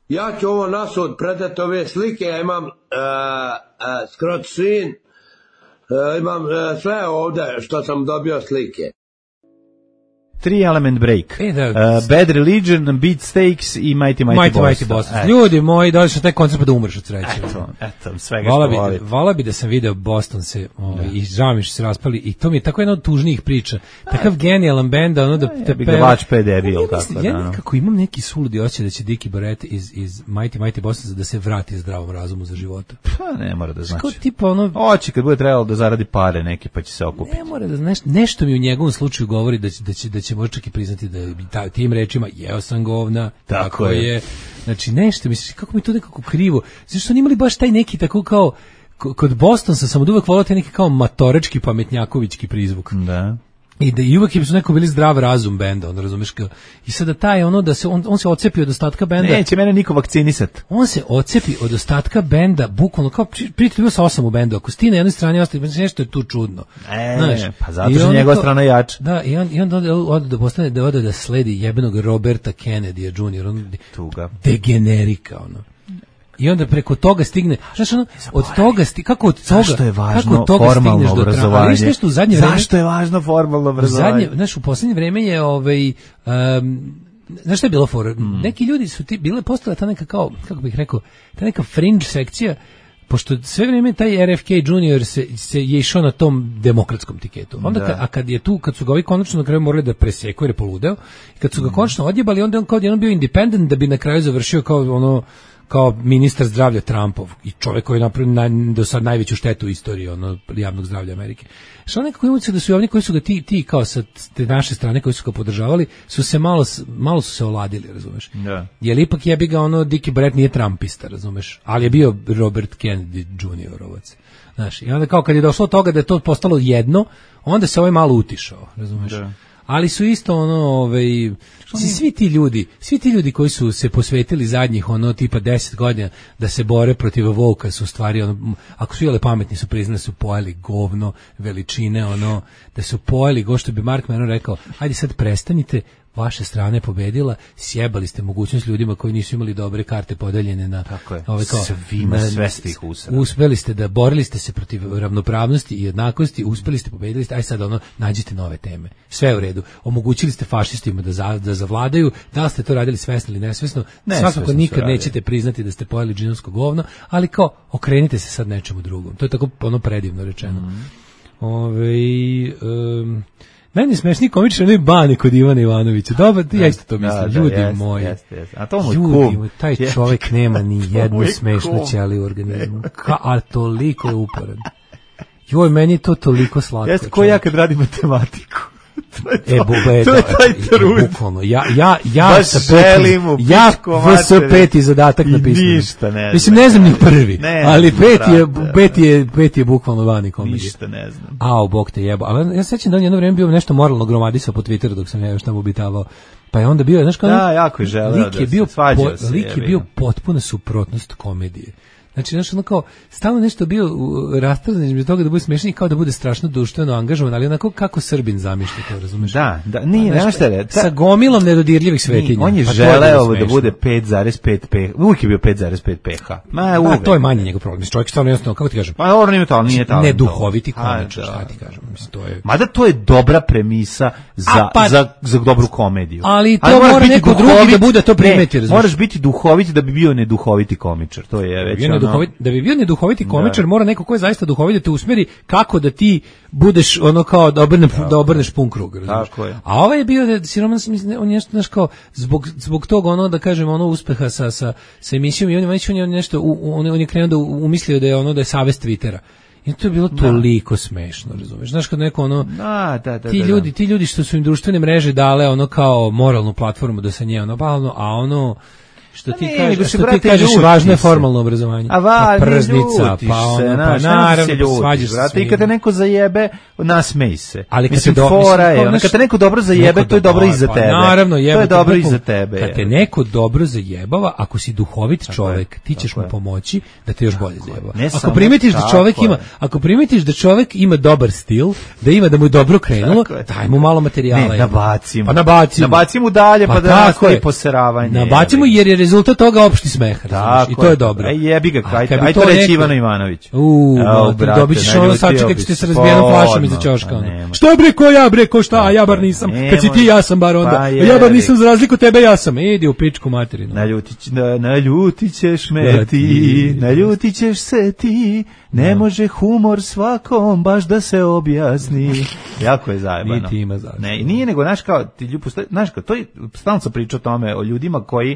Ja ću ovo nasud predati ove slike, ja imam uh, uh, scrot screen, uh, imam uh, sve ovdje što sam dobio slike. Three Element Break, E, da. uh, Bad Religion, Beatsteaks i Mighty Mighty, Mighty Boston. Mighty Boston. Ljudi moji, došli na taj koncert pa da umreš od sreće. Eto, eto, svega Vala što bi, voli. vala bi da sam video Boston se ovaj, i žao mi što se raspali i to mi je tako jedna od tužnijih priča. Takav genijalan bend, ono da te bi ga vač pe debil, Ja tako mislim, da, ja no. nekako imam neki suludi osjećaj da će Dickie Barrett iz, iz Mighty Mighty Boston da se vrati zdravom razumu za života. Pa ne mora da znači. Kao tipa ono... Hoće kad bude trebalo da zaradi pare neke pa će se okupiti. Ne mora da znaš, nešto mi u njegovom slučaju govori da će, da će, da će možda čak i priznati da ta, tim rečima jeo sam govna, tako, tako je. je. Znači nešto, misliš, kako mi to nekako krivo. Zašto su oni imali baš taj neki tako kao, kod Bostonsa sam od uvek volao taj neki kao matorečki, pametnjakovićki prizvuk. Da. I da i uvek su neko bili zdrav razum benda, on razumeš kao. I sada taj ono da se on on se odcepi od ostatka benda. Neće mene niko vakcinisat. On se odcepi od ostatka benda, bukvalno kao prijatelj bio sa osam u bendu. Ako sti na jednoj strani ostaje nešto je tu čudno. E, znaš, pa zato što njegova strana jača. Da, i on i on ode da postane da ode da sledi jebenog Roberta Kennedy junior on tuga. Degenerika ono. I onda preko toga stigne, znaš ono, od toga sti, kako od toga, zašto je važno kako toga formalno obrazovanje? Do nešto u zadnje vreme, zašto je važno formalno obrazovanje? Zadnje, znaš, u poslednje vreme je ovaj um, znaš šta je bilo for? Mm. Neki ljudi su ti bile postala ta neka kao, kako bih rekao, ta neka fringe sekcija, pošto sve vrijeme taj R F K junior se, se je išao na tom demokratskom tiketu. Onda ka, a kad je tu, kad su ga ovi konačno na kraju morali da preseku jer je poludeo, i kad su ga konačno odjebali, onda on kao jedan bio independent da bi na kraju završio kao ono kao ministar zdravlja Trumpov i čovjek koji je napravio naj, do sad najveću štetu u istoriji ono, javnog zdravlja Amerike. Što nekako imaju se da su i ovdje koji su ga ti, ti kao sa te naše strane koji su ga podržavali, su se malo, malo su se oladili, razumeš? Da. Jer ipak jebi ga ono, Dickie Barrett nije Trumpista, razumeš? Ali je bio Robert Kennedy juniorovac. Znaš, i onda kao kad je došlo od toga da je to postalo jedno, onda se ovaj malo utišao, razumeš? Da. Ali su isto ono, ovaj, svi ti ljudi, svi ti ljudi koji su se posvetili zadnjih ono tipa deset godina da se bore protiv Vouka su stvari ono, ako su jele pametni su priznali su pojeli govno veličine ono, da su pojeli go što bi Mark Menon rekao, ajde sad prestanite, vaša strana je pobedila, sjebali ste mogućnost ljudima koji nisu imali dobre karte podeljene na ove kao svima sve ste ih usrali. Uspeli ste da borili ste se protiv ravnopravnosti i jednakosti, uspeli ste, pobedili ste, aj sad ono nađite nove teme. Sve u redu. Omogućili ste fašistima da za, da zavladaju, da li ste to radili svesno ili nesvesno? Ne, svakako nikad nećete priznati da ste pojeli džinovsko govno, ali kao okrenite se sad nečemu drugom. To je tako ono predivno rečeno. Mm. Ove, um, meni smešni komičar ne Bane kod Ivana Ivanovića. Dobro, ja isto to mislim. Da, da, ljudi jest, moji. Jest, jest. A to mu ljudi moji, taj čovjek nema ni jednu smešnu ćeliju u organizmu. Ka, a toliko je uporan. Joj, meni je to toliko slatko. Jeste ko ja kad radim matematiku. To je, to, e, bube, to je taj trud. Bukvalno. Ja, ja, ja baš sa peti, ja sa peti zadatak napisam. Ništa ne znam. Mislim, ne znam ni prvi, ne, ali peti je, peti je, peti je bukvalno vani komedije. Ništa ne znam. Ao, bog te jebo. Ali ja sećam da on jedno vrijeme bio nešto moralno gromadisao po Twitteru dok sam ja još tamo obitavao. Pa je onda bio, znaš kao... Da, jako je želeo da se svađao se. Lik je bio potpuna suprotnost komedije. Znači, znači, ono kao, stalno nešto bio rastavljen između toga da bude smiješan i kao da bude strašno društveno angažovan, ali onako kako Srbin zamišlja to, razumiješ? Da, da, nije, znaš šta je? Sa gomilom nedodirljivih svetinja. On je pa želeo da bude pet zarez pet pH, uvijek je bio pet zarez pet pH. Ma, uvijek. To je manje njegov problem, čovjek stvarno jednostavno, kako ti kažem? Pa, ovo nije to, nije to. Neduhoviti komičar, šta ti kažem, mislim, to je... Mada to je dobra premisa za, pa, za, za dobru komediju. Ali to ali mora neko drugi da bude to primeti, razumiješ? Moraš biti duhovit da bi bio neduhoviti komičar, to je već ono... Da bi bio neduhoviti komičar, da. Mora neko ko je zaista duhovit da te usmeri kako da ti budeš ono kao da obrne, da obrneš pun krug, razumiješ? A ovaj je bio da siroman, on je nešto, znaš kao, zbog, zbog toga ono, da kažem, ono uspeha sa, sa, sa emisijom i on je, on je nešto, on je, on je krenuo da umislio da je ono, da je savez Twittera. I to je bilo toliko da. Smešno, razumiješ? Znaš kad neko ono, da, da, da, ti, da, ljudi, da. ti ljudi što su im društvene mreže dale ono kao moralnu platformu da se nje ono balno, a ono, što ti, ne, kažeš, što ti kažeš važno je formalno obrazovanje. A va, pa prznica, pa ono, pa naravno, svađaš se svim. I kad te neko zajebe, nasmej se. Ali kad mislim, te do, fora je, ono, kad te neko dobro zajebe, to je dobro i za tebe. Pa naravno, jebe, to je dobro i za tebe. Kad te neko dobro zajebava, ako si duhovit čovjek, ti ćeš mu pomoći da te još bolje zajebava. Ako primetiš da čovjek ima, ako primetiš da čovjek ima dobar stil, da ima da mu je dobro krenulo, daj mu malo materijala. Ne, nabacimo. Pa nabacimo. Nabacimo dalje, pa da nastavi poseravanje. Nabacimo jer je rezultat toga opšti smeh, razumeš, i to je dobro. Aj jebi ga, A aj, kad bi aj to to reći neko- Ivano Ivanović. U, Evo, ma, brate, dobit ćeš ono naljutio sačekat bi ćete se. se razbijenom flašom iza Odmah, ćoška. pa ono. nema. Što bre, ko ja bre, ko šta, a ja bar nisam. Nemoj. Kad si ti, ja sam bar onda. Pa A ja bar jebi. nisam za razliku od tebe, ja sam. Idi u pičku materinu. Naljutit, na, naljutit ćeš me ti, naljutit ćeš se ti, ne može humor svakom baš da se objasni. Jako je zajebano. Niti ima zašto. Ne, nije nego, znaš kao, ti ljubi, znaš kao, to je, stalno sam pričao o tome, o ljudima koji,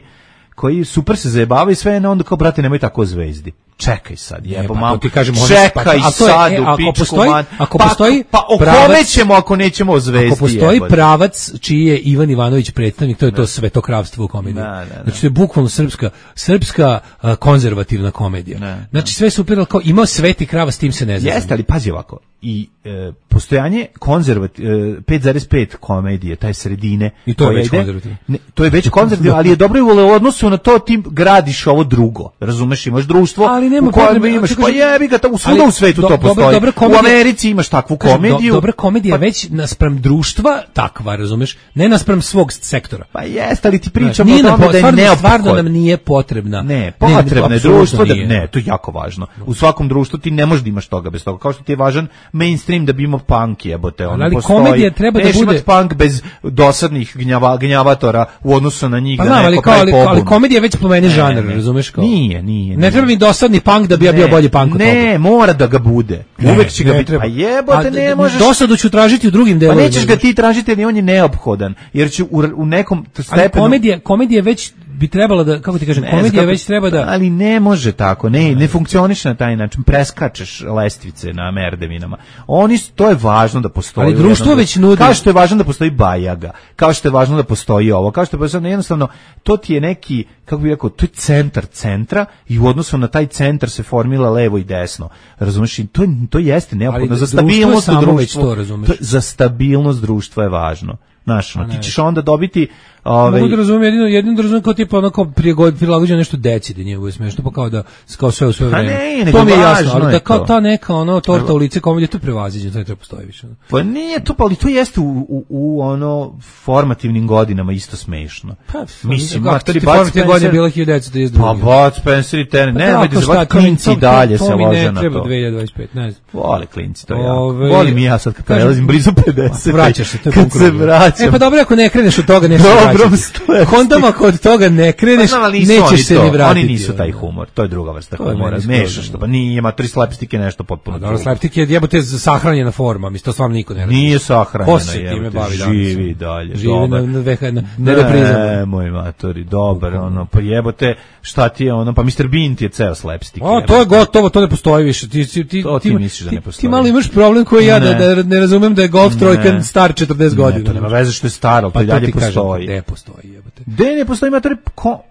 koji super se zajebavaju i sve, no onda kao, brate, nemoj tako o zvezdi. Čekaj sad, jebo, pa mam, to ti kažem, oni- čekaj pa to- a to je, sad e, u ako pičku, postoji- man. ako pa, postoji pa o pravac- kome ćemo ako nećemo o zvezdi, Ako postoji jebote? pravac čiji je Ivan Ivanović predstavnik, to je to svetokravstvo u komediji. Da, da, da. Znači to je bukvalno srpska, srpska a, konzervativna komedija. Da, znači sve super, ali kao imao sveti krava, s tim se ne zna. Jeste, ali pazi ovako, i e, postojanje konzervat, e, pet zarez pet komedije, taj sredine. I to je koja već ide- konzervativno. Ne, to je već konzervativno, ali je dobro i u odnosu na to ti gradiš ovo drugo. Razumeš, imaš društvo Ali nema u kojem potrebe, imaš, kako pa kažem- jebi ga, u svuda ali u svetu do- to dobra- postoji. dobra U komedija- Americi imaš takvu Kažem, do- komediju. dobra komedija pa, već naspram društva takva, razumeš? Ne naspram svog sektora. Pa jeste, ali ti Znaš, pričamo nije o nam tome po- da je stvarno, neophodno. stvarno nam nije potrebna. Ne, potrebno je apsolutno društvo da nije. ne, to je jako važno. U svakom društvu ti ne možeš da imaš toga bez toga. Kao što ti je važan mainstream da bi imao punk, jebote, ono Ali postoji. komedija treba da Neš bude- imat punk bez dosadnih gnjava, gnjavatora u odnosu na njih Pa da znam, ali, neko kao, pravi ali, pobunu. ali komedija već pomeni Ne, žanr, ne. razumeš kao? Nije, nije. Ne nije. treba mi dosadni punk da bi ja bio Ne, bolji punk od toga. Ne, mora da ga bude. Uvek će ga ne biti. treba. Pa jebote, A, ne možeš. Dosadu ću tražiti u drugim Pa delovima. nećeš ga ti tražiti, jer on je neophodan. Jer će u, u nekom Ali stepenu... komedija, komedija već bi trebala da, kako ti kažem, Ne znam komedija kako- već treba da... Ali ne može tako, ne, ne funkcioniše na taj način, preskačeš lestvice na merdevinama. Oni, s- to je važno da postoji. Ali u društvo jednom- već nudi- Kao što je važno da postoji Bajaga, kao što je važno da postoji ovo, kao što je važno, jednostavno, to ti je neki, kako bih rekao, to je centar centra i u odnosu na taj centar se formila levo i desno. Razumeš? I to, je- to jeste neophodno. Ali Za društvo je stabilnost u samo već društvu, to, razumeš? to- za stabilnost društva je važno. Znaš, ono, ne. ti ćeš onda dobiti... Ove, Mogu da razumijem, jedino, jedino da razumijem kao tipa onako prilagod- prilagođeno nešto deci da nije smešno, pa kao da kao sve u sve Pa vreme. ne, nego to mi je jasno, važno ali je da kao to. ta neka ono torta u lice komedija, to je prevaziđeno, to ne treba postoji više. ono. Pa nije to, pa ali to jeste u, u, u ono formativnim godinama isto smešno. Pa, Mislim, kako matori, ti Bud formativne godine Spencer- bila hiljadu devetsto trideset druga. Pa Bud Spencer i Terence, ne, tako da se šta, bak to mi- klinci i to- dalje to se mi lože ne na treba to. dve hiljade dvadeset pet, ne znam. Vole klinci, to je jako. Ove, Volim i ja sad kad kažem- prelazim blizu pedeset. Vraćaš se, to je kad pun se krug. vraćam. E pa dobro, ako ne kreneš od toga, nećeš Dobrom vraćati. stojati. Onda ako od toga ne kreneš, Pa znam, ali nisu oni nećeš se to, ni vratiti. Oni nisu taj ono. humor, to je druga vrsta To je humora. meni skroz, Mešaš to, ono. pa nije, matori slapstick je nešto potpuno Pa dobro, drugo. slapstick je jebote sahranjena forma, mislim, to stvarno niko ne radi. Nije sahranjena, Ko se time jebote, bavi danas? živi dalje, Živi dobar. na, na, VH, na, na reprizama. Ne, moj matori, dobar, ono, pa jebote, šta ti je ono, pa mister Bean ti je ceo slapstick. O, to je gotovo, to ne postoji više. Ti, ti, ti, To ti ti, misliš da ti, ne postoji. ti malo imaš problem koji ja, da, Ne. da ne razumem da je golf trojkan star četrdeset godina. Ne, to nema veze što je staro, Pa to i to dalje ti kažem, postoji. gde postoji, jebote. Gde ne postoji, matori, ko,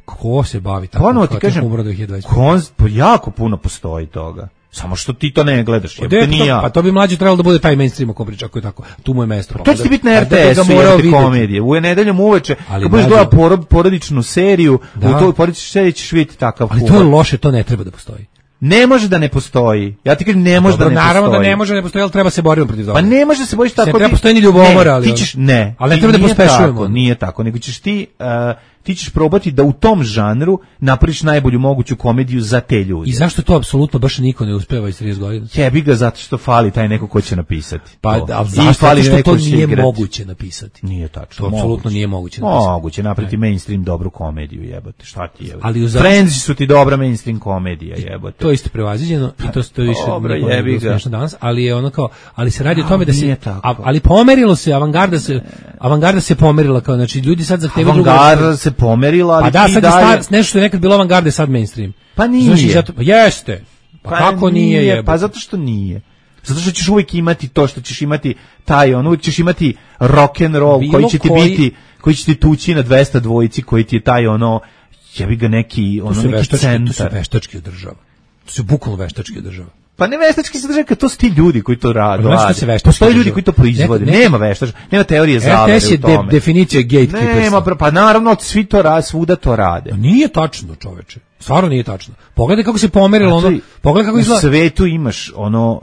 Ko se bavi tako? ponovo ti kažem, Humora dve hiljade dvadeset pet. konz, pa jako puno postoji toga. Samo što ti to ne gledaš, Gde jebote, je to? nije ja. Pa to bi mlađe trebalo da bude taj mainstream ako priča, ako je tako. Tu mu je mesto. To će ti biti na Pa R da T bi S-u, ga morao jer ti videti. komedije. U nedeljom uveče, Ali kad budeš mlađe- gledao porod, porodičnu seriju, Da. u toj porodičnoj seriji ćeš vidjeti takav Ali to humor. je loše, to ne treba da postoji. Ne može da ne postoji. Ja ti kažem, ne može Dobro, da ne naravno postoji. da ne može da ne postoji, ali treba se boriti protiv toga. Pa ne može da se bojiš tako. Ne treba ti- postoji ni ljubomora, ne, ali- ti ćeš, ne. ali ne ti treba da nije pospešujemo. tako, Nije tako, nego ćeš ti, uh, ti ćeš probati da u tom žanru napraviš najbolju moguću komediju za te ljude. I zašto to apsolutno baš niko ne uspeva iz trideset godina? Jebi ga zato što fali taj neko ko će napisati. Pa, To. ali I zašto? fali Zato što neko to ko će nije igrati. moguće napisati. Nije tačno. To apsolutno nije moguće napisati. Moguće napraviti mainstream dobru komediju, jebote. Šta ti jebote? Ali u za- Friends su ti dobra mainstream komedija, jebote. To je isto prevaziđeno i to to više Dobro, nikome nije jebi bilo ga. smešno danas, ali je ono kao, ali se radi o A, tome da se nije tako. a- ali pomerilo se, avangarda se avangarda se pomerila, kao znači ljudi sad zahtevaju drugo. Avangarda se pomerila, ali Pa da, ti sad je dalje... star, nešto što je nekad bilo avangarda je sad mainstream. Pa nije. Znaš, i zato, pa jeste. Pa, kako nije, jebote? Pa zato što nije. Zato što ćeš uvijek imati to što ćeš imati taj, on uvijek ćeš imati rock and roll Bilo koji će ti koji- biti, koji će ti tući na dvesta dvojici, koji ti je taj ono, jebi ga neki, To ono su neki veštački, to su centar. veštački održava. To su bukvalno veštački održava. Pa ne veštački se drže, kad to su ti ljudi koji to rade. Pa znaš šta se veštački Postoje ljudi održava? koji to proizvode. Neko- Nema veštač, nema teorije zavere R T S je u tome. de, definicija gatekeeperstva. Nema, pa naravno, svi to rade, svuda to rade. Pa nije tačno, čoveče. Stvarno nije tačno. Pogledaj kako se pomerilo ono, pogledaj kako izgleda. U svetu imaš ono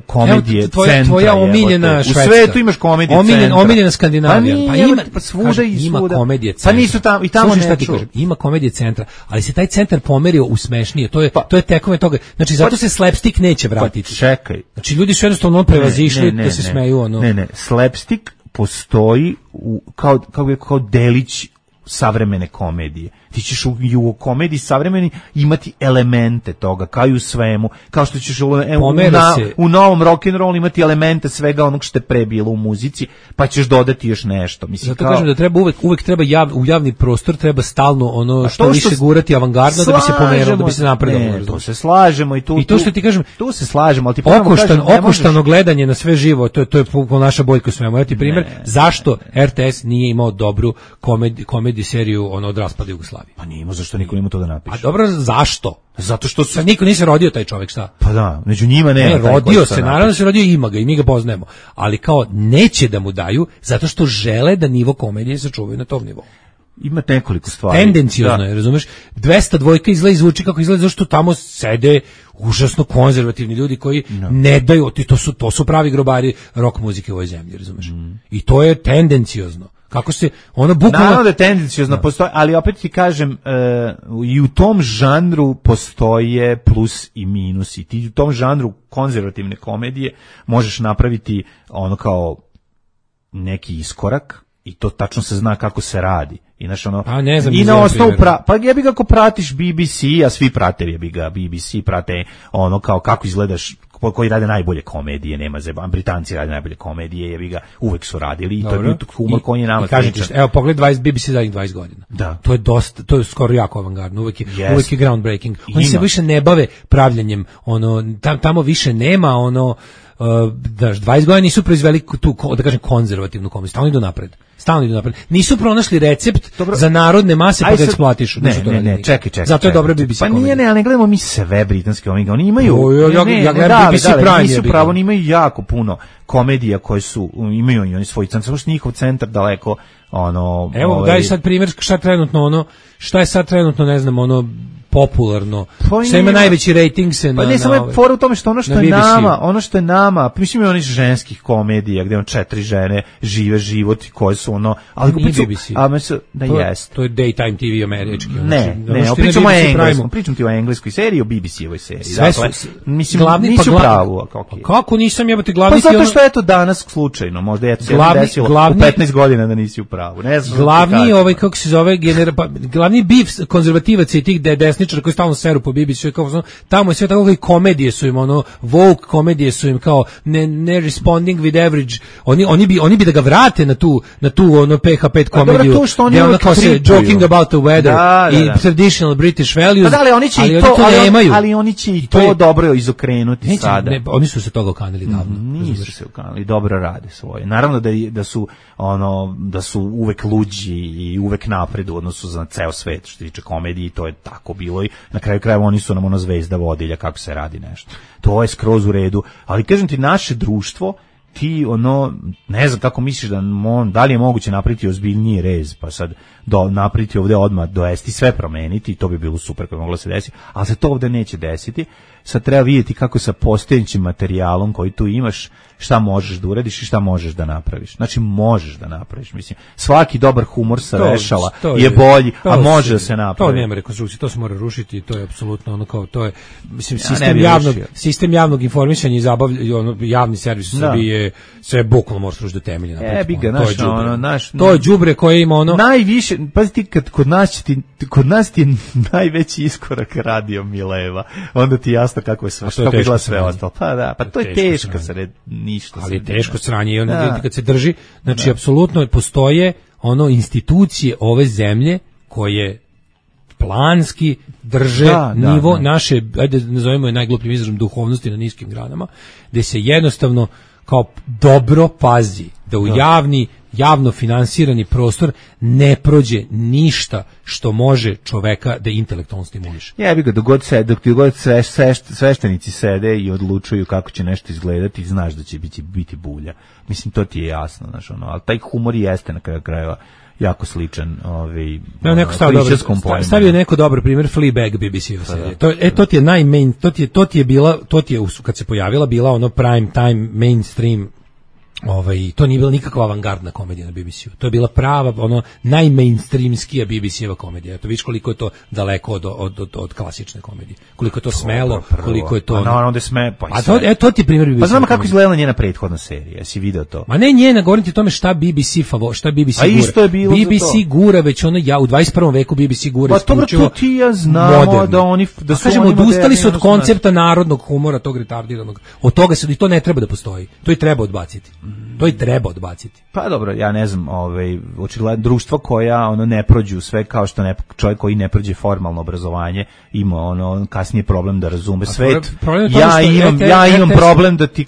komedije, evo, tvoja, centra. Tvoja omiljena Švedska. U svetu imaš komedije Omiljen, centra. Omiljena Skandinavija. Pa, nije, pa ima, pa svuda kažem, i ima svuda. komedije centra. Pa nisu tamo, i tamo Slušaj, ne šta ti ču. kažem, ima komedije centra, ali se taj centar pomerio u smešnije. To je, pa, to je tekome toga. Znači, zato pa, se slapstick neće vratiti. Pa čekaj. Znači, ljudi su jednostavno prevazišli ne, ne, ne, da se ne, smeju. Ono. Ne, ne, slapstick postoji u, kao, kao, kao delić savremene komedije. Ti ćeš u, u komediji savremeni imati elemente toga, kao i u svemu, kao što ćeš u, u, na, u novom rock'n'roll imati elemente svega onog što je pre bilo u muzici, pa ćeš dodati još nešto. Mislim, zato kao, kažem da treba uvek, uvek treba jav, u javni prostor treba stalno ono što više što gurati avangardno da bi se pomerilo, da bi se napredovalo. Ne, to se slažemo i tu, I to što ti kažem, tu se slažemo, ali ti okoštan, kažem, okoštano možeš... gledanje na sve živo, to je to je naša Bojko svemu. Ja ti primjer ne, zašto R T S nije imao dobru komedi, komedi seriju ono od raspada Jugoslavije. Pa nije imao, zašto niko nima to da napiše. A dobro, zašto? Zato što su... niko nije se rodio taj čovjek, šta? Pa da, među njima nema. Ne, rodio se, naravno se rodio, ima ga i mi ga poznajemo. Ali kao neće da mu daju, zato što žele da nivo komedije sačuvaju na tom nivou. Ima nekoliko stvari. Tendencijozno je, razumeš? dvesta dvojka izgleda i zvuči kako izgleda, zašto tamo sede užasno konzervativni ljudi koji no. ne daju, to su, to su pravi grobari rock muzike u ovoj zemlji, razumeš? Mm. I to je tendencijozno. Kako se ono bukvalno naravno da tendencijozno no. postoji, ali opet ti kažem uh, i u tom žanru postoje plus i minus i ti u tom žanru konzervativne komedije možeš napraviti ono kao neki iskorak i to tačno se zna kako se radi. I, naš ono, a ne znam, i na osnovu pra, pa jebi ga ako pratiš B B C, a svi prate jebi ga B B C, prate ono kao kako izgledaš, koji rade najbolje komedije, nema zeba, Britanci rade najbolje komedije, jebi ga, uvek su radili i to je humor koji je nama sličan. Evo pogled dvadeset B B C zadnjih dvadeset godina. Da. To je dosta, to je skoro jako avangardno, uvek je, yes. uvek je groundbreaking. Oni Ima. se više ne bave pravljanjem, ono tam, tamo više nema ono Uh, daš, dvadeset godina nisu proizveli tu, da kažem, konzervativnu komediju, stalno idu napred. Stalno idu napred. Nisu pronašli recept dobro. Za narodne mase pa da eksploatišu. Ne, ne, ne, čekaj, čekaj. Zato je dobra B B C pa komedija. Pa nije, ne, ali ne gledamo mi sve britanske omega. Oni imaju... O, ja, ne, ja, ja ne, da, B B C da, Prime. Nisu pravo, oni imaju jako puno komedija koje su, imaju oni svoj centar, samo što njihov centar daleko, ono... Evo, ovaj, daj sad primjer šta trenutno, ono, šta je sad trenutno, ne znam, ono, popularno. Pa sve ima najveći rating se na... Pa ne, samo je fora u tome što ono što je nama, ono što je nama, mislim je onih ženskih komedija gdje on četiri žene žive život i koje su ono... Ali nije B B C. A mislim da to, jest. To je daytime T V američki. Ne, ne, ne pričamo o engleskom, pričam ti o engleskoj seriji, o B B C-ovoj seriji. Sve dakle, su, mislim, glavni, nisu pa pravu. Okay. Kako nisam jebati glavni... Pa zato što je to danas slučajno, možda je to se desilo glavni, u petnaest godina da nisi u pravu. Ne znam glavni, ovaj, kako se zove, genera, pa, glavni bif konzervativaca i tih desničara koji stalno seru po B B C, kao, tamo je sve tako i komedije su im, ono, woke komedije su im kao ne, ne responding with average, oni, oni, bi, oni bi da ga vrate na tu, na tu ono P H pet komediju, dobro, to gdje ono kao se joking about the weather da, da, da. i traditional British values, pa da, ali oni će ali i to, oni to ali, nemaju. Ali oni će i to, to je, dobro izokrenuti neće, sada. Ne, oni su se toga okanili davno. Mm, nisu se okanili, dobro rade svoje. Naravno da, da su ono, da su uvek luđi i uvek napred u odnosu za ceo svet što se tiče komedije, to je tako bilo i na kraju krajeva oni su nam ono zvezda vodilja kako se radi nešto. To je skroz u redu, ali kažem ti, naše društvo, ti ono, ne znam kako misliš da, on, da li je moguće napraviti ozbiljniji rez, pa sad do, napraviti ovde odmah dovesti sve promeniti, to bi bilo super kako moglo se desiti, ali se to ovde neće desiti. Sad treba vidjeti kako sa postojećim materijalom koji tu imaš, šta možeš da uradiš i šta možeš da napraviš. Znači možeš da napraviš, mislim. Svaki dobar humor sa vešala je, je bolji, a može da se napravi. To nema rekonstrukcije, to se mora rušiti, to je apsolutno ono kao, to je, mislim, sistem, ja javnog, sistem javnog informisanja i zabavlja, ono, javni servis u Srbiji je sve bukvalno možeš rušiti do temelja. E, bi ga, naš, ono, naš, to je đubre koje ima ono... Najviše, pazi ti, kad kod nas ti, kod nas ti je najveći iskorak radio Mileva, onda ti jasno kako je sve, kako izgleda sve ostalo. Pa da, pa to je teško se ništa. Ali je teško sranje i onda kad se drži, znači apsolutno postoje ono institucije ove zemlje koje planski drže da, nivo da, da. naše, ajde nazovemo je najglupljim izrazom, duhovnosti na niskim granama, gde se jednostavno kao dobro pazi da u da. javni javno finansirani prostor ne prođe ništa što može čoveka da intelektualno stimuliše. Jebi ga, dok god se, dok ti god sve, sve, sveštenici sede i odlučuju kako će nešto izgledati, znaš da će biti, biti bulja. Mislim, to ti je jasno, znaš, ono, ali taj humor jeste na kraju krajeva jako sličan ovaj Evo neko stavio dobro, stavio neko dobar primjer Fleabag B B C-ova serija. To e to ti je najmain, to ti je to ti je bila, to ti je kad se pojavila bila ono prime time mainstream. Ovaj, to nije bila nikakva avangardna komedija na B B C-u. To je bila prava, ono, najmainstreamskija B B C-eva komedija. Eto, vidiš koliko je to daleko od, od, od, od klasične komedije. Koliko je to smelo, koliko je to... A naravno da sme... Pa a to, e, to ti je primjer B B C. Pa znamo kako izgledala njena prethodna serija, jesi video to? Ma ne njena, govorim ti o tome šta B B C favo, šta B B C a gura. Isto je bilo B B C gura već ono, ja, u dvadeset prvom veku B B C gura isključivo moderno. Pa to ti ja znamo moderno. Da oni... Da su kažemo, odustali su od koncepta narodnog humora, tog retardiranog. Od toga se, i to ne treba da postoji. To i treba odbaciti. To i treba odbaciti. Pa dobro, ja ne znam, ovaj očigledno društvo koja ono ne prođu sve kao što ne čovjek koji ne prođe formalno obrazovanje ima ono kasnije problem da razume svet. Ja imam ja imam problem da ti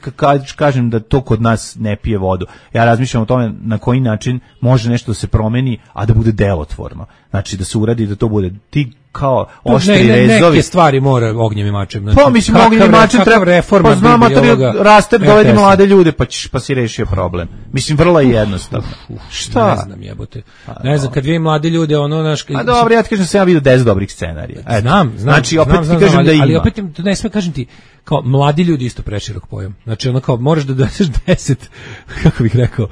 kažem da to kod nas ne pije vodu. Ja razmišljam o tome na koji način može nešto da se promeni, a da bude delotvorno. Znači da se uradi da to bude ti kao oštri ne, ne, rezovi. Neke stvari mora ognjem i mačem. Znači, pa mislim ognjem i mačem treba reforma. Pa znam, raste, dovedi mlade ljude pa, ćeš, pa si rešio problem. Mislim, vrlo je jednostavno. Uf, uf, Šta? Ne znam, jebote. Ne znam, kad vidim mlade ljude, ono naš... A dobro, ja ti kažem da sam ja vidio deset dobrih scenarija. Znam, znam. Znači, opet znam, ti znam, kažem ali, da ima. Ali opet, ne sve kažem ti, kao mladi ljudi isto preširok pojam. Znači, ono kao, moraš da doneseš deset, kako bih rekao,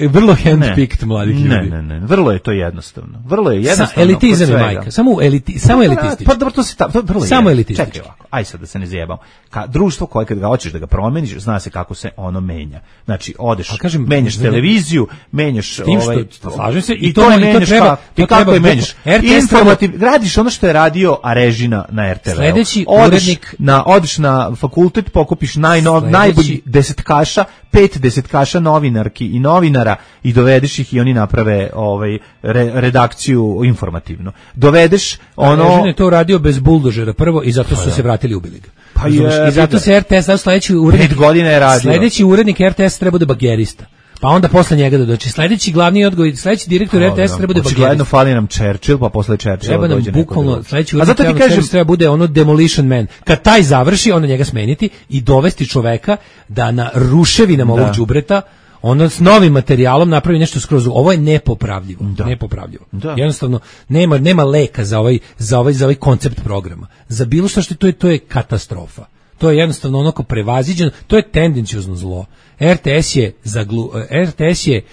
vrlo handpicked mladih ljudi. Ne, ne, ne, vrlo je to jednostavno. Vrlo je jednostavno. Sa elitizam je majka. Samo eliti, samo elitistično. Pa dobro, to se ta, to vrlo samo elitistično. Čekaj ovako, aj sad da se ne zajebamo. Ka društvo koje kad ga hoćeš da ga promeniš, zna se kako se ono menja. Znači, odeš, kažem, menjaš televiziju, menjaš ovaj, slažem se, i to ne to treba, i kako je menjaš. Informativ, gradiš ono što je radio a Režina na er te ve. Sledeći urednik na odeš na fakultet, pokupiš najnov najbolji desetkaša, pet desetkaša novinarki i novinara i dovedeš ih i oni naprave ovaj re, redakciju informativnu. Dovedeš ono Režin je to radio bez buldožera prvo i zato su se vratili ubili ga. Pa je, i zato se er te es sledeći urednik pet godina je radio. Sledeći urednik er te es treba da bagerista. Pa onda posle njega da doći. Sledeći glavni odgovor, sledeći direktor er te es treba da bagerista. Očigledno fali nam Churchill, pa posle Churchilla dođe neko. Bukvalno sledeći urednik treba, kažem, treba bude ono demolition man. Kad taj završi, onda njega smeniti i dovesti čoveka da na ruševinama ovog đubreta ono s novim materijalom napravi nešto skroz. Ovo je nepopravljivo, da. nepopravljivo. Da. Jednostavno nema nema leka za ovaj za ovaj za ovaj koncept programa. Za bilo što što to je to je katastrofa. To je jednostavno onako prevaziđeno, to je tendenciozno zlo. er te es je za glu, er te es je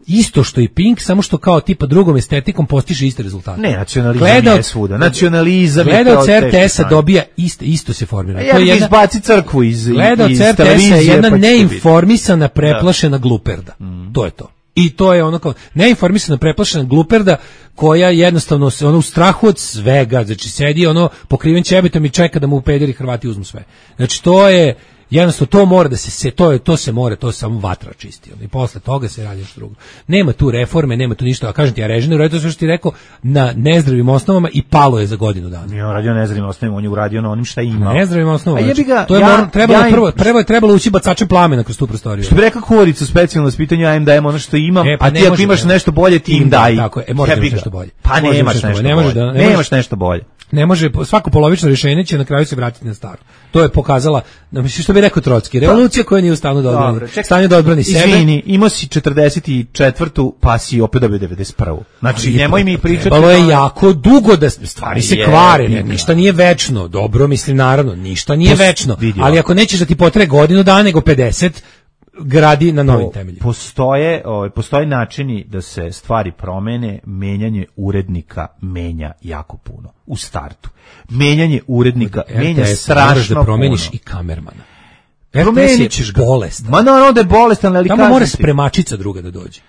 isto što i Pink, samo što kao tipa drugom estetikom postiže iste rezultate. Ne, nacionalizam Gledaoc, je svuda. Nacionalizam Gledaoc er te es dobija isto, isto se formira. Ja, to je jedna izbaci crkvu iz Gledaoc iz er te es je jedna pa neinformisana, preplašena gluperda. Mm. To je to. I to je ono kao neinformisana, preplašena gluperda koja jednostavno se ono u strahu od svega, znači sedi ono pokriven ćebetom i čeka da mu pederi Hrvati uzmu sve. Znači to je jednostavno to mora da se, se to je to se mora, to se samo vatra čisti. I posle toga se radi nešto drugo. Nema tu reforme, nema tu ništa. A kažem ti, ja Režinu radio sve što ti rekao na nezdravim osnovama i palo je za godinu dana. Nije on radio na nezdravim osnovama, on je uradio na onim šta ima. Na nezdravim osnovama. Znači, ga, to je ja, mor, trebalo ja, prvo, prvo je trebalo ući bacačem plamena kroz tu prostoriju. Što bi rekao Korica, specijalno ispitanju, ja im dajem ono što imam, e, pa a ti ako imaš nešto bolje, ti im daj. Tako je, možeš nešto bolje. Pa nemaš nešto bolje. Nemaš nešto bolje. Ne može, svako polovično rješenje će na kraju se vratiti na staro. To je pokazala, mislim što bi rekao Trotski, revolucija koja nije u stanju da odbrani, stanju da odbrani sebe. Izvini, imao si četrdeset četvrtu pa si opet dobio devedeset prvu. Znači, nemoj mi pričati. Trebalo je jako dugo da stvari se kvare, ne, ništa nije večno. Dobro, mislim, naravno, ništa nije večno. Ali ako nećeš da ti potraje godinu dana, nego pedeset, gradi na novim temeljima. Postoje, ovaj postoje načini da se stvari promene, menjanje urednika menja jako puno u startu. Menjanje urednika R T S menja strašno da promeniš puno. I kamermana. Promeniš ga. Bolestan. Ma naravno da je bolestan, ali tamo mora spremačica druga da dođe.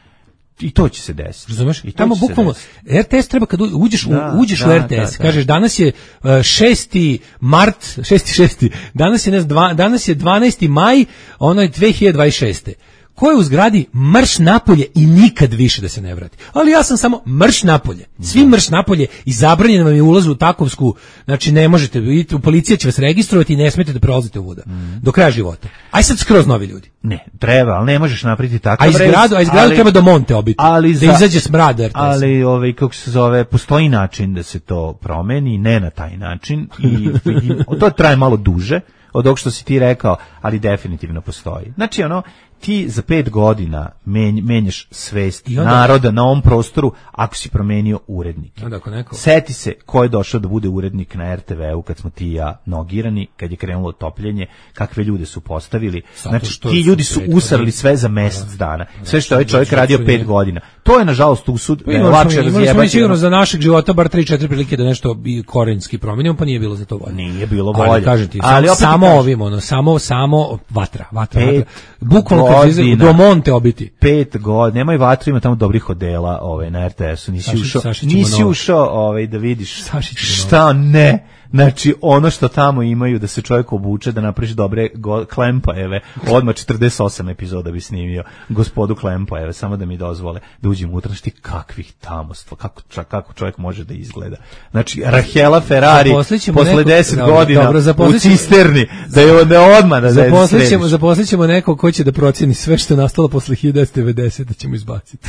I to će se desiti. Razumeš? I tamo bukvalno er te es treba kad uđeš da, u uđeš da, u er te es, da, kažeš da. Danas je uh, šesti mart, šesti šesti Danas je ne znam, danas je dvanaesti maj, ono je dve hiljade dvadeset šeste Ko je u zgradi marš napolje i nikad više da se ne vrati. Ali ja sam samo marš napolje. Svi marš napolje i zabranjeno vam je ulaz u takovsku, znači ne možete, u policija će vas registrovati i ne smete da prolazite uvuda mm. do kraja života. Aj sad skroz novi ljudi. Ne, treba, ali ne možeš napraviti takav a izgradu, a izgradu ali, treba do Monte obiti, ali da izađe smrad er te es. Ali, ovaj, kako se zove, postoji način da se to promeni, ne na taj način i vidim, to traje malo duže od ovog što si ti rekao, ali definitivno postoji. Znači, ono, ti za pet godina menj, menjaš svest onda, naroda na ovom prostoru ako si promenio urednike. Onda ako neko... Seti se ko je došao da bude urednik na er te veu kad smo ti i ja nogirani, kad je krenulo topljenje, kakve ljude su postavili. Zato znači, ti ljudi su usrali sve za mesec dana. Sve što je ovaj čovjek radio pet godina. To je, nažalost, usud. Lakše razjebati. Imali smo mi sigurno za našeg života bar tri četiri prilike da nešto korenski promijenimo, pa nije bilo za to volje. Nije bilo volje. Ali, kažem ti, ali samo ovim, ono, samo, samo vatra, vatra, vatra. Bukvalno kad se do Monte obiti. Pet godina, nemoj vatru, ima tamo dobrih odela ovaj, na er te esu, nisi Saši, ušao, Saši nisi ušao ovaj, da vidiš šta ne. Znači, ono što tamo imaju da se čovjek obuče, da napraviš dobre go, Klempajeve, odmah četrdeset osam epizoda bi snimio gospodu Klempajeve, samo da mi dozvole da uđem unutra, šti kakvih tamostva, kako, kako čovjek može da izgleda. Znači, Rahela Ferrari posle deset godina dobro, u cisterni, da je ne odmah da zaposlit ćemo, zaposlit ćemo nekog ko će da procjeni sve što je nastalo posle hiljadu devetsto devedesete da ćemo izbaciti.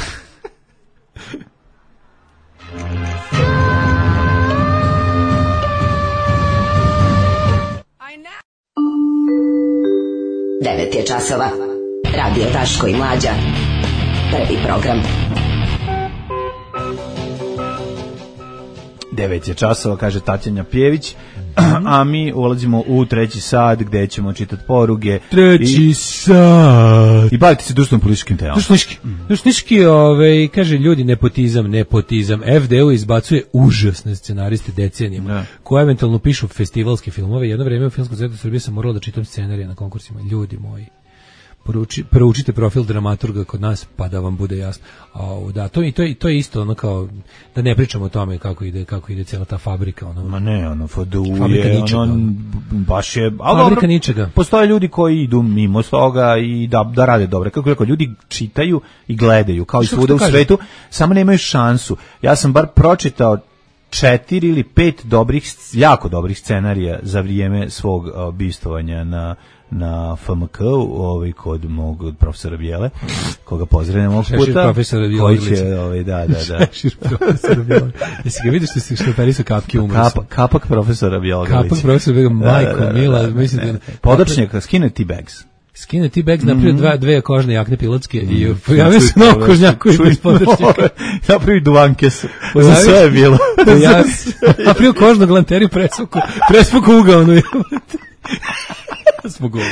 devet je časova. Radio Daško i Mlađa. Prvi program. devet je časova, kaže Tatjana Pjević, a mi ulazimo u treći sat gde ćemo čitati poruge. Treći i, sat. I baviti se društvenom političkim temama. Društvenički. Društvenički, ovaj, kaže ljudi, nepotizam, nepotizam. ef de u izbacuje užasne scenariste decenijama, ja. Koje eventualno pišu festivalske filmove. Jedno vreme u Filmskom centru Srbije sam morala da čitam scenarije na konkursima. Ljudi moji. Poruči, proučite profil dramaturga kod nas pa da vam bude jasno. A, da, to, i to, to je isto ono kao da ne pričamo o tome kako ide kako ide cijela ta fabrika ono. Ma ne, ono ef de u je ono baš je fabrika dobro, ničega. Postoje ljudi koji idu mimo toga i da da rade dobro. Kako rekao, ljudi čitaju i gledaju kao i svuda u svetu, samo nemaju šansu. Ja sam bar pročitao četiri ili pet dobrih, jako dobrih scenarija za vrijeme svog uh, bistovanja na na ef em ka, ovaj kod mog profesora Bijele, koga pozdravljam ovog puta, koji će, ovaj, da, da, da. Šešir profesora Bijele. Jesi ga vidiš što si štoperi su kapke umre? Kap, kapak profesora Bijele. Kapak profesora Bijele, majko, da, da, mila, da, mislim da... Podočnjaka, skine ti bags. Skine ti bags, napravio dva, dve kožne jakne pilotske mm. i pojavio se novo kožnjaku iz podočnjaka. Napravio duvanke su. Za sve je bilo. Napravio kožnog lanteriju, prespuku, prespuku ugaonu. Smo govi.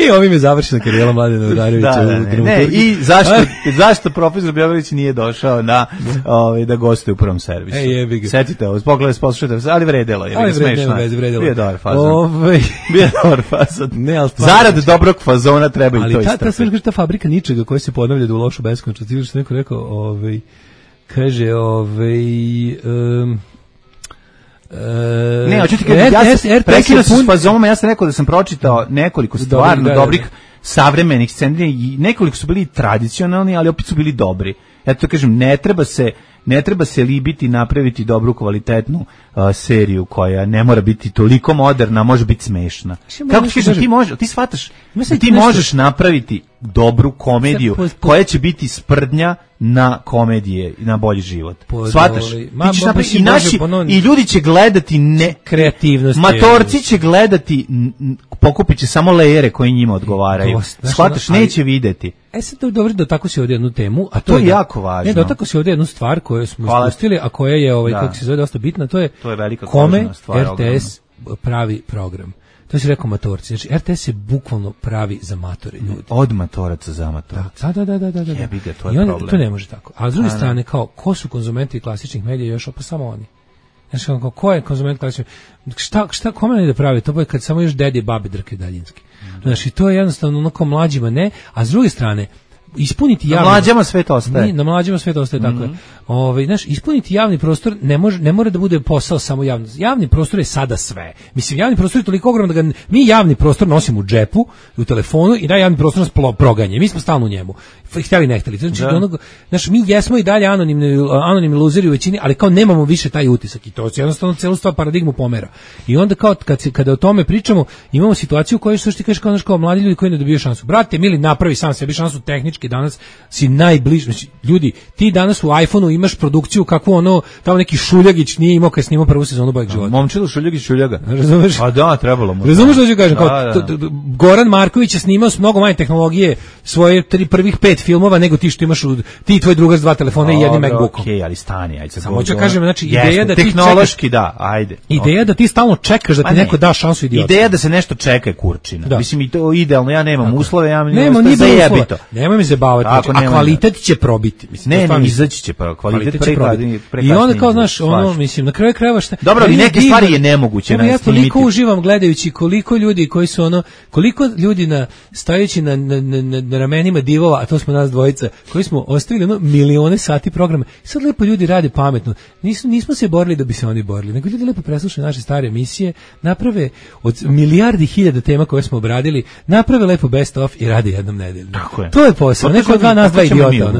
I ovim je završena karijera Mladena Udarevića. Da, da, ne, ne. I zašto, zašto profesor Bjelić nije došao na, ovaj, da gostuje u prvom servisu? Ej, jebi ga. Setite ovo, pogledajte, poslušajte, ali vredelo je. Ali vredelo, vredelo. Bio je dobar fazon. Ove... Bio je dobar fazon. Ne, ali zarad dobrog fazona treba i to istrpiti. Ali ta, ta, ta fabrika ničega koja se ponavlja da u lošu beskonačnost. Ti što neko rekao, ovaj, kaže, ovaj... Um, ne, hoću ti kažem, ja sam prekinuo se s fazonama, ja sam rekao da sam pročitao nekoliko stvarno Dobri, dobrih savremenih scenarija i nekoliko su bili tradicionalni, ali opet su bili dobri. Ja to kažem, ne treba se ne treba se libiti napraviti dobru kvalitetnu uh, seriju koja ne mora biti toliko moderna, može biti smešna. Kako ti kažem, ti možeš, ti shvataš, ti možeš napraviti dobru komediju koja će biti sprdnja na komedije i na bolji život. Shvataš? Ti ćeš napraviti i naši i ljudi će gledati ne kreativnost. Matorci će gledati, pokupit će samo lejere koji njima odgovaraju. Shvataš, neće videti. E sad to je dobro da tako si ovdje jednu temu, a to, to je da, jako važno. Ne, da tako si ovdje jednu stvar koju smo Hvala. ispustili, a koja je ovaj da. kako se zove dosta bitna, to je, to je velika kome stvar, er te es ogromna. Pravi program. To si rekao matorci. Znači er te es je bukvalno pravi za matore ljudi. Od matoraca za matorca. Da, da, da, da, da. Jebi ga, to je I on, problem. To ne može tako. A s druge strane, kao, ko su konzumenti klasičnih medija još, pa samo oni. Znači, kao, ko je konzument klasičnih? Šta, šta, kome ne da pravi? To je kad samo još dedi i babi drke daljinski. Znači, to je jednostavno onako mlađima ne, a s druge strane, ispuniti javni... Na mlađama svet ostaje. Na mlađama svet ostaje, tako je. Mm -hmm. Ove, znaš, ispuniti javni prostor ne, može, ne mora da bude posao samo javni. Javni prostor je sada sve. Mislim, javni prostor je toliko ogroman da ga mi javni prostor nosimo u džepu, u telefonu i da javni prostor nas proganje. Mi smo stalno u njemu. Htjeli ne htjeli. Znači, onog, znaš, mi jesmo i dalje anonimni, anonimni luzeri u većini, ali kao nemamo više taj utisak i to se jednostavno celu stvar paradigmu pomera. I onda kao kad se, kada o tome pričamo, imamo situaciju u kojoj što ti kažeš kao, znaš, kao mladi ljudi koji ne dobiju šansu. Brate, mili, napravi sam sebi šansu tehnički tehnike, danas si najbliži, znači, ljudi, ti danas u iPhoneu imaš produkciju kakvu ono, tamo neki Šuljagić nije imao kad snimao prvu sezonu Boljeg života. Momčilo Šuljagić Šuljaga. Razumeš? A da, trebalo mu. Razumeš što ću kažem? Kao, da, da. t, t, Goran Marković je snimao s mnogo manje tehnologije svoje tri prvih pet filmova nego ti što imaš u, ti i tvoj drugar s dva telefona i jednim MacBookom. Okej, okay, ali stani, ajde. Samo ću kažem, znači, Jeste, ideja da ti tehnološki čekaš, da, ajde. Ideja okay. da ti stalno čekaš da ti ne, neko da šansu idiota. Ideja da se nešto čeka je kurčina. Da. Mislim i to idealno, ja nemam Tako. uslove, ja nemam ni uslova. Nemoj me zabavati, znači, a kvalitet će probiti. Mislim, ne, ne, izaći će pa kvalitet će probiti. I onda kao znaš, ono, mislim, na kraju krajeva šta. Dobro, ali neke stvari je nemoguće na. Ja toliko uživam gledajući koliko ljudi koji su ono, koliko ljudi na stajući na na na, na ramenima divova, a to smo nas dvojica, koji smo ostavili ono milione sati programa. Sad lepo ljudi rade pametno. Nismo nismo se borili da bi se oni borili, nego ljudi lepo preslušaju naše stare emisije, naprave od milijardi hiljada tema koje smo obradili, naprave lepo best of i rade jednom nedeljno. To je posao. Neko od dva nas dva idiota.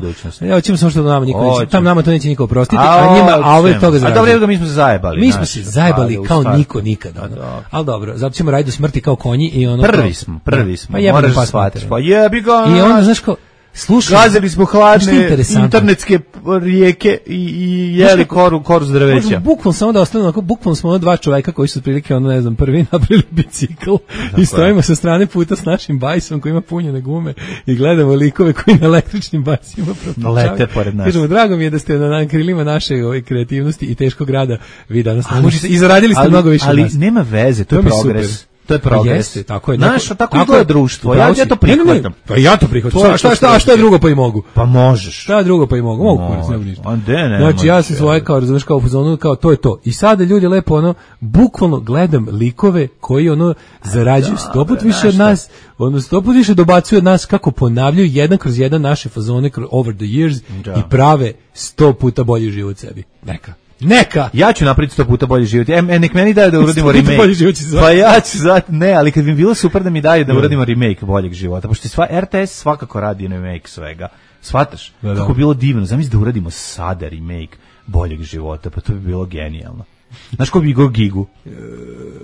Ja hoćemo samo što da nama niko, tam nama to neće niko oprostiti, a, a njima a ovo je toga za. A dobro, evo mi smo se zajebali. Mi smo se zajebali kao niko nikada. Ono. Al dobro, zato ćemo raditi do smrti kao konji i ono. Prvi smo, prvi smo. Pa moraš shvatiti. Pa jebi ga. I onda znaš ko slušaj, gazili smo hladne internetske rijeke i, i jeli koru, koru s drveća. Bukvalno samo da ostane onako, bukvalno smo ono dva čoveka koji su otprilike, ono ne znam, prvi napravili bicikl i stojimo sa strane puta s našim bajsom koji ima punjene gume i gledamo likove koji na električnim bajsima lete pored nas. Kažemo, drago mi je da ste na krilima naše ove kreativnosti i teškog rada vi danas možete i zaradili ste ali, mnogo više ali nas. nema veze, to, to je progres. To je progres. Jeste, tako je. Znaš, tako izgleda društvo. Ja, ja to prihvatam. Pa ja to prihvatam. Šta, šta, šta, šta je drugo pa i mogu? Pa možeš. Šta je drugo pa i mogu? Mogu, kurac, ne ništa. Ne, ne, znači, ja sam svoje kao, razumeš, kao u zonu, kao to je to. I sada ljudi lepo, ono, bukvalno gledam likove koji, ono, zarađuju sto put više od nas, ono, sto put više dobacuju od nas kako ponavljaju jedan kroz jedan naše fazone over the years i prave sto puta bolji život sebi. Neka. Neka. Ja ću napraviti sto puta bolji život. E, e nek meni daju da uradimo remake. Pa ja ću zvati, ne, ali kad bi bilo super da mi daju da uradimo remake boljeg života, pošto sva R T S svakako radi remake svega. Shvataš? Da, da. Kako bilo divno. Zamisli da uradimo sada remake boljeg života, pa to bi bilo genijalno. Znaš ko bi go Gigu?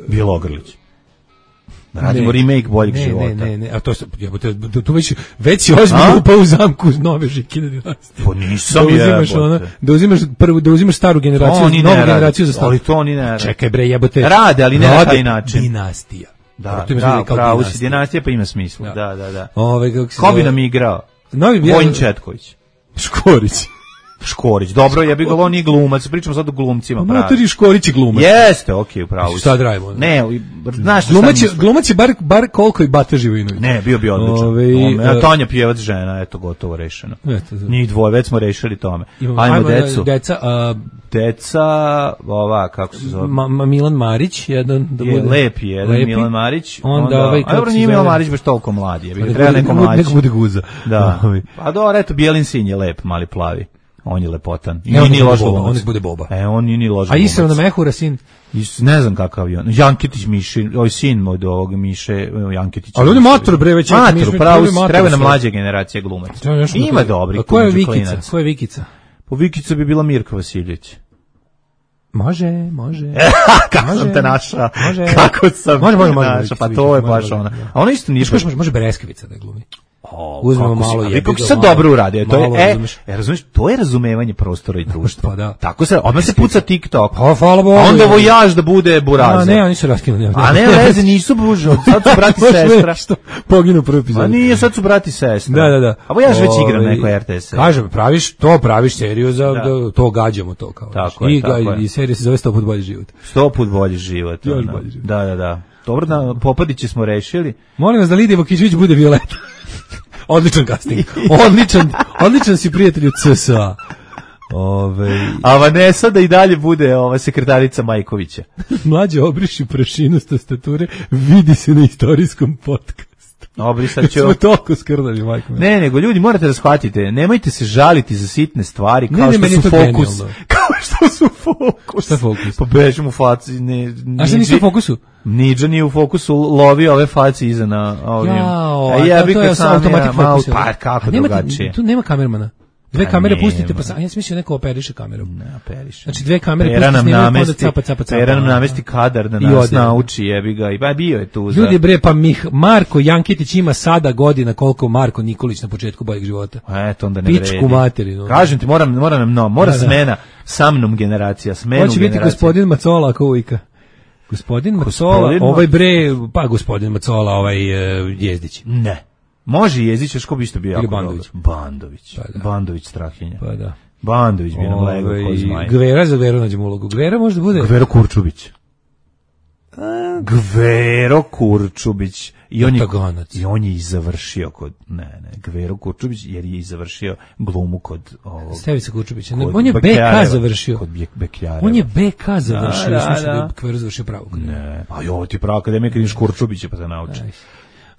Bilo Ogrlić. Da radimo ne, remake boljeg ne, života. Ne, ne, ne, a to se, jebote, tu već, već si ozbiljno upao u zamku nove Žikine dinastije. Pa nisam da uzimaš ono, da uzimaš prvu, da uzimaš staru generaciju, novu generaciju za staru. Ali to ni ne rade. Čekaj bre, jebote. Rade, ali ne na taj način. Dinastija. Da, da, pravo si, dinastija pa ima smisla. Da, da, da. Ove, kako se ko bi nam igrao? Vojin Četković. Škorić. Škorić. Dobro, ja bih ga on nije glumac, pričamo sad o glumcima, pravi. Matori Škorić je glumac. Jeste, okej, okay, upravo. Šta da radimo? Ne, znaš šta glumac je, glumac je bar bar koliko i Bata Živinović. Ne, bio bi odličan. Ove, a Tanja Pjevac žena, eto gotovo rešeno. Njih dvoje već smo rešili tome. Ajmo, ajmo decu. Deca, a, deca, ova kako se zove? Ma, ma Milan Marić, jedan da bude. Je lep jedan lepi. Milan Marić. Onda, onda ovaj kako se Milan Marić baš toliko mlad je. Treba neko mlađi. Neko bude guza. Da. Pa dobro, eto Bijelin sin je lep, mali plavi. On je lepotan. I on nije loš glumac. On bude Boba. E, on nije ni loš glumac. A Isra na Mehura sin? Is, ne znam kakav je on. Janketić Miši, ovaj sin od ovog Miše Janketića. Ali on je mator bre, već mator, pravo, treba na mlađe generacije glumac. Ima dobri. A ko je Vikica? Ko je Vikica? Po Vikica bi bila Mirka Vasiljević. Može, može. Kako može, sam te našao? Može. Kako sam može, može, može, našao? Pa to je baš ona. A ona isto nije baš. Može, može Bereskovica da glumi. Oh, uzmemo malo je. Kako se dobro uradio, to je e, e, razumeš, to je razumevanje prostora i društva. Pa da. Tako se, odmah se puca TikTok. Pa hvala Bogu. A onda vojaž da bude burazer. A ne, oni su raskinuli. A ne, veze nisu bužo, sad su brati sestra. Što poginu prvi epizod. A nije, sad su brati sestra. Da, da, da. A vojaž već igra na nekoj R T S. Kažem, praviš to, praviš seriju za da. To gađamo to kao. Tako je, tako je. I serija se zove sto put bolji život. sto put bolji život. Da, da, da. Dobro, da Popadiće smo rešili. Molim vas da Lidija Vokićević bude Violeta. Odličan casting. Odličan, odličan si prijatelj u C S A. Ove... A Vanessa da i dalje bude ova sekretarica Majkovića. Mlađe obriši prašinu s tastature, vidi se na istorijskom podcastu. Obrisat ću. Smo toliko skrnali, majko. Ne, nego ljudi morate da shvatite, nemojte se žaliti za sitne stvari kao ne, ne, što su fokus. Genijalno. Kao što su fokus. Šta fokus? Pa bežim u faci. Ne, a šta nisi u fokusu? Niđa nije u fokusu, lovi ove faci iza na ovim. Jao, a ja bih to je automatik fokus. Pa kako drugačije? Tu nema kamermana. Dve Pa kamere nema. pustite, pa sam, ja sam mislio neko operiše kamerom. Ne, operiše. Znači dve kamere Pera pustite, nam snimaju, pa onda namesti, capa, capa, capa. Pera nam namesti kadar da I nas ode. nauči, jebi ga. I ba bio je tu za... Ljudi bre, pa Mih, Marko Jankitić ima sada godina koliko Marko Nikolić na početku boljeg života. Eto, onda ne Pičku vredi. materinu. Kažem ti, moram, mora nam, no, mora Da, da. smena, sa mnom generacija, smenu Hoće biti generacija. gospodin Macola ako uvijka. Gospodin Macola, Gospodin ovaj bre, pa gospodin Macola, ovaj uh, Jezdić. Ne. Može Jezić, još ko bi isto bio Ili jako Bandović. dobro. Bandović. Pa da. Bandović Strahinja. Pa da. Bandović bi nam legao ko zmaj. Gvera za Gveru nađemo ulogu. Gvera možda bude... Gvero Kurčubić. Gvero Kurčubić. I on, je, Pataganac. I on je i završio kod... Ne, ne, Gvero Kurčubić, jer je i završio glumu kod ovog... Stevica Kurčubića. kod On je B Bekljareva. K završio. Kod Bek- Beklareva. On je B K završio. Da, Ja sam da, mislio da. da je Gvero završio pravo. Ne, a jo, ti pravo akademija kad ideš Kurčubića pa te nauči.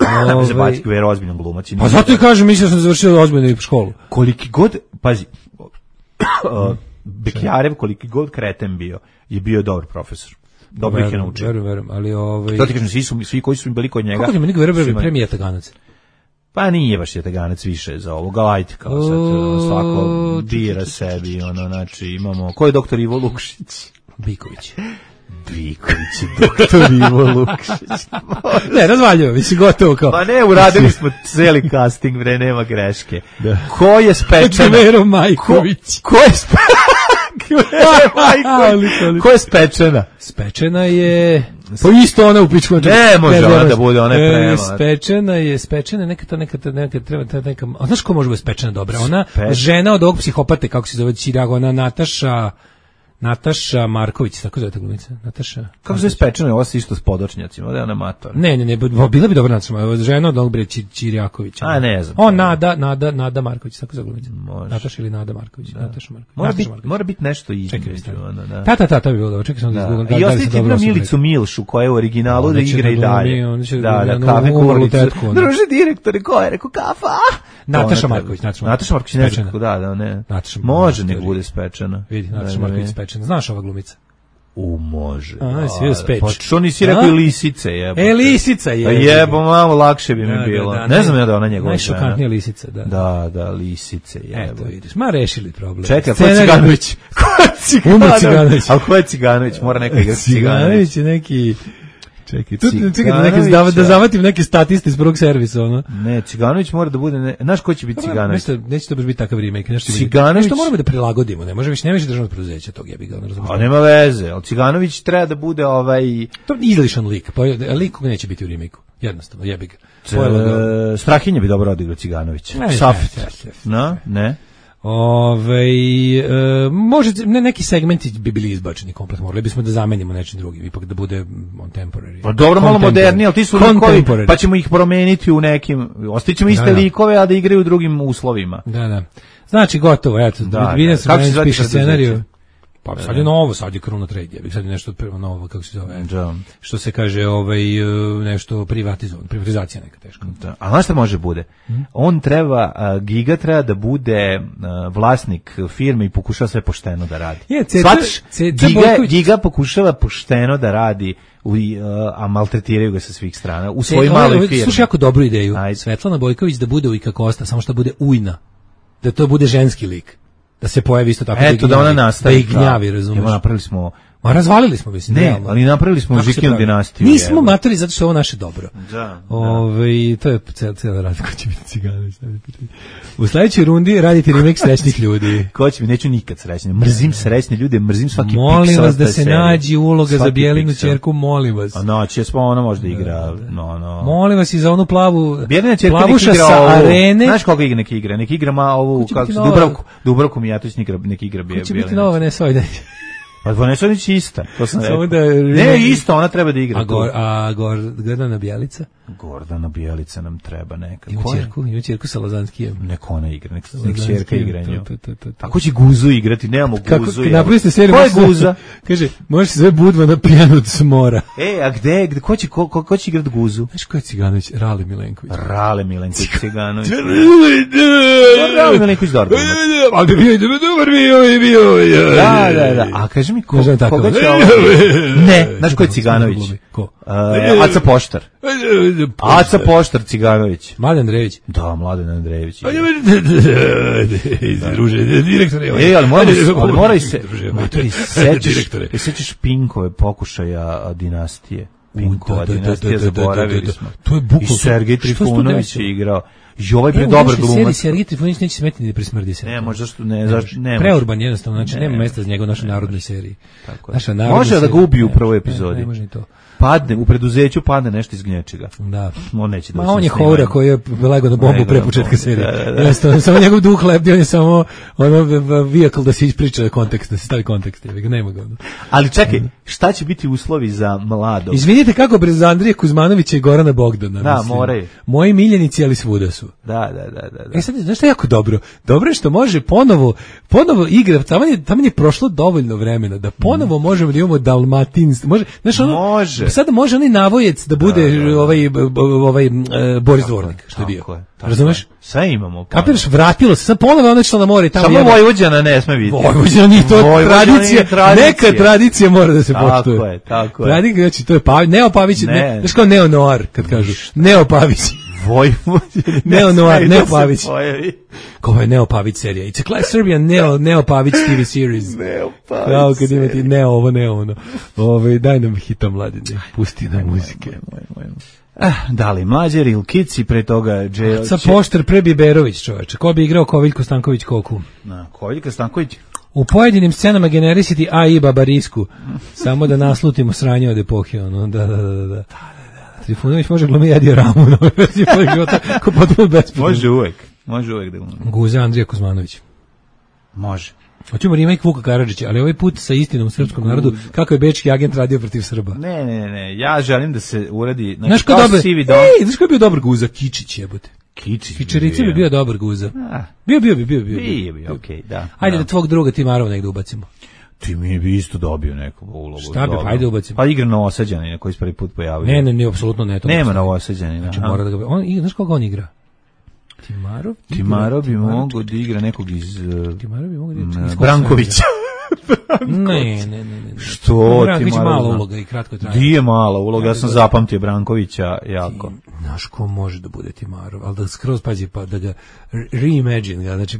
Ovaj, Da me zabaci Gvero ozbiljno glumac. i Pa nije- zato i kažem, mislio sam da završio ozbiljnu školu. Koliki god, pazi, uh, Bekljarev, koliki god kreten bio, je bio dobar profesor. Dobro ih je Verujem, naučio. Verujem, verujem, ali ovaj... To ti kažem, svi, su, svi koji su bili kod njega... Kako ti meni Gvero su bre imali- premije Taganac? Pa nije baš jetaganac više za ovo, galajte kao sad, ono, svako O, bira sebi, ono, znači imamo, ko je doktor Ivo Lukšić? Biković. Biković je doktor Ivo Lukšić. Ne, razvaljuje, mislim, gotovo kao... Pa ne, uradili smo celi casting, bre, nema greške. Ko je spečena? Gvero Majković. Ko, ko je spečena? Ali- Ko je spečena? Spečena je... Pa isto ona u pičku. Ne, može ona da bude, ona je prema. Spečena je, spečena je, neka to, neka to, neka treba, ta neka... A znaš ko može biti spečena dobra? Ona Spe- žena od ovog psihopate, kako se zove, Čirago, ona Nataša... Nataša Marković, tako zove ta glumica. Nataša... Kako se spečena? Ovo se isto s podočnjacima, da je ona mator. Ne, ne, ne, bo- bila bi dobra Nataša, žena od onog bre Či- Čirjakovića. A, ne znam. O, Nada, Nada, Nada Marković, tako zove glumica. Može. Nataša ili Nada Marković, Nataša Marković. Mora Nataša biti Marković. mora biti nešto Čekaj, između, stani. ono, da. Ta, ta, ta, to bi bilo dobro. Čekaj sam da izgooglam. Da. I ostavite jednu Milicu Milšu koja je u originalu da Ona će igra i da glumi, dalje. ona će da Da, glumi da, onu kafe umrlu kuvaricu. tetku, ona. Druže direktore, ko je rekao kafa? ah! Nataša To ona Marković, treba. Nataša Nataša Marković, ne znam Spečena. kako, da, da, ne. Nataša Može Marković, nek bude spečena. Vidi, Nataša Da, da, Marković ne. spečena. Znaš ova glumica? U, može. A, si vidio speč. Pa što nisi rekao A? i lisice, jebote. E, lisica je. Pa jebo, malo lakše bi mi Da, da, bilo. da, Ne naj- znam ja da ona njegova Najšokantnija žena. lisica, da. Da, da, lisice, jebo. Eto, vidiš, ma rešili problem. Čekaj, ko je Scenarij- Ciganović? Ko je Ciganović? Umro Ciganović. A ko je Ciganović? Mora neka igrati Ciganović. Ciganović je neki... Čekaj, tu, čekaj da, Ciganović, neke, da, da ja. zavatim neke statiste iz prvog servisa, ono. Ne, Ciganović mora da bude... Ne, znaš ko će biti Ciganović? Nešto, neće to baš biti takav remake. Nešto, će biti- Ciganović- nešto moramo da prilagodimo, ne može više, ne više državno preduzeće tog jebi ga, ne razumiješ. A nema veze, ali Ciganović treba da bude ovaj... To je izlišan lik, pa lik koga neće biti u remake-u. Jednostavno, jebi ga. E, Strahinja bi dobro odigrao Ciganovića. Ne, Safet. ne, ne, ne. No, ne? Ove, e, može, ne, neki segmenti bi bili izbačeni komplet, morali bismo da zamenimo nečim drugim, ipak da bude on temporary. Pa dobro, malo Contemporary. moderniji, ali ti su likovi, Contemporary. pa ćemo ih promeniti u nekim... Ostaćemo iste Da, da. likove, a da igraju u drugim uslovima. Da, da. Znači, gotovo, eto, Da, vidim da. se Kako se Branić zvati piše preduzeće? scenariju. Pa sad je novo, sad je Kruna Trade, ja bih sad je nešto prvo novo, kako se zove, Da. što se kaže, ovaj, e, nešto privatizovan, privatizacija neka teška. Da. A znaš šta može bude? On treba, a, Giga treba da bude a, vlasnik firme i pokušava sve pošteno da radi. Je, Ceca- Shvataš? Ceca Giga, Bojković- Giga pokušava pošteno da radi, u, a, a maltretiraju ga sa svih strana. U svojoj E, maloj ovo- firmi. Slušaj, jako dobru ideju. Ajde. Svetlana Bojković da bude Ujka Kosta, samo što bude ujna. Da to bude ženski lik. Da se pojavi isto tako. Eto, da ih ona gnjavi, nastavi. Da ih gnjavi, razumiješ. Evo, napravili smo... Ma razvalili smo, mislim. Ne, realno. ali napravili smo Kako se Žikinu pravi? dinastiju. Nismo jebo. matori zato što je ovo naše dobro. Da, da. Ove, to je cijela, cijela rad ko će biti Ciganović. U sledećoj rundi radite remake srećnih ljudi. Ko će mi, neću nikad srećne. Mrzim srećne ljude, mrzim svaki Molim piksel vas da te se serije. nađi uloga za Svaki Bjelinu piksel. ćerku, molim vas. A noć je ona možda igra, no, no. Molim vas i za onu plavu, Bjelina ćerka nek plavuša igra sa ovu. arene. Znaš koga igra neki igra? Neki igra ma ovu, Ko će kako biti se, nova? Dubravku, Dubravku Mijatović neki igra, neki igra Ko Bjelina. će biti nova Vanessa Ojdanić? Pa Vanessa Ojdanić je ista, to sam Samo rekao. da je- Ne, isto, ona treba da igra. A, tu. gor, a gor, Gordana Bjelica? Gordana Bijelica nam treba neka. Ima Ko je? ćerku, ima ćerku sa Lazanskijem. Nek ona igra, nek, nek Lazanskijem, ćerka igra nju. to, to, to, to. A ko će Guzu igrati? Nemamo Kako, Guzu. napravili ste seriju. Ko je može se- Guza? Kaže, može se sve Budva na pijanu od smora. E, a gde, gde ko će, ko, ko, ko će igrati Guzu? Znaš ko je Ciganović? Rali Milenković. Rale Milenković Ciganović. Rale Milenković dobro. Ali bi bio i dobar bio i bio. Da, da, da. A kaži mi ko, Ne znam tako. koga će ovo... Ne, znaš ko je Ciganović? Ko? Uh, Aca Poštar. Aca Poštar Ciganović. Mladen Andrejević. Da, Mladen Andrejević. Druže, direktore. E, ali moramo, ali moraj se, motori, sećaš, sećaš Pinkove pokušaja dinastije. Pinkova dinastija, zaboravili smo. To je bukvalno. I Sergej Trifunović je igrao. I ovaj bre dobar glumac. Sergej Trifunović neće smetiti ni da presmrdi se. Ne, može zašto ne, zašto ne. Preurban jednostavno, znači nema mesta za njega u našoj narodnoj seriji. Tako je. Može da ga ubiju u prvoj epizodi. Ne može ni to. Padne, u preduzeću padne nešto iz gnječega. Da. On neće da. Ma on je Houra koji je legao na bombu pre početka serije. Jednostavno, samo njegov duh lebdi, on je samo ono vehicle da se ispriča kontekst, da se stavi kontekst. Nema ga. Ali čekaj, šta će biti uslovi za mladog? Izvinite kako bez Andrije Kuzmanovića i Gorana Bogdana. Da, moraju. Moji miljenici, ali svuda su. Da, da, da, da, da. E sad, znaš što je jako dobro? Dobro je što može ponovo, ponovo igra, tamo je, tamo je prošlo dovoljno vremena da ponovo mm. možemo da imamo dalmatinski, može, znaš ono, može. Sada može onaj Navojec da bude da, da, da. ovaj, ovaj uh, Boris Dvornik, što je bio. Je, razumeš? Sve imamo. Kapiraš, vratilo se, sad ponovo ono što na more. Tamo samo Vojvođana ne sme biti. Vojvođana nije to tradicija, tradicija, neka tradicija mora da se poštuje. Tako je, tako je. Tradicija, znači, to je Pavić, Neo Pavić, ne, ne, znaš kao Neo Noir, kad kažu, Neo Pavić. Vojvođana. Neo Noir, Neo Pavić. Kao je Neo Pavić serija. It's a class Serbian Neo, Neo Pavić T V series. Neo Pavić. Kao kad imati Neo ovo, Neo ono. Ove, daj nam hita mladine, pusti nam muzike. Ah, da li Mlađer ili Kici, pre toga Džejo... Sa Poštar pre Biberović, čoveče. Ko bi igrao Koviljko Stanković Koku? Na, Koviljko Stanković? U pojedinim scenama generisiti A I Babarisku. Samo da naslutimo sranje od epohe, ono, da, da, da, da. da. Trifunović može glumi Edi Ramu, no, ko potpuno bespredno. Može uvek, može uvek da glumi. Guza Andrija Kuzmanović. Može. Hoćemo remake Vuka Karadžića, ali ovaj put sa istinom u srpskom narodu, kako je bečki agent radio protiv Srba. Ne, ne, ne, ja želim da se uradi... Znaš ko dobar? Ej, znaš ko je bio dobar Guza? Kičić jebote. Kičić. Kičerica bi bio dobar Guza. Bio, bio bi, bio bi. Bio bi, okej, da. Ajde da tvog druga Timarova negde ubacimo. Ti mi bi isto dobio neku ulogu. Šta bi, ajde ubacimo. Pa igra Novosađanina koji se prvi put pojavio. Ne, ne, ne, apsolutno ne. To nema Novosađanina. Znači mora da ga... On, znaš koga on igra? Timarov? Timarov bi mogao da igra nekog iz... Timarov bi mogao da igra iz Brankovića. Ne, ne, ne, ne. Što Branković mala uloga i kratko traje. Di je mala uloga, ja sam zapamtio Brankovića jako. Znaš ko može da bude Timarov, ali da skroz pazi pa da ga reimagine ga, znači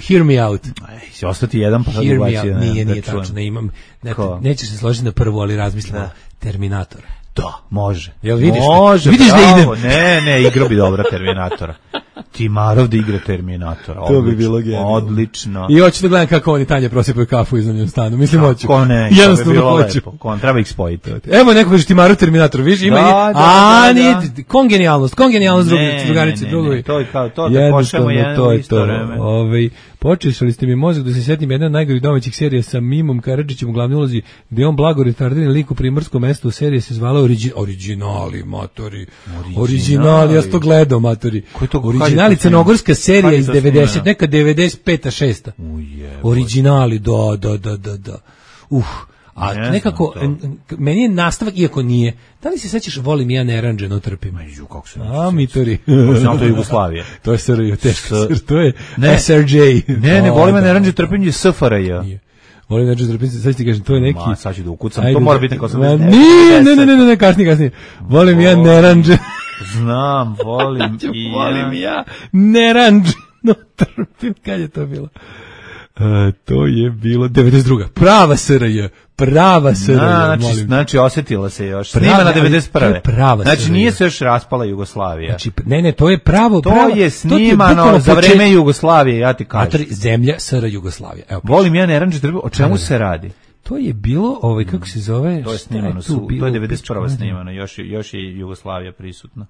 hear me out. Ej, si ostati jedan pa sad ubaci. Nije, nije tačno, ne imam, ne, neće se složiti na prvu, ali razmislimo Terminatora. Da, može. Jel vidiš? Može, vidiš bravo, da idem? Ne, ne, igrao bi dobro Terminatora. Timarov da igra Terminatora. Odlično, to bi bilo genijalno. Odlično. I hoću da gledam kako oni Tanja prosipaju kafu iz njom stanu. Mislim, hoću. Ko ne, jednostavno bi bilo hoću. Lepo. Ko, treba ih spojiti. Evo neko kaže Timarov Terminator, vidiš, ima da, i... Da, A, da, nije, da. kongenijalnost, kongenijalnost ne, drugarice, drugovi. To je kao to, da pošljamo jedno isto vreme. Ovaj, počešali ste mi mozak da se setim jedna od najgorih domaćih serija sa Mimom Karadžićem u glavnoj ulozi, gde on blago retardiran lik u primorskom mestu, serija se zvala origi, Originali, matori. Originali, ja sam to gledao, matori. Originali, crnogorska serija iz devedeset, neka devedeset peta šesta Originali, da, da, da, da, da. Uh, a ne nekako, meni je nastavak, iako nije. Da li se sećaš, volim ja neranđeno trpim? Ju, kako se A, mitori. Znam, to je Jugoslavija. To je S R J, teško, to je S R J. Ne, ne, volim ja neranđeno trpim je S F R J. Volim neranđeno trpim, sad ti kažem, to je neki... Ma, sad ću da ukucam, to mora biti neko sam... Nije, ne, ne, ne, ne, kasnije, kasnije. Volim ja neranđeno... Znam, volim i ja. Volim ja neranđeno trpim, kad je to bilo? A, to je bilo devedeset druga Prava S R J, prava S R J, znači, molim. Znači, osjetila se još. Snimana devedeset prve Prava znači, nije se još raspala Jugoslavija. Znači, ne, ne, to je pravo. To prava, je snimano to za vreme Jugoslavije, ja ti kažem. Matri, zemlja S R Jugoslavija. Evo, volim ja neranđe trbu, o čemu se radi? To je bilo, ovaj, kako se zove? To je snimano, su, to je devedeset prva snimano, još, još je Jugoslavija prisutna.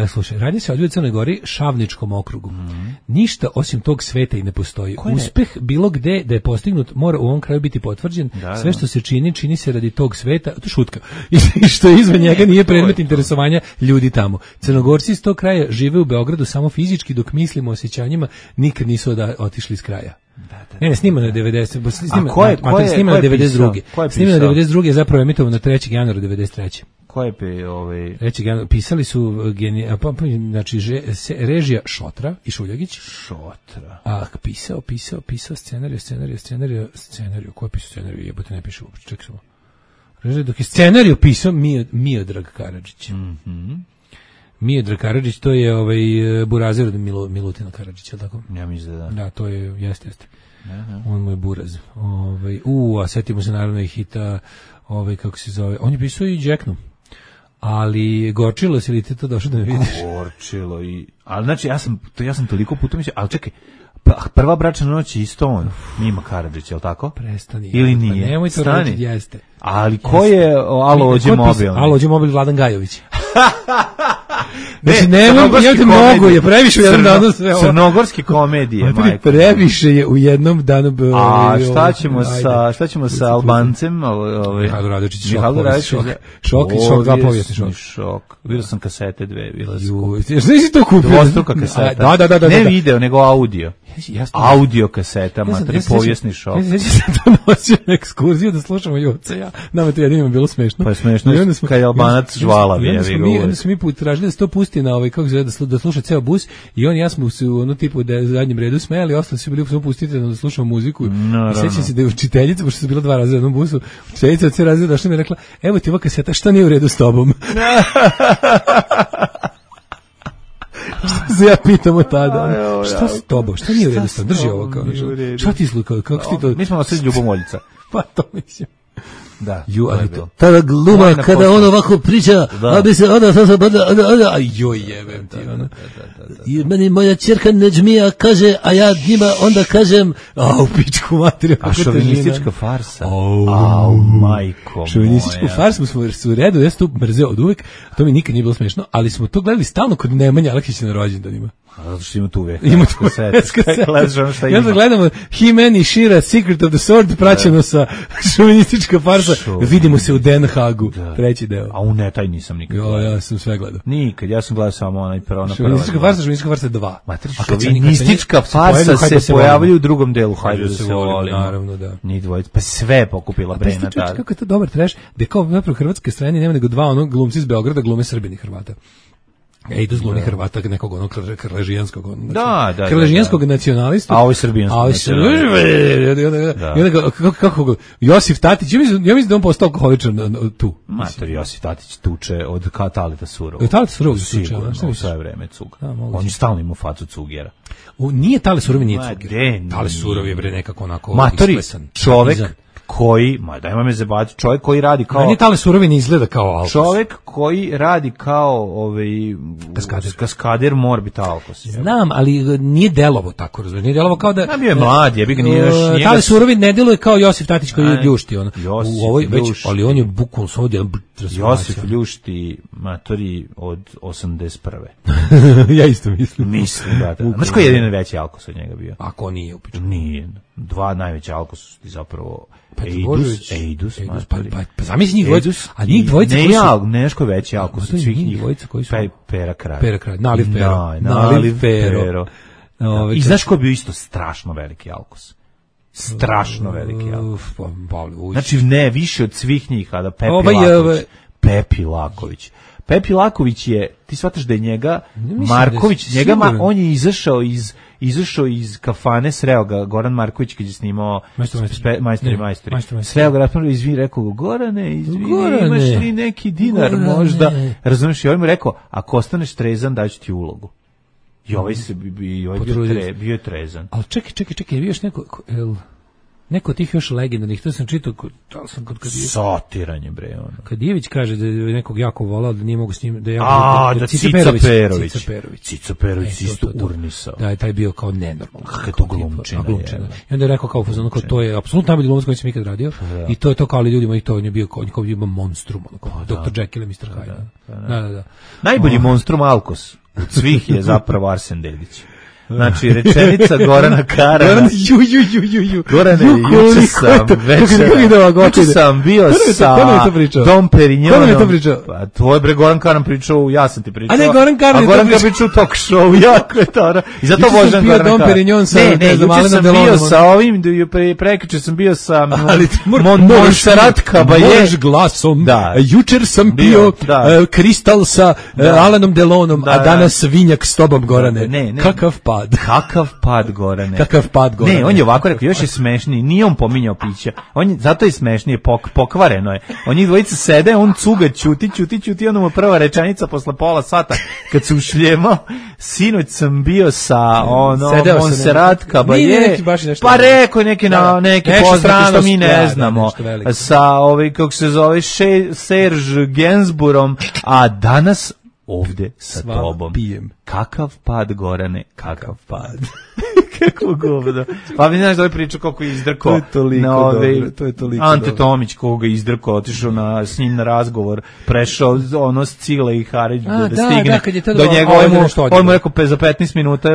E, slušaj, radi se o Crnoj Gori, Šavničkom okrugu. Mm-hmm. Ništa osim tog sveta i ne postoji. Koje? Uspeh bilo gde da je postignut mora u ovom kraju biti potvrđen. Da, sve što se čini, čini se radi tog sveta. To je šutka. I što je izvan njega nije predmet interesovanja ljudi tamo. Crnogorci iz tog kraja žive u Beogradu samo fizički, dok mislimo o osjećanjima nikad nisu da, otišli iz kraja. Da, da, ne, ne, snimano je devedeset. Snimano je devedeset druge Snimano je devedeset druge zapravo emitovano trećeg januara devedeset treće Ko je pe, ovaj... Reći, pisali su geni, a, pa, znači, že, se, režija Šotra i Šuljagić. Šotra. A pisao, pisao, pisao scenariju, scenariju, scenariju, scenariju. Ko je pisao scenariju? Jebote, ne piše uopće, čekaj samo. Režija, dok je scenariju pisao Mio, Miodrag Karadžić. Mhm. Miodrag Karadžić, to je ovaj burazir od Milo, Milutina Karadžića, tako? Ja mislim da. Da, to je, jeste, jeste. Aha. On mu je buraz. Ovaj, u, a setimo se naravno i hita, ovaj, kako se zove, on je pisao i Jacknu. Ali gorčilo se li ti to došlo da me vidiš? Gorčilo i... Ali znači, ja sam, to, ja sam toliko puta mislio, ali čekaj, prva bračna noć je isto on, Mima Karadžić, je li tako? Prestani. Ili nije? Pa nemoj to raditi, jeste. Ali ko je Alo Ođe mobil? Alo Ođe mobil, Vladan Gajović. Ne, znači, nemoj, ja te mogu, je previše u jednom danu sve ovo. Crnogorske komedije, majko. Previše je u jednom danu. A šta ćemo sa, šta ćemo sa Albancem? Ovaj Mihajlo Radočić, šok. Mihajlo Radočić, šok. Šok i šok, dva povijesni šok. Šok. Vidio sam kasete dve, bila su. Znaš to kupio? Dvostruka kaseta. Da, da, da, da. Ne video, nego audio. Audio kaseta, matri povijesni šok. Ja sam to nosio na ekskurziju da slušamo Joca, ja. Nama to jedino bilo smešno. Pa je smešno, kad je Albanac žvalavi, ja vi govorim. Onda smo mi put tražili da se to pusti na ovaj, kako se zove, da sluša ceo bus i on i ja smo se u ono tipu da je zadnjem redu smejali, ostali su bili samo pustiti da slušamo muziku. I sećam se da je učiteljica, pošto su bila dva raza u jednom busu, učiteljica od sve razreda došla mi je rekla, evo ti ova kaseta, šta nije u redu s tobom? Šta se ja pitam od tada? Šta s tobom? Šta nije u redu s tobom? Drži ovo kao nešto. Šta ti slukao? Kako ti to? Mi smo nosili Ljubomoljica. Pa to mislim. Da. Ju, ali to, tada gluma kada on ovako priča, a bi se onda sada bada, onda, joj jebem ti, ono. I meni moja ćerka Neđmija kaže, a ja njima onda kažem, a u pičku materiju. A šovinistička farsa. Au, majko moja. Šovinističku farsu smo su u redu, ja sam to mrzeo od uvek, to mi nikad nije bilo smešno, ali smo to gledali stalno kod Nemanja Aleksića na rođendanima. Zato što ima tu uvek. Ima tu uvek. Ja da gledamo He-Man i She-Ra, Secret of the Sword, praćeno sa šovinistička farsa. Vidimo se u Den Hagu, treći deo. A u ne, taj nisam nikad. Jo, ja sam sve gledao. Nikad, ja sam gledao samo onaj prvo na prva. Šovinistička farsa, šovinistička farsa dva. Šovinistička farsa se pojavljaju u drugom delu, hajde da se volimo. Naravno, da. Ni dvojica, pa sve pokupila Brena tada. Kako je to dobar trash, da kao napravo hrvatske strane nema nego dva onog glumci iz Beograda glume Srbini Hrvata. Ejdu z glumi Hrvata, nekog onog krležijanskog, znači, da, da, krležijanskog nacionalista, a ovo je srbijanskog nacionalista. I onda, kako, kako, Josif Tatić, ja mislim, ja mislim da on postao alkoholičan tu. Mater, Josif Tatić tuče od Talita Surovog. Od Talita Surovog tuče, šta u sve vreme cug. On je stalno imao facu cugera. Nije Talit Surov, nije cuger. Talit Surov je bre nekako onako Matori, čovek koji, ma dajmo me zabaviti, čovjek koji radi kao... Meni Tale Surovi ne izgleda kao Alkos. Čovjek koji radi kao ovaj, kaskader. kaskader mora biti Alkos. Znam, ali nije delovo tako, razumiješ. Nije delovo kao da... Ja bio je mlad, ja bi ga nije još... Tale Surovi ne deluje kao Josif Tatić koji je ljušti. On. U ovoj, već, ali on je bukvalno s ovdje... Josif ljušti matori od osamdeset prve Ja isto mislim. Mislim, da. da. Znaš koji je jedin veći Alkos od njega bio? Ako nije upično. Nije. Dva najveći Alkos su zapravo... Ejdus, Ejdus, Ejdus, pa, pa, pa zamisli njih dvojica, a njih dvojica ne, koji su... Ne, nešto veći Alkos od svih njih. Dvojica koji su... Pe, pera kraj. Pera kraj, Naliv Pero. Na, naliv Pero. Ove, I znaš ko je bio isto strašno veliki Alkos? Strašno veliki Alkos. Znači, ne, više od svih njih, a da Pepi ovaj, Laković. Pepi Laković. Pepi Laković je, ti shvataš da je njega, Marković, da je njega, ma, on je izašao iz... izašao iz kafane, sreo ga Goran Marković kad je snimao Majstori majstori. Sreo ga raspravljao, izvini, rekao go, Gorane, izvini, Gorane, imaš li neki dinar Gorane. Možda? Razumiješ, i ovaj mu rekao, ako ostaneš trezan, daću ti ulogu. I ovaj se i ovaj bio, tre, bio je trezan. Ali čekaj, čekaj, čekaj, je bio još neko... El... Neko tih još legendarnih, to sam čitao, da sam kod kad Satiranje, bre, ono. Kad Ivić kaže da je nekog jako volao, da nije mogu s njim, da je jako... A, da, da Cica Perović. Cica Perović. Cica Perović isto urnisao. Da, je taj bio kao nenormalno. Kako je to glumčina. I onda je rekao kao, fazonu, kao to je apsolutno najbolji glumac koji sam ikad radio. I to je to kao, ali ljudima i to, on je bio kao, kao bio monstrum, ono, doktor Jekyll i mister Hyde. Da, da, da. Najbolji monstrum Alkos od svih je zapravo Arsen Dedić. Znači, rečenica Gorana Karana. Goran, ju, ju, ju, ju, ju. Gorane, juče sam večera, juče sam bio sa Dom Perignonom. Ko nam je to pričao? Pa, tvoj bre, Goran Karan pričao, ja sam ti pričao. A ne, Goran Karan je to pričao. A Goran Karan pričao u talk show, jako je to. I zato vožem Goran Karan. Dom Perignon sa, ne, ne, juče sam bio sa ovim, prekriče sam bio sa Montserrat Caballé. Možeš glasom. Da. Jučer sam bio Kristal sa Alanom Delonom, a danas svinjak s tobom, Gorane. Ne, ne. Kakav pad. Kakav pad, Gorane. Kakav pad, Gorane. Ne, on je ovako rekao, još je smešniji, nije on pominjao pića. On je, zato je smešnije, pok, pokvareno je. On njih dvojica sede, on cuga, ćuti, ćuti, ćuti, onda mu prva rečenica posle pola sata, kad se ušljemao, sinoć sam bio sa ono, Montserrat Caballé, pa rekao neke, na, neke poznate što mi ne znamo, sa, ovaj, kako se zove, Serge Gainsbourom, a danas ovde sa Sva tobom. Pijem. Kakav pad, Gorane, kakav pad. Kako govno. Pa mi znaš da ovaj priča kako je izdrkao. To je toliko na ove, dobro, to je toliko Ante dobro. Tomić koga je izdrkao, otišao na, s njim na razgovor, prešao ono s Cile i Harić da, da stigne da, do njega. On mu rekao za petnaest minuta,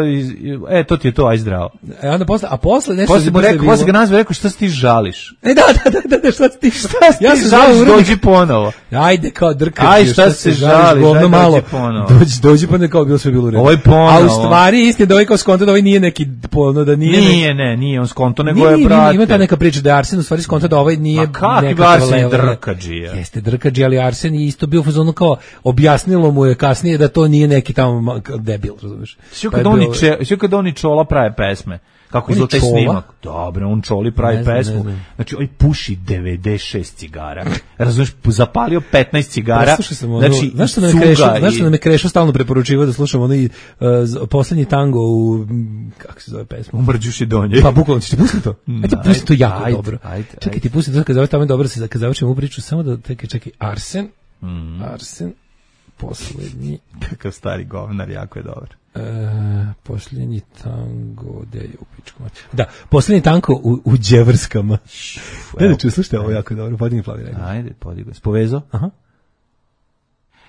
e, to ti je to, aj zdravo. E, onda posle, a posle nešto... Posle mu rekao, posle ga nazve, rekao, šta se ti žališ? E, da, da, da, da, šta se ti, šta se ti ja žališ, dođi ponovo. Ajde, kao drkaš. Aj, šta se žališ, govno malo. Dođi ponovo. Dođi, dođi pa ne kao bilo sve bilo u redu. Ovo je ponovo. A u stvari, istina, da ovaj kao skonto, da ovaj nije neki, polno, da nije... Nije, ne, nije on skonto, nego je, brate. Ima ta neka priča da je Arsen u stvari skonto da ovaj nije neka Arsen je drkađija. Jeste drkađi, ali Arsen je isto bio u fazonu kao objasnilo mu je kasnije da to nije neki tamo debil, razumiješ. Sve kad oni, sve kad oni Čola prave pesme, kako je taj snimak. Dobro, on Čoli pravi ne pesmu. Ne znači, on puši devedeset šest cigara. Razumiješ, zapalio petnaest cigara. Sam ono, znači, znaš što nam je Krešo, i... znaš što nam je Krešo stalno preporučivao da slušamo onaj uh, poslednji tango u, kako se zove pesma? U Mrđuši donje. Pa bukvalno, ćeš ti pustiti to? Eto, pusti to jako ajde, dobro. Ajde, čekaj, ajde. ti pusti to, kad zove tamo dobro, se, kad završimo u priču, samo da, čekaj, čekaj, Arsen, mm. Arsen, poslednji. Kakav stari govnar, jako je dobar. E, posljednji tango, gde je u pičku? Da, posljednji tango u, u Đevrskama. Ne da ču, slušajte, ovo jako dobro, podigni plavi rekao. Ajde, podigni. Spovezo? Aha.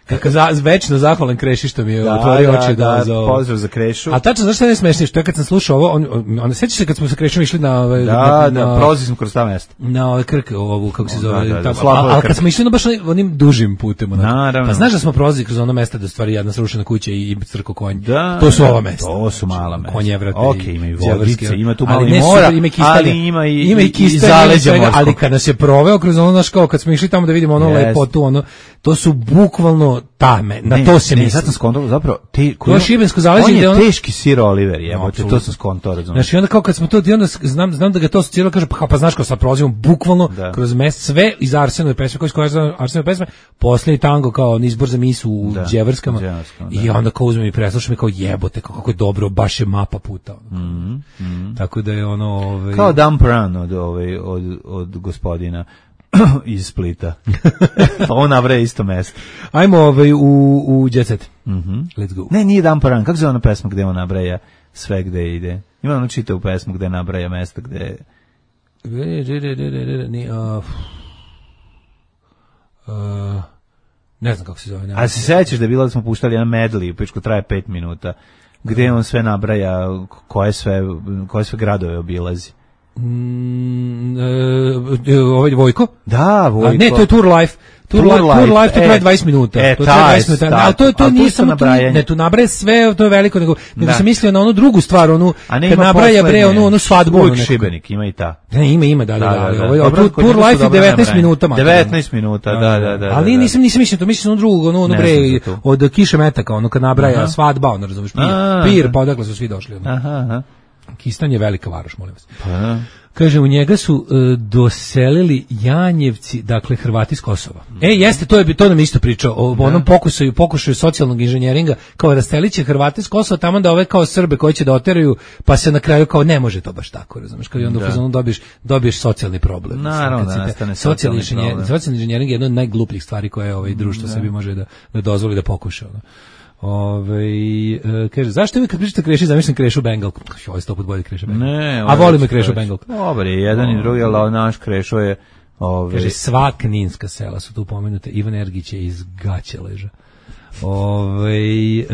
Kako za, večno zahvalan Kreši što mi je otvorio oči da, da, za ovo. Pozdrav za Krešu. A tačno, znaš šta je smešno? Što je kad sam slušao ovo, on, on, on sećaš se kad smo sa Krešom išli na... Ove, da, na, da, na, prolazili smo kroz ta mesta. Na ove Krk, ovu, kako se zove, da, da, da, tamo, a, ali kad smo išli na baš onim dužim putem. Naravno. Pa znaš da smo prolazili kroz ono mesta da stvari jedna srušena kuća i crko konj. Da, to su ova mesta. To su mala mesta. Konje vrate. Ok, ima i vodice, ima tu malo i mora, ima i ali ima i, ima i zaleđa morskog. Ali kad nas je proveo kroz ono, naš kao, kad smo išli tamo da vidimo ono lepotu, ono, to su bukvalno tame, na to se ne, sad sam skontao, zapravo, te, to je šibensko zaleđe, on je ono, teški sir Oliver, jebote, to sam skontao, razumiješ. Znači, onda kao kad smo to, onda znam, znam da ga to asociralo, kaže, pa, pa znaš kao sad prolazimo bukvalno da. kroz mest, sve iz Arsenove pesme, koji skoja Arsenove pesme, posljednji tango kao izbor za misu u da. Đevrskama, Đevrskama i onda kao uzmem i preslušam i kao jebote, kako je dobro, baš je mapa puta. Mm -hmm, mm -hmm. Tako da je ono... Ovaj... Kao Dump Run od, ovaj, od, od gospodina iz Splita. Pa on navre isto mesto. Ajmo ovaj, u, u Jet Set. Mm -hmm. Let's go. Ne, nije Dan Paran. Kako zove ona pesma gde on nabraja sve gde ide? Ima ono čita u pesmu gde nabraja mesta gde... Ne znam kako se zove. A se sećaš da je bilo da smo puštali jedan medley, u pičku traje pet minuta, gde on sve nabraja koje sve, koje sve gradove obilazi? Mm, e, ovaj Vojko? Da, Vojko. A ne, to je Tour Life. Tour, Tour, life, tour Life, to traje dvadeset minuta. E, to traje dvadeset minuta. Ali to, to nije samo to, ne, tu nabraje sve, to je veliko, nego, nego sam mislio na onu drugu stvar, onu, kad nabraja bre, onu, onu svadbu. Uvijek Šibenik, ima i ta. Ne, ima, ima, da, da, da. da, da, da. Ovo, Tour Life je devetnaest minuta. devetnaest minuta, da, da, da. Ali nisam, nisam mislio to, mislio na drugu, onu, onu bre, od Kiše Metaka, ono kad nabraja svadba, ono, razumiješ, pir, pa odakle su svi došli. Aha, aha. Kistan je velika varoš, molim vas. Pa, kaže, u njega su uh, doselili Janjevci, dakle Hrvati iz Kosova. Mm. E, jeste, to je to nam isto pričao o da. onom pokušaju, pokušaju socijalnog inženjeringa, kao rasteliće Hrvate iz Kosova, tamo da ove kao Srbe koji će da oteraju, pa se na kraju kao ne može to baš tako, razumeš, kao i onda da. dobiješ, dobiješ socijalni problem. Naravno, da nastane socijalni problem. Socijalni inženjering je jedna od najglupljih stvari koje ovaj društvo da. sebi može da, da dozvoli da pokuša. Ono. Ove, e, kaže, zašto vi kad pričate Kreši, zamišljam Krešu Bengalku? Ovo je sto put bolje Kreša Bengalku. Ne, a volim me Krešu Bengalku. Dobar je, jedan i drugi, ali naš Krešo je... Ove... Kaže, sva kninska sela su tu pomenute, Ivan Ergić je iz Gaće leža. Ove, e,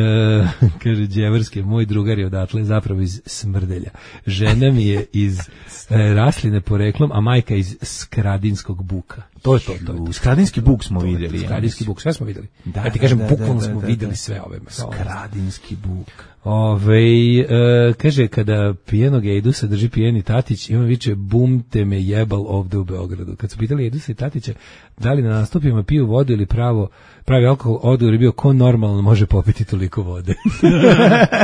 kaže Đevrske, moj drugar je odatle zapravo iz Smrdelja. Žena mi je iz e, Rasline poreklom, a majka iz Skradinskog Buka. To je to. to, je to. Skradinski Buk smo vidjeli. Skradinski Buk, sve smo vidjeli. Da, ja ti kažem, da, bukvalno da, da, smo da, vidjeli da. sve ove. Skradinski Buk. Ove, e, kaže, kada pijenog Ejdusa drži pijeni Tatić, ima viče, bum te me jebal ovde u Beogradu. Kad su pitali Ejdusa i Tatića, da li na nastupima piju vodu ili pravo, pravi alkohol, odgovor je bio, ko normalno može popiti toliko vode.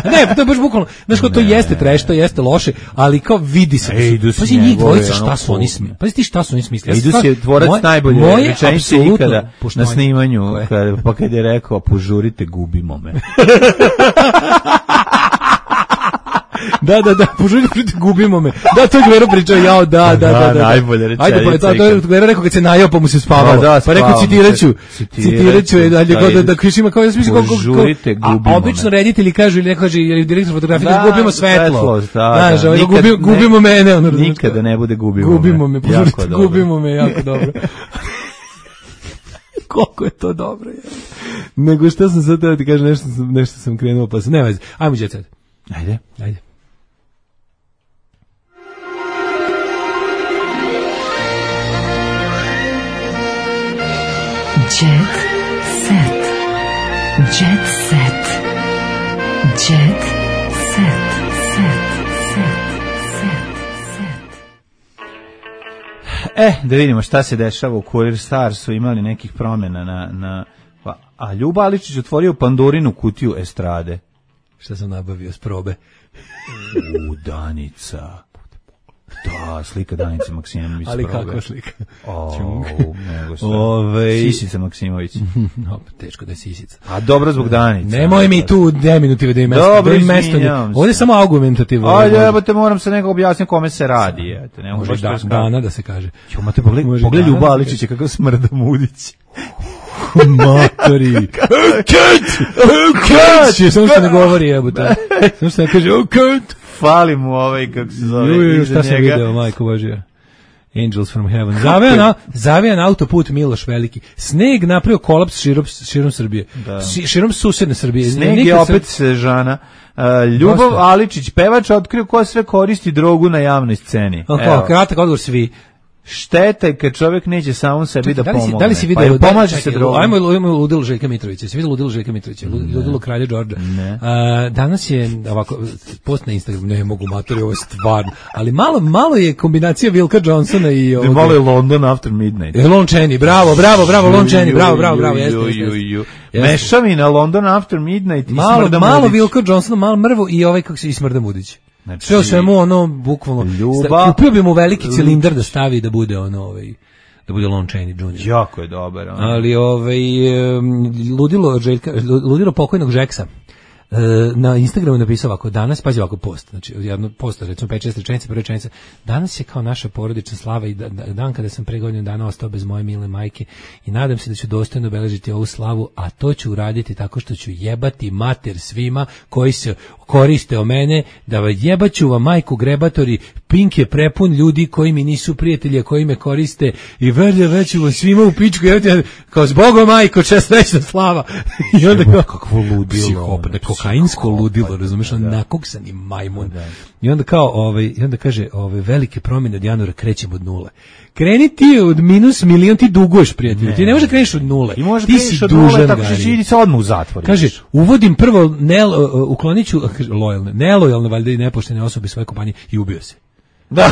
Ne, pa to je baš bukvalno, znaš ko, to Ne. jeste treš, to jeste loše, ali kao vidi se. Ejdus Pazi njih njegove, dvojica šta ono, su oni smislili. Pazi ti šta su oni smislili. Ejdus Stvar- je tvorac moje- najbolje moje rečenice apsolutno ikada na poštovanje. snimanju, kada, pa kad je rekao, požurite, gubimo me. Da, da, da, požurite, gubimo me. Da, to je Gvero pričao, jao, da, da, da, da. da. najbolja rečenica Ajde, pa to, to je ikad. Gvero rekao kad se najao, pa mu se spavalo. Da, da, pa rekao, spavamo citiraću, se. citiraću, je dalje, Citiraću, da, da, kriš ima kao, ja sam mislio, kako, požurite, a gubimo obično me. reditelji kažu, ili neko kaže, ili direktor fotografije, Da, da, gubimo svetlo. svetlost, da, Znaš, da. ovaj, Nikad gubi- ne- gubimo mene. Ono, razumeš Nikada kao? ne bude gubimo me. Gubimo me, Jako požurite, dobro. gubimo me, jako dobro. Koliko je to dobro, je. Nego što sam sad teo ti kažem, nešto sam, nešto sam krenuo, pa se, ne vezi. Ajmo, Jet Set. Ajde. Ajde. Jet set. Jet set. Jet set. Set. Set. Set. Set. E, da vidimo šta se dešava u Kurir Stars, su imali nekih promjena na... na pa, a Ljuba Aličić otvorio Pandorinu kutiju estrade. Šta sam nabavio s probe? U, Danica. Da, slika Danice Maksimović. Ali probe. kakva slika? O, nego šta. Ovej. Sisica Maksimović. No, teško da je sisica. A dobro zbog Danice. Nemoj mi tu deminutive da im mesto. Dobro, da im mesto ne- izvinjavam se. Ovdje je samo argumentativno. Ajde, evo te moram se nekako objasniti kome se radi. Eto, ne mogu Može baš da, to skratiti. dana da se kaže. Jo, mate, pogledaj, Može pogledaj dana Ljuba da se Aličića kako smrda mudić. Matori. Cut! Cut! Samo što ne govori, jebote. Samo što ne kaže, oh, cut! Fali mu ovaj, kako se zove, Ju, ju, iza šta sam njega. video, majko Božija. Angels from Heaven. Zavijan, na, zavijan autoput Miloš Veliki. Sneg napravio kolaps širom, širom Srbije. Da. Si, širom susedne Srbije. Sneg je Nikad opet se- Sežana. Uh, Ljubav Dosta. Aličić, pevač, otkrio ko sve koristi drogu na javnoj sceni. Ako, Evo. kratak odgovor svi. Šteta je kad čovjek neće samom sebi da da li si, pomogne. da li si Pa video, jel da, pomaže čekaj, se drogom. Ajmo, ajmo ludilo Željka Mitrovića. Se videlo ludilo Željka Mitrovića, Lud- ludilo kralja Đorđa. Ne. A, danas je ovako post na Instagram, ne mogu matori, ovo je stvarno. Ali malo malo je kombinacija Wilka Johnsona i ovog. Malo je London After Midnight. E, Lon Chaney, bravo, bravo, bravo, Lon Chaney, bravo, bravo, bravo, jeste, Ju, jeste, ju, jeste. ju. Jeste. Mešavina London After Midnight i Malo, Smrda malo Mudić. Wilka Johnsona, malo mrvu i ovaj kako se i Smrda Mudić. Znači, Sve o svemu ono bukvalno. Ljubav- sta- kupio bi mu veliki cilindar da stavi da bude ono ovaj da bude Lon Chaney junior Jako je dobar. ono. Ali ovaj em, ludilo Željka, ludilo pokojnog Žeksa. E, na Instagramu napisao ovako, danas, pazi ovako post, znači jedno post, recimo pet šest rečenica, prva rečenica, danas je kao naša porodična slava i da, da, dan kada sam pre godinu dana ostao bez moje mile majke i nadam se da ću dostojno obeležiti ovu slavu, a to ću uraditi tako što ću jebati mater svima koji se koriste o mene, da va jebaću vam majku grebatori, Pink je prepun ljudi koji mi nisu prijatelji, a koji me koriste i vrlje veću vam svima u pičku, jebate, kao zbogom majko, čest većna slava. I onda kao, kakvo ludilo. psihopat, da kokainsko ludilo, razumeš, on nakoksani majmun. I onda kao, ovaj, i onda kaže, ove velike promjene od januara krećemo od nule. Kreni ti od minus milion, ti duguješ, prijatelju. Ti ne možeš da kreneš od nule. I može ti kreneš si od nule dužan, tako što Gari. će idi se odmah u zatvor. Kaže, ideš. uvodim prvo, nel, uh, uklonit ću, uh, kaže, lojalne, nelojalne, valjda i nepoštene osobe svoje kompanije i ubio se. Da,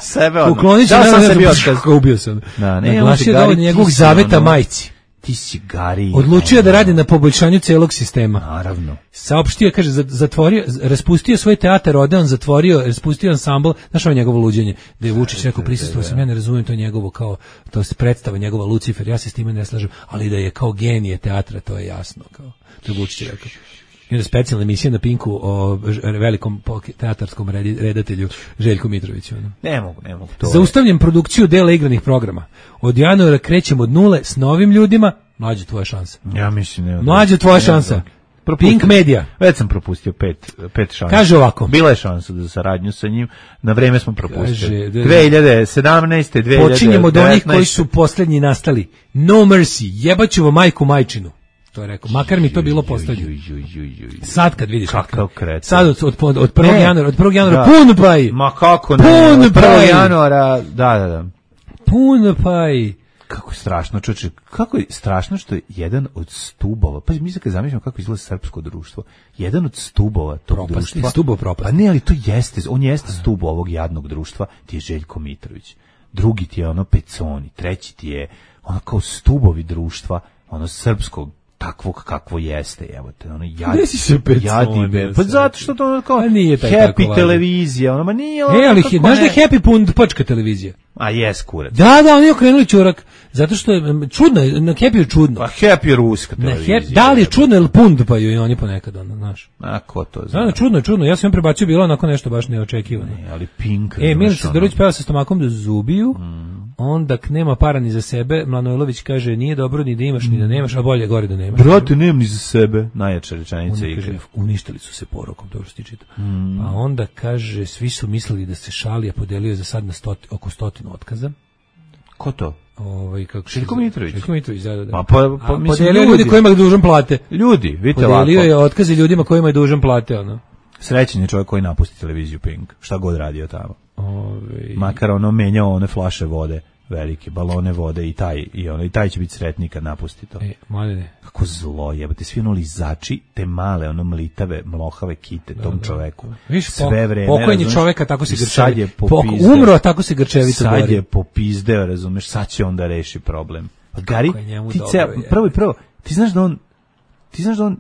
sebe odmah. Uklonit ću, Dao ne, sam ne, sebi ne, otkaz. kako ubio se. Da, ne, Naglasio on da Gari, od njegovog ti si zaveta ono- majci. Ti si Gari. Odlučio da radi na poboljšanju celog sistema. Naravno. Saopštio, kaže, za- zatvorio, raspustio svoj teatar, Odeon, zatvorio, raspustio ansambl, znaš ovo njegovo luđenje, da je Vučić rekao, prisustvovao sam, ja ne razumijem to njegovo kao, to se predstava njegova Lucifer, ja se s time ne slažem, ali da je kao genije teatra, to je jasno, kao, to je Vučić rekao. I onda specijalna emisija na Pinku o ž- velikom pok- teatarskom redi- redatelju Željku Mitroviću. Ono. Ne mogu, ne mogu. To je- Zaustavljam produkciju dela igranih programa. Od januara krećemo od nule s novim ljudima. Mlađe, tvoja šansa. Ja mislim ne. Mlađe, tvoja šansa. Pink Media. Već sam propustio pet, pet šansa. Kaže ovako. Bila je šansa za saradnju sa njim, na vreme smo propustili. Kaže, da- dve hiljade sedamnaeste. dve hiljade devetnaeste. Počinjemo od onih koji su posljednji nastali. No mercy, jebaću vam majku majčinu. To je rekao. Makar mi to bilo postavljeno. Sad kad vidiš kakav kreten. Sad od od od prvog januara, od prvog januara da. pun paj. Ma kako ne? Pun od prvog januara, da, da, da. Pun paj. Kako je strašno, čoveče, kako je strašno što je jedan od stubova, pa mi se kad zamišljamo kako izgleda srpsko društvo, jedan od stubova tog propasti, društva, stubov propasti. Pa ne, ali to jeste, on jeste stub ovog jadnog društva, ti je Željko Mitrović, drugi ti je ono Peconi, treći ti je ono kao stubovi društva, ono srpskog, takvog kakvo jeste, evo te, ono jadi, jadi, pa zato što to ono kao nije Happy televizija, ono, ma nije ono, e, ali znaš da je Happy pundačka televizija? A jes, kurac. Da, da, oni je okrenuli čurak, zato što je čudno, na Happy je čudno. Pa Happy je ruska televizija. Happy, da li je čudno ili pundpaju i oni ponekad, ono, znaš. A ko to zna? Da, čudno, čudno, ja sam im prebacio bilo onako nešto baš neočekivano. Ne, ali Pink. E, Milica Zdorović peva sa stomakom da zubiju, mm. onda nema para ni za sebe, Mlanojlović kaže nije dobro ni da imaš ni da nemaš, a bolje gore da nemaš. Brate, nemam ni za sebe, najjača rečenica igre. Kaže, uništili su se porokom, dobro što ti čita. Mm. Pa onda kaže, svi su mislili da se šali, a podelio je za sad na stoti, oko stotinu otkaza. Ko to? Ovaj kako Željko Mitrović. Željko Mitrović, da, da. Pa, pa, pa mislim, podelio ljudi kojima je dužan plate. Ljudi, vidite ovako. Podelio je otkaze ljudima kojima je dužan plate, ono. Srećan je čovjek koji napusti televiziju Pink, šta god radio tamo. Ove... Makar ono menjao one flaše vode, velike balone vode i taj i ono i taj će biti sretni kad napusti to. E, mladene. Kako zlo jebote, svi ono lizači, te male ono mlitave, mlohave kite da, tom da, čoveku. Viš, sve vreme. Pokojni čoveka tako se grčevi. Sad je popizdeo. Umro, tako se grčevito Sad gori. je popizdeo, razumeš, sad će onda reši problem. Pa Gari, ti dobro, ceo, prvo i prvo, ti znaš da on ti znaš da on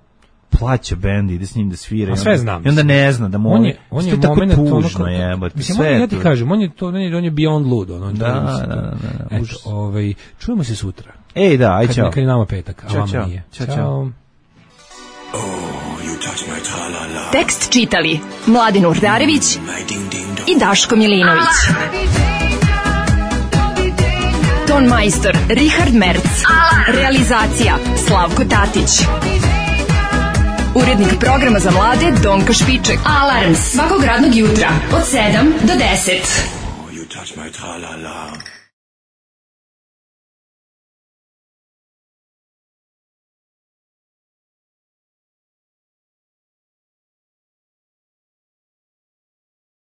plaća bend, ide s njim da svira. A sve znam. I onda ne zna da mu on je, on je moment tužno jebote. Mislim, sve ja ti kažem, on je to, on je, on je beyond lud, on, on da, da, da, da, da. Eto, ovaj, čujemo se sutra. Ej, da, aj čao. Kad je nama petak, a vama nije. Ćao, čao. Tekst čitali Mladin Urdarević i Daško Milinović. Ton majstor Richard Merc. Realizacija Slavko Tatić. Urednik programa za mlade Donka Špiček. Alarms svakog radnog jutra od sedam do deset. Oh, you touch my tra-la-la.